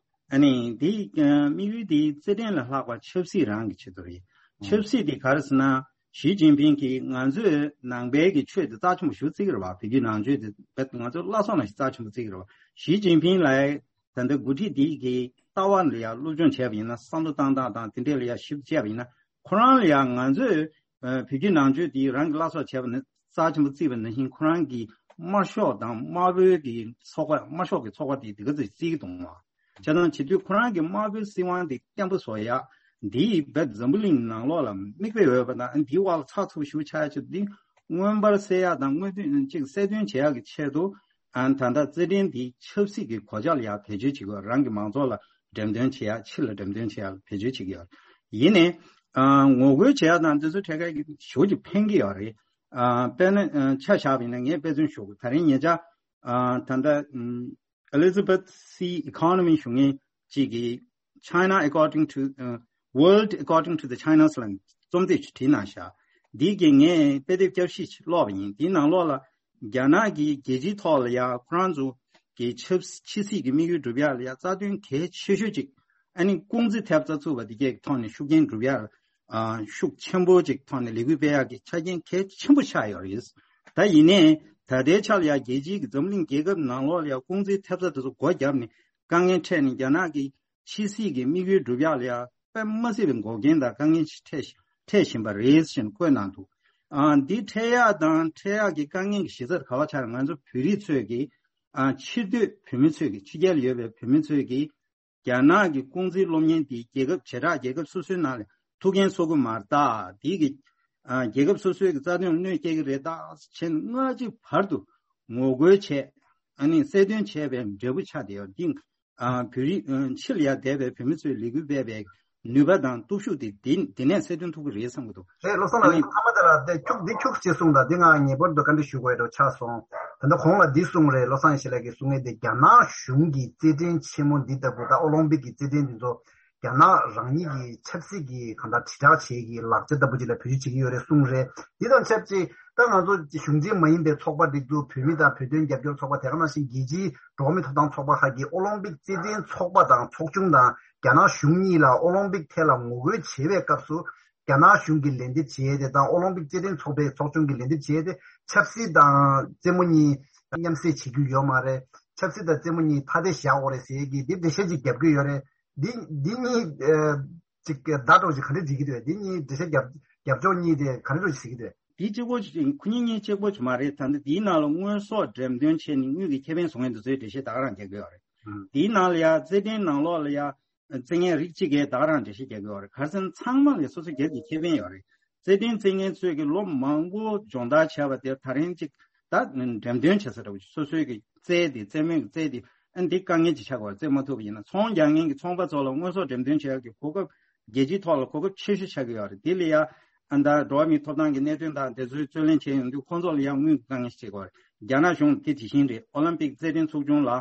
ཨ་ནི་འདི་དམིགས་ཡུལ་འདི་རྩེད་འགྲན་ལས་ལྷག་པ་ཆབ་སྲིད་རང་གི་ཆེད་དུ་རེད། ཆབ་སྲིད་འདི་ག་རེ་ཟེར་ན། ཞི་ཅིན་ཕིང་གིས་ང་ཚོས་ནང་པའི་གི་ཆོས་འདི་རྩ་ཆེན་པོ་ཞེ་པོ་བརྩི་གི་རེད་བ། བོད་བརྒྱུད་ནང་ཆོས་འདི་ང་ཚོའི་བླ་སྲོག་ནང་བཞིན་རྩ་ཆེན་པོ་བརྩི་གི་རེད་བ། ཞི་ཅིན་ཕིང་ལ་ད་ལྟ་འགོ་ཁྲིད་འདི་གི་ལྟ་བ་ལ་ཡ་སློབ་སྦྱོང་བྱས་པ་ཡིན་ན། བསམ་བློ་བཏང་སྟངས་དང་དེ་འདྲས་ལ་ཡ་ཞིབ་ཏུ་དཔྱད་པ་ཡིན་ན། ཁོ་རང་ལ་ཡང་ང་ཚོས་ཨ་བོད་བརྒྱུད་ནང་ཆོས་དེ་རང་གི་བླ་སྲོག་བྱས་པ་ནི་རྩ་ཆེན་པོ་བརྩིས་པ་ནང་བཞིན། ཁོ་རང་གིས་དམར་ཤོག་དང་དམར་པོའི་གི་ཚོགས་པ། དམར་ཤོག་གི་ཚོགས་པ་དེ་དེ་ག་ཚོད་བརྩི་གི་འདུག་མ། བྱས་ཙང་བྱེད་དུས་ཁོ་རང་གི་དམར་པོའི་སྲིད་དབང་དེ་བརྟན་པོ་བཟོ་ཡ། འདི་བོད་འཛམ་བུ་གླིང་ནང་ལོགས་ལ་མིག་དཔེ་འོས་པ་དང་། འདིའི་དབང་ལ་ཚགས་ཚུད་པོ་ཞིག་ཆགས་ཡ་ཆེད་དུ། འདི་མངོན་པར་གསལ་ཡ་དང་མངོན་སྟོན་ཅིག་གསལ་སྟོན་བྱེད་ཡ་གི་ཆེད་དུ། ཨ་ད་ལྟ་རྩེད་འགྲན་འདི་ཆབ་སྲིད་ཀྱི་གོ་ཆ་ལ་ཡ་བེད་སྤྱོད་བྱེད་དགོས། རང་གི་མང་ཚོགས་ལ་འགྲེམས་སྟོན་བྱེད་ཡ། ཕྱི་ལ་འགྲེམས་སྟོན་བྱེད་ཡ་ལ་བེད་སྤྱོད་བྱེད་ཀྱི་ཡོད། ཡིན་ནའི་ཨ་ངོ་རྒོལ་བྱེད་ཡ་དང་དེ་ཚོ་ཐད་ཀར་གྱི་ཞེ་པོ་ཅིག་ཕན་གྱི་ཡོད་རེད། ཨ་དཔེར་ན་ཨ་ཆ་བཞག་པ་ཡིན་ན། ངས་དཔེ་མཚོན་ཞུ་གི། ད་རིང་ཉེ་ཆར་ཨ་ད་ལྟ་ཨམ་Elizabeth C Economy ཞུ་མཁན་གཅིག་གིས། China according to, uh, World According to the Chinese ལ་རྩོམ་དེབ་ཅིག་བྲིས་གནང་ཤག། འདི་གི་ངས་དཔེ་དེབ་བསྐྱར་ཞིབ་ཅིག་ཀློག་པ་ཡིན། དེའི་ནང་ལོགས་ལ་རྒྱ་ནག་གིས་རྒྱལ་སྤྱིའི་ཐོག་ལ་ཡ་ཁོ་རང་ཚོ་གི་ཆབ་ཕྱི་སྲིད་ཀྱི་དམིགས་ཡུལ་སྒྲུབ་ཡ་ལ་ཡ་རྩ་དོན་གལ་ཆེ་ཤོས་ཅིག། ཨ་ནི་ཀུང་ཙི་ཐེབས་རྩ་ཚུགས་པ་དེ་གའི་ཐོག་ནས་ཤུགས་རྐྱེན་སྒྲུབ་ཡ་ལ་ཨ་ཤུགས་ཆེན་པོ་ཅིག་ཐོག་ནས་ལས་འགུལ་སྤེལ་ཡག་གི་ཆ་རྐྱེན་གལ་ཆེན་པོ་ཆགས་ཡོད་རེད། ད་ཡིན་ནའི་ད་ལྟའི་ཆ་ལ་ཡ་རྒྱལ་སྤྱིའི་གི་འཛམ་གླིང་རྒྱལ་ཁབ་ནང་ལོགས་ལ་ཡ་ཀུང་ཙིའི་ཐེབས་རྩ་དེ་ཚོ་སྒོ་བརྒྱབ་ནས་དཀའ་ངལ་འཕྲད་ནས། རྒྱ་ནག་གི་ཕྱི་སྲིད་ཀྱི་དམིགས་ཡུལ་སྒྲུབ་ཡག་ལ་ཡ་དཔེ་མ་སྲིད་པའི་འགོག་རྐྱེན་དང་དཀའ་ངལ་ཞིག་འཕྲད་འཕྲད་བཞིན་པ་རེད་ཅེས་བཀོད་གནང་འདུག། ཨ་འདི་འཕྲད་ཡག་དང་འཕྲད་ཡག་གི་དཀའ་ངལ་གྱི་གཞི་རྩ་ག་པར་ཆགས་ན། ང་ཚོ་བོད་རིགས་ཚོས་ཀྱི་ཨ་ཕྱིར་སྡོད་བོད་མི་ཚོས་ཀྱི། ཕྱི་རྒྱལ་ལ་ཡོད་པའི་བོད་མི་ཚོས་ཀྱི་རྒྱ་ནག་གི་ཀུང་ཙིའི་སློབ་གཉེར་འདི་རྒྱལ་ཁབ་བྱེ་བྲག་རྒྱལ་ཁབ་སོ་སོའི་ནང་ལ་ཐུགས་འགན་གསོ་གི་མ་རེད་ད། འདི་གི་ཨ་རྒྱལ་ཁབ་སོ་སོའི་གི་རྩ་དོན་ལ་གནོད་སྐྱེལ་གི་རེད་ད་བྱས་ནས་སྔ་ཕྱི་བར་དུ་ངོ་རྒོལ་བྱས། ཨ་ནི་གསལ་སྟོན་བྱས་པའི་འབྲས་བུ་ཆགས་བསྡད་ཡོད། འདི་ཨ་བོད་རིགས་ཨ་ཕྱི་ལ་ཡར་བསྡད་པའི་བོད་མི་ཚོས་ལས་འགུལ་སྤེལ་བའི་ནུས་པ་དང་སྟོབས་ཤུགས་དེ་འདི་འདི་ནས་གསལ་སྟོན་ཐུབ་ཀྱི་རེད་བསམ་གྱི་འདུག། རེད། བློ་བཟང་ལགས། ཨ་ནི་ཁ་མ་དེ་ལ་དེ་ཁྱུག་འདི་ཁྱུག་ཅེས་གསུངས་དང་། འདི་ང་ངེས་པར་དུ་བཀའ་འདྲི་ཞུ་དགོས་འགྲོ་ཆགས་སོང་། ད་ལྟ་གོང་ལ་འདི་གསུངས་རེད། བློ་བཟང་ཡེ་ཤེས་ལགས་ཀྱིས་གསུང་ངེས་དེ། རྒྱ་ནག་གཞུང་གིས་རྩེད་འགྲན་ཆེན་མོ་འདི་ལྟ་བུ་དང་ཨོ་ལིམ་པིག་གི་རྩེད་འགྲན་འདི་ཚོ་རྒྱ་ནག་རང་ཉིད་ཀྱི་ཆབ་སྲིད་ཀྱི་གང་ལྟར་དྲིལ་བསྒྲགས་བྱེད་ཀྱི་ལག་ཆ་ལྟ་བུ་ཅིག་ལ་བེད་སྤྱོད་བྱེད་ཀྱི་ཡོད་རེད་གསུངས་རེད། འདི་དང་ཆབས་ཅིག་ད་ང་ཚོ་གཞུང་འབྲེལ་མ་ཡིན་པའི་ཚོགས་པ་སྒྲིག་འཛུགས། བོད་མི་དང་བོད་དོན་རྒྱབ་སྐྱོར་ཚོགས་པ། དེ་ག་ནང་བཞིན་རྒྱལ་སྤྱིའི་འགྲོ་བ་མིའི་ཐོབ་ཐང་ཚོགས་པ་ཁག་གིས་ཨོ་ལིམ་པིག་རྩེད་འགྲན་ཚོགས་པ་དང་ཚོགས་ཆུང་དང་རྒྱ་ནག་གཞུང་གཉིས་ལ་ཨོ་ལིམ་པིག་ཐད་ལ་ངོ་རྒོལ་བྱེད་པའི་སྐབས་སུ། རྒྱ་ནག་གཞུང་གིས་ལན་འདེབས་བྱས་ཏེ་དང་། ཨོ་ལིམ་པིག་རྩེད་འགྲན་ཚོགས་པའི་ཚོགས་ཆུང་གིས་ལན་འདེབས་བྱས་ཏེ། ཆབ་སྲིད་དང་རྩེད་མོ་གཉིས་མཉམ་བསྲེས་བྱེད་རྒྱུ་ཡོད་མ་རེད། ཆབ་སྲིད་དང་རྩེད་མོ་གཉིས་ཐ་དད་བཞག་དགོས་རེད་ཟེར་གྱི་འདི་འགྲེལ་བཤད་ཅིག་རྒྱབ་ཀྱི་ཡོད་རེད། འདི་འདི་གཉིས་ཨ་ཅིག་བརྡ་འདྲ་ཅིག་ག་འདྲ་འགྲིག་གི་འདུག། འདི་གཉིས་འགྲེལ་བཤད་རྒྱབ་རྒྱབ་ཕྱོགས་གཉིས་དེ་ག་འདྲ་ཅིག་ཟེར་གྱི་འདུག། འདི་གཅིག་པོ་ཅིག། ཁོ་གཉིས་གཉིས་གཅིག་པོ་ཅིག་མ་རེད། ད་ལྟ་འདིའི་ནང་ལ་དངོས་ཟོག་འགྲེམས་སྟོན་བྱས་ནས་དངུལ་གྱི་ཁེ་ཕན་བཟོ་མཁན་དེ་ཚོའི་འགྲེལ་བཤད་ད་ག་རང་རྒྱག་གི་ཡོད་རེད། ཨང་། དེའི་ནང་ལ་ཡ་རྩེད་འགྲན་ནང་ལོགས་ལ་ཡ་རྩེད་མཁན་རིགས་གཅིག་གིས་ད་ག་རང་འགྲེལ་བཤད་རྒྱག་གི་ཡོད་རེད། ག་རེ་ཟེར་ན་ཚང་མ་ལ་སོ་སོ་སྒེར་གྱི་ཁེ་ཕན་ཡོད་རེད། རྩེད་འགྲན་རྩེད་མཁན་ཚོས་ཀྱི་ལོ་མང་པོ་སྦྱོང་བརྡར་བྱས་པ་དེ་ད་རིང་གཅིག་ད་འགྲེམས་སྟོན་བྱེད་ས་འདྲ་བོ་ཅིག། སོ་སོའི་གི་རྩེད་དེ། རྩེད་མོའི་གི་རྩེད་དེ། ཨ་འདི་དཀའ་ངལ་ཅིག་ཆགས་ཀྱི་ཡོད་རེད། རྩེད་མ་ཐུབ་པ་ཡིན་ན། ཚོང་རྒྱག་མཁན་གྱི་ཚོང་པ་ཚོ་ལ་དངོས་ཟོག་འགྲེམས་སྟོན་བྱེད་ཡག་གི་གོ་སྐབས་རྒྱལ་སྤྱིའི་ཐོག་ལ་གོ་སྐབས་ཆེ་ཤོས་ཆགས་ཀྱི་ཡོད་རེད། དེ་ལ་ཡ་ཨ་ད་འགྲོ་བ་མིའི་ཐོབ་ཐང་གི་གནད་དོན་དང་དེ་ཚོའི་རྩོད་ལེན་བྱས་ཡོང་དུས་ཁོང་ཚོ་ལ་ཡང་དངུལ་གྱི་དཀའ་ངལ་ཞིག་འཕྲད་ཀྱི་ཡོད་རེད། རྒྱ་ནག་གཞུང་དེ་དེ་བཞིན་རེད། ཨོ་ལིམ་པིག་རྩེད་འགྲན་ཚོགས་ཆུང་ལ་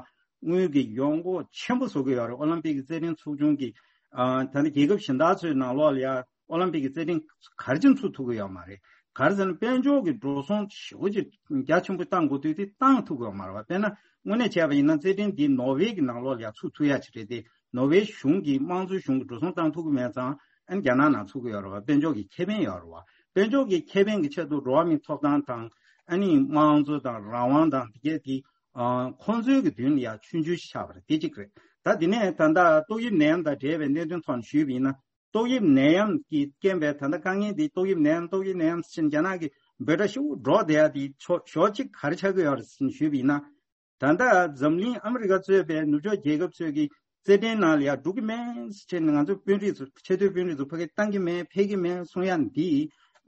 དངུལ་གྱི་ཡོང་སྒོ་ཆེན་པོ་བཟོ་གི་ཡོད་རེད། ཨོ་ལིམ་པིག་གི་རྩེད་འགྲན་ཚོགས་ཆུང་གིས་ཨ་ད་ནི་རྒྱལ་ཁབ་གཞན་དག་ཚོའི་ནང་ལོགས་ལ་ཡ་ཨོ་ལིམ་པིག་གི་རྩེད་འགྲན་ག་རེ་བྱས་ནས་ཚུགས་ཐུབ་ཀྱི་ཡོད་མ་རེད། ག་རེ་ཟེར་ན་དཔལ་འབྱོར་གྱི་འགྲོ་སོང་ཞེ་པོ་ཅིག་རྒྱ་ཆེན་པོ་བཏང་དགོས་དུས་དེ་བཏང་ཐུབ་ཀྱི་ཡོད་མ་རེད་བ། དཔེར་ན་དངོས་གནས་བྱས་པ་ཡིན་ན་རྩེད་འགྲན་འདི་ནོར་ཝེ་གི་ནང་ལོགས་ལ་ཡ་ཚུགས་ཐུབ་ཡ་ཅིག་རེད་དེ། ནོར་ཝེ་གཞུང་གིས་དམངས་གཙོའི་གཞུང་གིས་འགྲོ་སོང་བཏང་ཐུབ་ཀྱི་མེད་ཙང་ཨ་ནི་རྒྱ་ནག་ནང་ཚུགས་ཀྱི་ཡོད་རེད་བ། དཔལ་འབྱོར་གྱི་ཁེ་ཕན་ཡོད་རེད་བ། དཔལ་འབྱོར་གྱི་ཁེ་ཕན་གྱི་ཆེད་དུ་འགྲོ་བ་མིའི་ཐོབ་ཐང་དང་ཨ་ནི་དམངས་གཙོ་དང་རང་དབང་དང་དེ་གས་དེ་ ཨ། ཁོང་ཚོའི་གི་མདུན་ལ་ཡ་ཆུང་ཆུང་ཞིག་ཆགས་པ་རེད། དེ་གཅིག་རེད། ད་དེ་ནས་ད་ལྟ་ཏོག་དབྱིབས་ནད་ཡམས་དང་འབྲེལ་བའི་གནད་དོན་ཐོག་ནས་ཞུས་པ་ཡིན་ན། ཏོག་དབྱིབས་ནད་ཡམས་ཀྱི་རྐྱེན་པས་ད་ལྟ་དཀའ་ངལ་འདི་ཏོག་དབྱིབས་ནད་ཡམས་ཏོག་དབྱིབས་ནད་ཡམས་ཟེར་ནས་རྒྱ་ནག་གི་འབོད་སྒྲ་ཤུགས་འགྲོ་བསྡད་ཡ་དེ་ཕྱོགས་ཕྱོགས་གཅིག་ག་རེ་ཆགས་ཀྱི་ཡོད་རེད་ཟེར་ནས་ཞུས་པ་ཡིན་ན། ད་ལྟ་འཛམ་གླིང་ཨ་མི་རི་ཀ་གཙོས་པའི་ནུབ་ཕྱོགས་རྒྱལ་ཁབ་ཚོས་ཀྱི་རྩེད་འགྲན་ནང་ལ་ཡ་འགྲོ་གི་མེད་ཟེར་ནས་ང་ཚོ་དཔོན་རིགས་ཚོ་ཆེས་མཐོའི་དཔོན་རིགས་ཚོ་ཕ་གིར་བཏང་གི་མེད་ཕེབས་ཀྱི་མེད་གསུང་ཡ་འདི་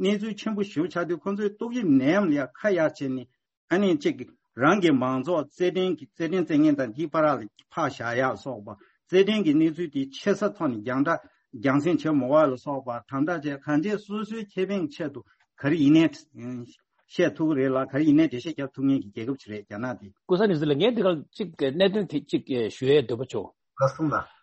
གནས་ཚུལ་ཆེན་པོ་ཞེ་པོ་ཆགས་དུས། ཁོང་ཚོས་ཏོག་དབྱིབས་ནད་ཡམས་ལ་ཡ་ཁ་གཡར་བྱས་ནས། ཨ་ནི་གཅིག་རང་གི་མང་ཚོགས་རྩེད་འགྲན་གྱི་རྩེད་འགྲན་རྩེད་མཁན་དང་འདིའི་བར་ལ་ཕར་བཞག་ཡག་སོགས་པ། རྩེད་འགྲན་གྱི་གནས་ཚུལ་དེ་ཆེ་ས་ཐོག་ནས་རྒྱང་བསྒྲགས་རྒྱང་སྲིང་བྱེད་མི་དགོས་ལ་སོགས་པ་དམ་དྲག་བྱས། གང་བྱས་སོ་སོའི་ཁེ་ཕན་ཆེད་དུ་ག་རེ་ཡིན་ནའི་བཤད་ཐུབ་ཀྱི་རེད་ལ། ག་རེ་ཡིན་ནའི་འགྲེལ་བཤད་རྒྱབ་ཐུབ་མཁན་གྱི་རྒྱལ་ཁབ་ཅིག་རེད་རྒྱ་ནག་དེ། ཀུན་བཟང་ནེ་ཟི་ལགས། ངས་འདི་ག་གཅིག་གནད་དོན་དེ་གཅིག་ཞུ་ཡས་འདོད་པ་བྱུང་། ལགས་སོ་ལགས།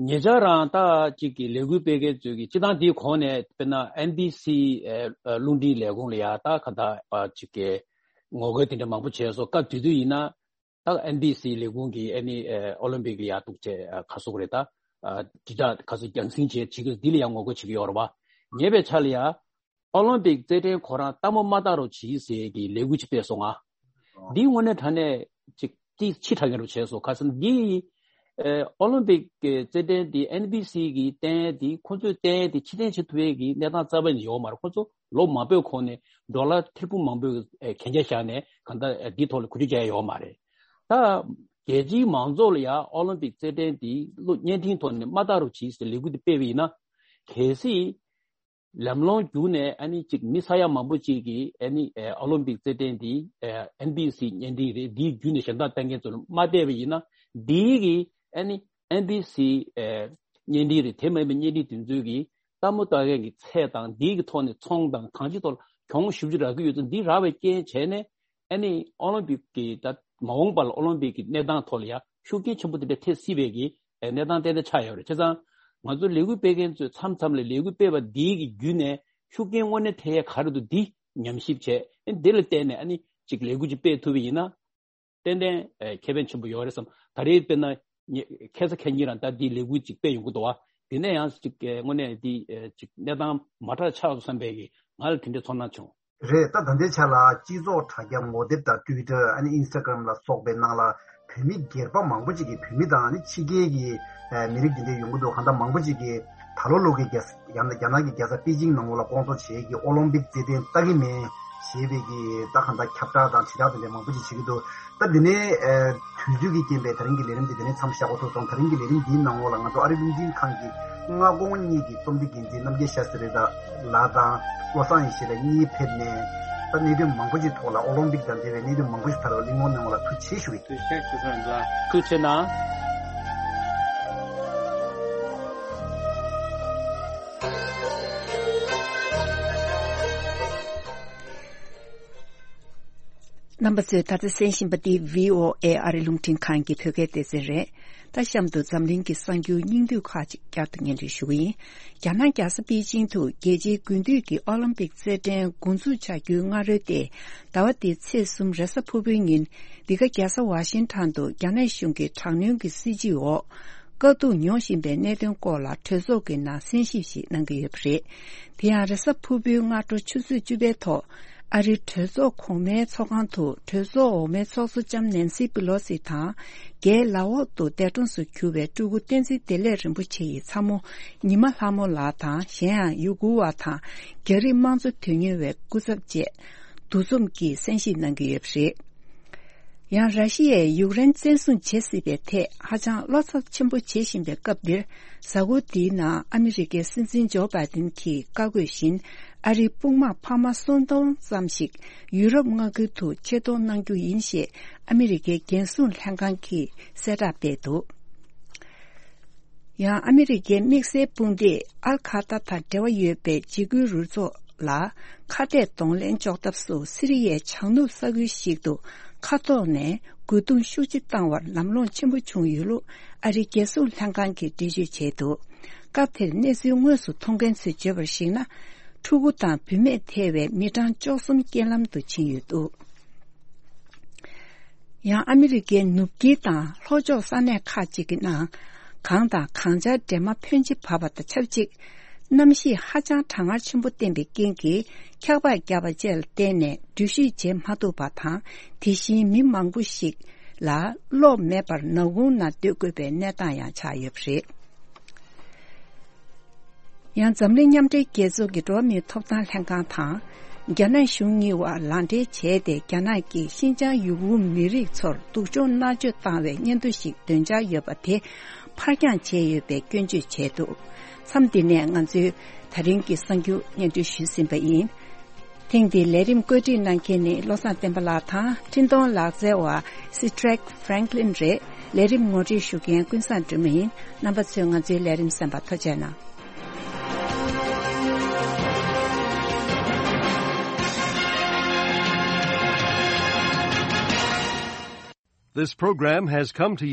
ཉེ་ཆར་རང་ད་ཅིག་གི་ལས་འགུལ་སྤེལ་མཁན་ཚོས་ཀྱི་སྤྱི་བཏང་དེའི་གོང་ནས་དཔེར་ན་ཨེན་བི་སི་ཨ་རླུང་འཕྲིན་ལས་ཁུངས་ལ་ཡ་ད་ག་ད་ཨ་ཅིག་གི་ངོ་རྒོལ་དེ་འདྲ་མང་པོ་བྱས་སོང་། སྐབས་དེ་དུས་ཡིན་ན་ད་ཨེན་བི་སི་ལས་ཁུངས་ཀྱིས་ཨ་ནི་ཨ་ཨོ་ལིམ་པིག་ལ་ཡ་འདུག་བྱས་ཨ་ག་ཟེར་དགོས་རེད། ད་ཨ་དྲིལ་བསྒྲགས་ག་ཚོད་རྒྱང་སྲིང་བྱས་བྱེད་ཀྱི་འདི་ལ་ཡ་ངོ་རྒོལ་བྱེད་ཀྱི་ཡོད་རེད་པ། ངས་པའི་ཆ་ལ་ཡ། ཨོ་ལིམ་པིག་རྩེད་འགྲན་ཁོ་རང་ལྟད་མོ་མ་ལྟ་རོགས་གྱིས་ཟེར་གྱི་ལས་འགུལ་ཅིག་སྤེལ་སོང་ང་། འདི་དངོས་གནས་དྲང་གནས་ཅིག་ཅིག་ཕྱི་དྲགས་མཁན་རུ་བྱས་སོང་། ཁ་སང་འདི་ཨེ་ཨོ་ལིམ་པིག་གི་རྩེད་འགྲན་འདི་ཨེན་བི་སི་གིས་བསྟན་འདི་ཁོ་ཚོས་བསྟན་འདི་ཕྱིར་འཐེན་བྱེད་ཐུབ་ཡས་ཀྱི་གནས་སྟངས་རྩ་བ་ནས་ཡོད་མ་རེད། ཁོ་ཚོ་ལོ་མང་པོའི་གོང་ནས་ཌོ་ལར་ཐེར་འབུམ་མང་པོའི་གན་རྒྱ་བཞག་ནས་གང་ལྟར་འདི་ཐོག་ལ་གོ་སྒྲིག་བྱས་ཡོད་མ་རེད། ད་རྒྱལ་སྤྱིའི་མང་ཚོགས་ལ་ཡང་ཨོ་ལིམ་པིག་རྩེད་འགྲན་འདི་བློ་བརྙན་འཕྲིན་ཐོག་ནས་མ་ལྟ་རོགས་གྱིས་ཟེར་ལས་འགུལ་འདི་སྤེལ་བ་ཡིན་ན། གལ་སྲིད་ལམ་ལྷོང་བརྒྱུད་ནས་ཨ་ནི་གཅིག་མི་ས་ཡ་མང་པོ་གཅིག་གིས་ཨ་ནི་ཨོ་ལིམ་པིག་རྩེད་འགྲན་འདི་ཨེན་བི་སི་བརྙན་འཕྲིན་རེད། འདིའི་བརྒྱུད་ནས་ཞབས་འདེགས་གཏོང་མཁན་ཚོར་མ་བལྟས་པ་ཡིན་ན། འདིའི་གི་ཨ་ནི་ཨེན་བི་སི་བརྙན་འཕྲིན་རེད། དེ་མིན་པའི་བརྙན་འཕྲིན་དེ་ཚོའི་གི་ལྟད་མོ་ལྟ་མཁན་གྱི་ཚད་དང་འདིའི་གི་ཐོག་ནས་ཚོང་དང་གང་ཅིའི་ཐོག་ལ་གྱོང་ཞེ་པོ་ཅིག་རག་གི་ཡོད་ཚེ། འདི་རག་པའི་རྐྱེན་བྱས་ནས། ཨ་ནི་ཨོ་ལིམ་པིག་གི་ད་མ་འོངས་པ་ལ་ཨོ་ལིམ་པིག་གི་གནས་སྟངས་ཐོག་ལ་ཡང་ཤུགས་རྐྱེན་ཆེན་པོ་དེ་འདྲ་ཐེབས་སྲིད་པའི་གི་གནས་སྟངས་ཏན་ཏན་ཆགས་ཡོད་རེད། བྱས་ཙང་ང་ཚོ་ལས་འགུལ་སྤེལ་མཁན་ཚོས་མཚམས་མཚམས་ལ་ལས་འགུལ་སྤེལ་བ་འདིའི་གི་བརྒྱུད་ནས་ཤུགས་རྐྱེན་དངོས་གནས་ཐེབས་ཡས་ག་རེ་འདུག་འདི་ཉམས་ཞིབ་བྱས། ཨ་ནི་འདི་ལ་བརྟེན་ནས་ཨ་ནི་ཅིག་ལས་འགུལ་ཅིག་སྤེལ་ཐུབ་པ་ཡིན་ན། ཏན་ཏན་ཨེ་ཁེ་ཕན་ཆེན་པོ་ཡོད་རེད་བསམ། ད་རེས་དཔེར་ན་ངེད་ཁ་སང་ཁ་ཉིན་རང་ད་འདི་ལས་འགུལ་ཅིག་སྤེལ་ཡོང་གི་འདུག་བ། དེ་ནས་ཡང་ཅིག་ཨེ་དངོས་གནས་འདི་ཨེ་ཅིག་གནས་སྟངས་མ་འདྲ་ཆགས་སོང་བསམ་པའི་གི་ང་ལ་དེ་འདྲའི་ཚོར་སྣང་བྱུང་། རེད། ད་ད་ལྟའི་ཆ་ལ་སྤྱི་ཚོགས་དྲ་རྒྱ་ངོ་དེབ་དང་ཊུའི་ཊར། ཨ་ནི་ཨིན་སི་ཊ་གྷ་རམ་ལ་སོགས་པའི་ནང་ལ་བོད་མི་སྒེར་པ་མང་པོ་ཅིག་གིས། བོད་མི་དང་ཨ་ནི་ཕྱི་རྒྱལ་གྱི་ཨེ་མི་རིགས་དེ་འདྲ་ཡོང་གི་འདུག་གང་ལྟར་མང་པོ་ཅིག་གིས་ད་ལོ་ལོ་གི་རྒྱ་ས་རྒྱ་ནག་གི་རྒྱལ་ས་པེ་ཅིང་ནང་ལོགས་ལ་སྐོང་ཚོགས་བྱེད་ཀྱི་ཨོ་ལིམ་པིག་རྩེད་འགྲན་ལྟ་གི་མེད་ཞེས་པའི་གི་ད་གང་ལྟར་ཁྱབ་བསྒྲགས་དང་དྲིལ་བསྒྲགས་དེ་འདྲ་མང་པོ་ཅིག་བྱེད་ཀྱི་འདུག་ད་འདི་ནས་ཨེ་དུས་ཚོད་ཀྱི་རྐྱེན་པས་ད་རིང་གི་ལས་རིམ་འདི་འདི་ནས་མཚམས་བཞག་དགོས་ཐུག་སོང་། ད་རིང་གི་ལས་རིམ་འདིའི་ནང་ལོགས་ལ་ང་ཚོ་ཨ་རིའི་རླུང་འཕྲིན་ཁང་གི་མངའ་ཁོངས་གཉིས་ཀྱི་རྩོམ་སྒྲིག་འགན་འཛིན་རྣམ་རྒྱལ་ཤཱ་སི་རི་ལགས་དང་བློ་བཟང་ཡེ་ཤེས་ལགས་གཉིས་ཕེབས་ནས། ད་གནད་དོན་མང་པོ་ཅིག་ཐོག་ལ་ཨོ་ལིམ་པིག་དང་འབྲེལ་བའི་གནད་དོན་མང་པོ་ཞིག་ཐོག་ལ་གླེང་སློང་གནང་བ་ལ་ཐུགས་རྗེ་ཆེ་ཞུ་གི། ཐུགས་རྗེ་ཆེ། ཐུགས་རྗེ་ཆེ་གནང་། རྣམ་པ་ཚོས་ད་ལྟ་གསན་བཞིན་པ་འདི་བྷི་ཨོ་ཨེ་ཨ་རི་རླུང་འཕྲིན་ཁང་གི་བོད་སྐད་སྡེ་ཚན་རེད། ད་གཤམ་དུ་འཛམ་གླིང་གི་གསར་འགྱུར་སྙིང་བསྡུས་ཁག་ཅིག་བསྐྱར་དུ་སྙན་སྒྲོན་ཞུ་གི་ཡིན། རྒྱ་ནག་རྒྱལ་ས་པེ་ཅིང་དུ་རྒྱལ་སྤྱིའི་དགུན་དུས་ཀྱི་ཨོ་ལིམ་པིག་རྩེད་འགྲན་འགོ་འཛུགས་བྱ་རྒྱུའི་སྔ་རོལ་ཏེ། ཟླ་བ་འདིའི་ཚེས་གསུམ་རེས་གཟའ་ཕུར་བུའི་ཉིན། འདི་ག་རྒྱལ་ས་ཝ་ཤིང་ཊོན་དུ་རྒྱ་ནག་གཞུང་གི་དྲག་གནོན་གྱི་སྲིད་བྱུས་འོག་དཀའ་སྡུག་མྱོང་བཞིན་པའི་གནད་དོན་སྐོར་ལ་གྲོས་ཚོགས་ཀྱི་ནང་གསན་ཞིབ་ཞིག་གནང་གི་ཡོད་པ་རེད། དེ་ཡང་རེས་གཟའ་ཕུར་བུའི་སྔ་དྲོ་ཆུ་ཚོད་བཅུ་པའི་ཐོག་ཨ་རིའི་གྲོས་ཚོགས་གོང་མའི་ཚོགས་ཁང་དུ་གྲོས་ཚོགས་འོག་མའི་ཚོགས་གཙོ་ལྕམ་ནན་སི་པི་ལོ་སི་དང་། རྒྱའི་ལའོ་ཏུ་འདས་གྲོངས་སུ་གྱུར་བའི་སྤྲུལ་སྐུ་བསྟན་འཛིན་བདེ་ལེགས་རིན་པོ་ཆེ་ཡི་ཚ་མོ་ཉི་མ་ལྷ་མོ་ལགས་དང་། གཞན་ཡང་ཡུ་གུར་བ་དང་རྒྱ་རིགས་དམངས་གཙོ་དོན་གཉེར་བའི་སྐུ་ཚབ་བཅས་འདུ་འཛོམས་ཀྱིས་གསན་ཞིབ་གནང་གི་ཡོད་པ་རེད། ཡང་། ར་ཤི་ཡས་ཡུཀ་རེན་བཙན་བཟུང་བྱེད་སྲིད་པའི་ཐད་ཧ་ཅང་བློ་འཚབ་ཆེན་པོ་བྱེད་བཞིན་པའི་སྐབས་འདིར། གཟའ་འཁོར་འདིའི་ནང་ཨ་མི་རི་ཀའི་སྲིད་འཛིན་ཇོ་བྷའི་ཏིན་གྱིས་བཀའ་བཀོད་བཞིན། ཨ་རིའི་དཔུང་དམག་འཕར་མ་སུམ་སྟོང་ཙམ་ཞིག་ཡུ་རོབ་མངའ་ཁུལ་དུ་ཆེད་གཏོང་གནང་རྒྱུ་ཡིན་ཞེས་ཨ་མི་རི་ཀའི་རྒྱལ་སྲུང་ལྷན་ཁང་གིས་གསལ་བསྒྲགས་སྤེལ་འདུག་ཡང་། ཨ་མི་རི་ཀའི་དམིགས་བསལ་དཔུང་སྡེས་ཨལ་ཁ་ཏ་དང་འབྲེལ་བ་ཡོད་པའི་འཇིགས་སྐུལ་རུ་ཚོགས་ལ་ཁ་གཏད་གདོང་ལེན་གཅོག་ཐབས་སུ་སི་རི་ཡའི་བྱང་ནུབ་ས་ཁུལ་ཞིག་ཏུ་མཁའ་ཐོག་ནས་རྒོལ་རྡུང་ཤུགས་ཆེ་བཏང་བར་ལམ་ལྷོང་ཆེན་པོ་བྱུང་ཡོད་ལུགས་ཨ་རིའི་རྒྱལ་སྲུང་ལྷན་ཁང་གིས་འགྲེལ་བརྗོད་བྱས་འདུག་སྐབས་དེར་གནས་ཚུལ་དངོས་སུ་མཐོང་མཁན་ཚོས་བརྗོད་པར་གཞིགས་ན། ཕྲུ་གུ་དང་བུད་མེད་ཐེ་བའི་མི་གྲངས་བཅུ་གསུམ་རྐྱེན་ལམ་དུ་ཕྱིན་ཡོད་འདུག་ཡང་ཨ་མི་རི་ཀའི་ནུབ་དཀྱིལ་དང་ལྷོ་ཕྱོགས་ས་གནས་ཁག་ཅིག་གི་ནང་གངས་དང་གངས་ཆར་འདྲེས་མ་ཕོན་ཆེ་བབས་པ་དང་ཆབས་ཅིག་གནམ་གཤིས་ཧ་ཅང་གྲང་ངར་ཆེན་པོ་བསྟན་པའི་རྐྱེན་གྱིས། འཁྱགས་པ་བརྒྱབ་པ་བཅས་ལ་བརྟེན་ནས་འགྲུལ་བཞུད་བྱེད་མ་ཐུབ་པ་དང་། དེ་བཞིན་མི་མང་པོ་ཞིག་ལ་གློག་མེད་པར་ནག་ཁུང་ནང་སྡོད་དགོས་པའི་གནས་སྟངས་ཡང་ཆགས་ཡོད་པ་རེད། ཡང་འཛམ་གླིང་མཉམ་འབྲེལ་རྒྱལ་ཚོགས་ཀྱི་འགྲོ་བ་མིའི་ཐོབ་ཐང་ལྷན་ཁང་དང་། རྒྱ་ནག་གཞུང་གཉིས་བར་ལག་འབྲེལ་བྱས་ཏེ། རྒྱ་ནག་གིས་ཤིན་ཅང་ཡུ་གུར་མི་རིགས་ཚོར་སྡུག་སྦྱོང་མནར་གཅོད་བཏང་བའི་སྙན་ཐོ་ཞིག་འདོན་འཆར་ཡོད་པ་དེ་ཕར་འགྱངས་བྱས་ཡོད་པའི་སྐྱོན་བརྗོད་བྱས་འདུག་མཚམས་འདི་ནས་ང་ཚོས་ད་རིང་གི་གསར་འགྱུར་སྙན་སྒྲོན་ཞུས་ཟིན་པ་ཡིན། ཐེངས་འདིའི་ལས་རིམ་བཀོད་སྒྲིག་གནང་མཁན་ནི་བློ་བཟང་བསྟན་པ་ལགས་དང་། འཕྲིན་གཏོང་ལག་རྩལ་བ་Cedric Franklin རེད། ལས་རིམ་ངོ་སྤྲོད་ཞུ་མཁན་ཀུན་བཟང་སྒྲོལ་མ་ཡིན། རྣམ་པ་ཚོས་ང་ཚོའི་ལས་རིམ་གསན་པར་ཐུགས་རྗེ་གནང་། This program has come to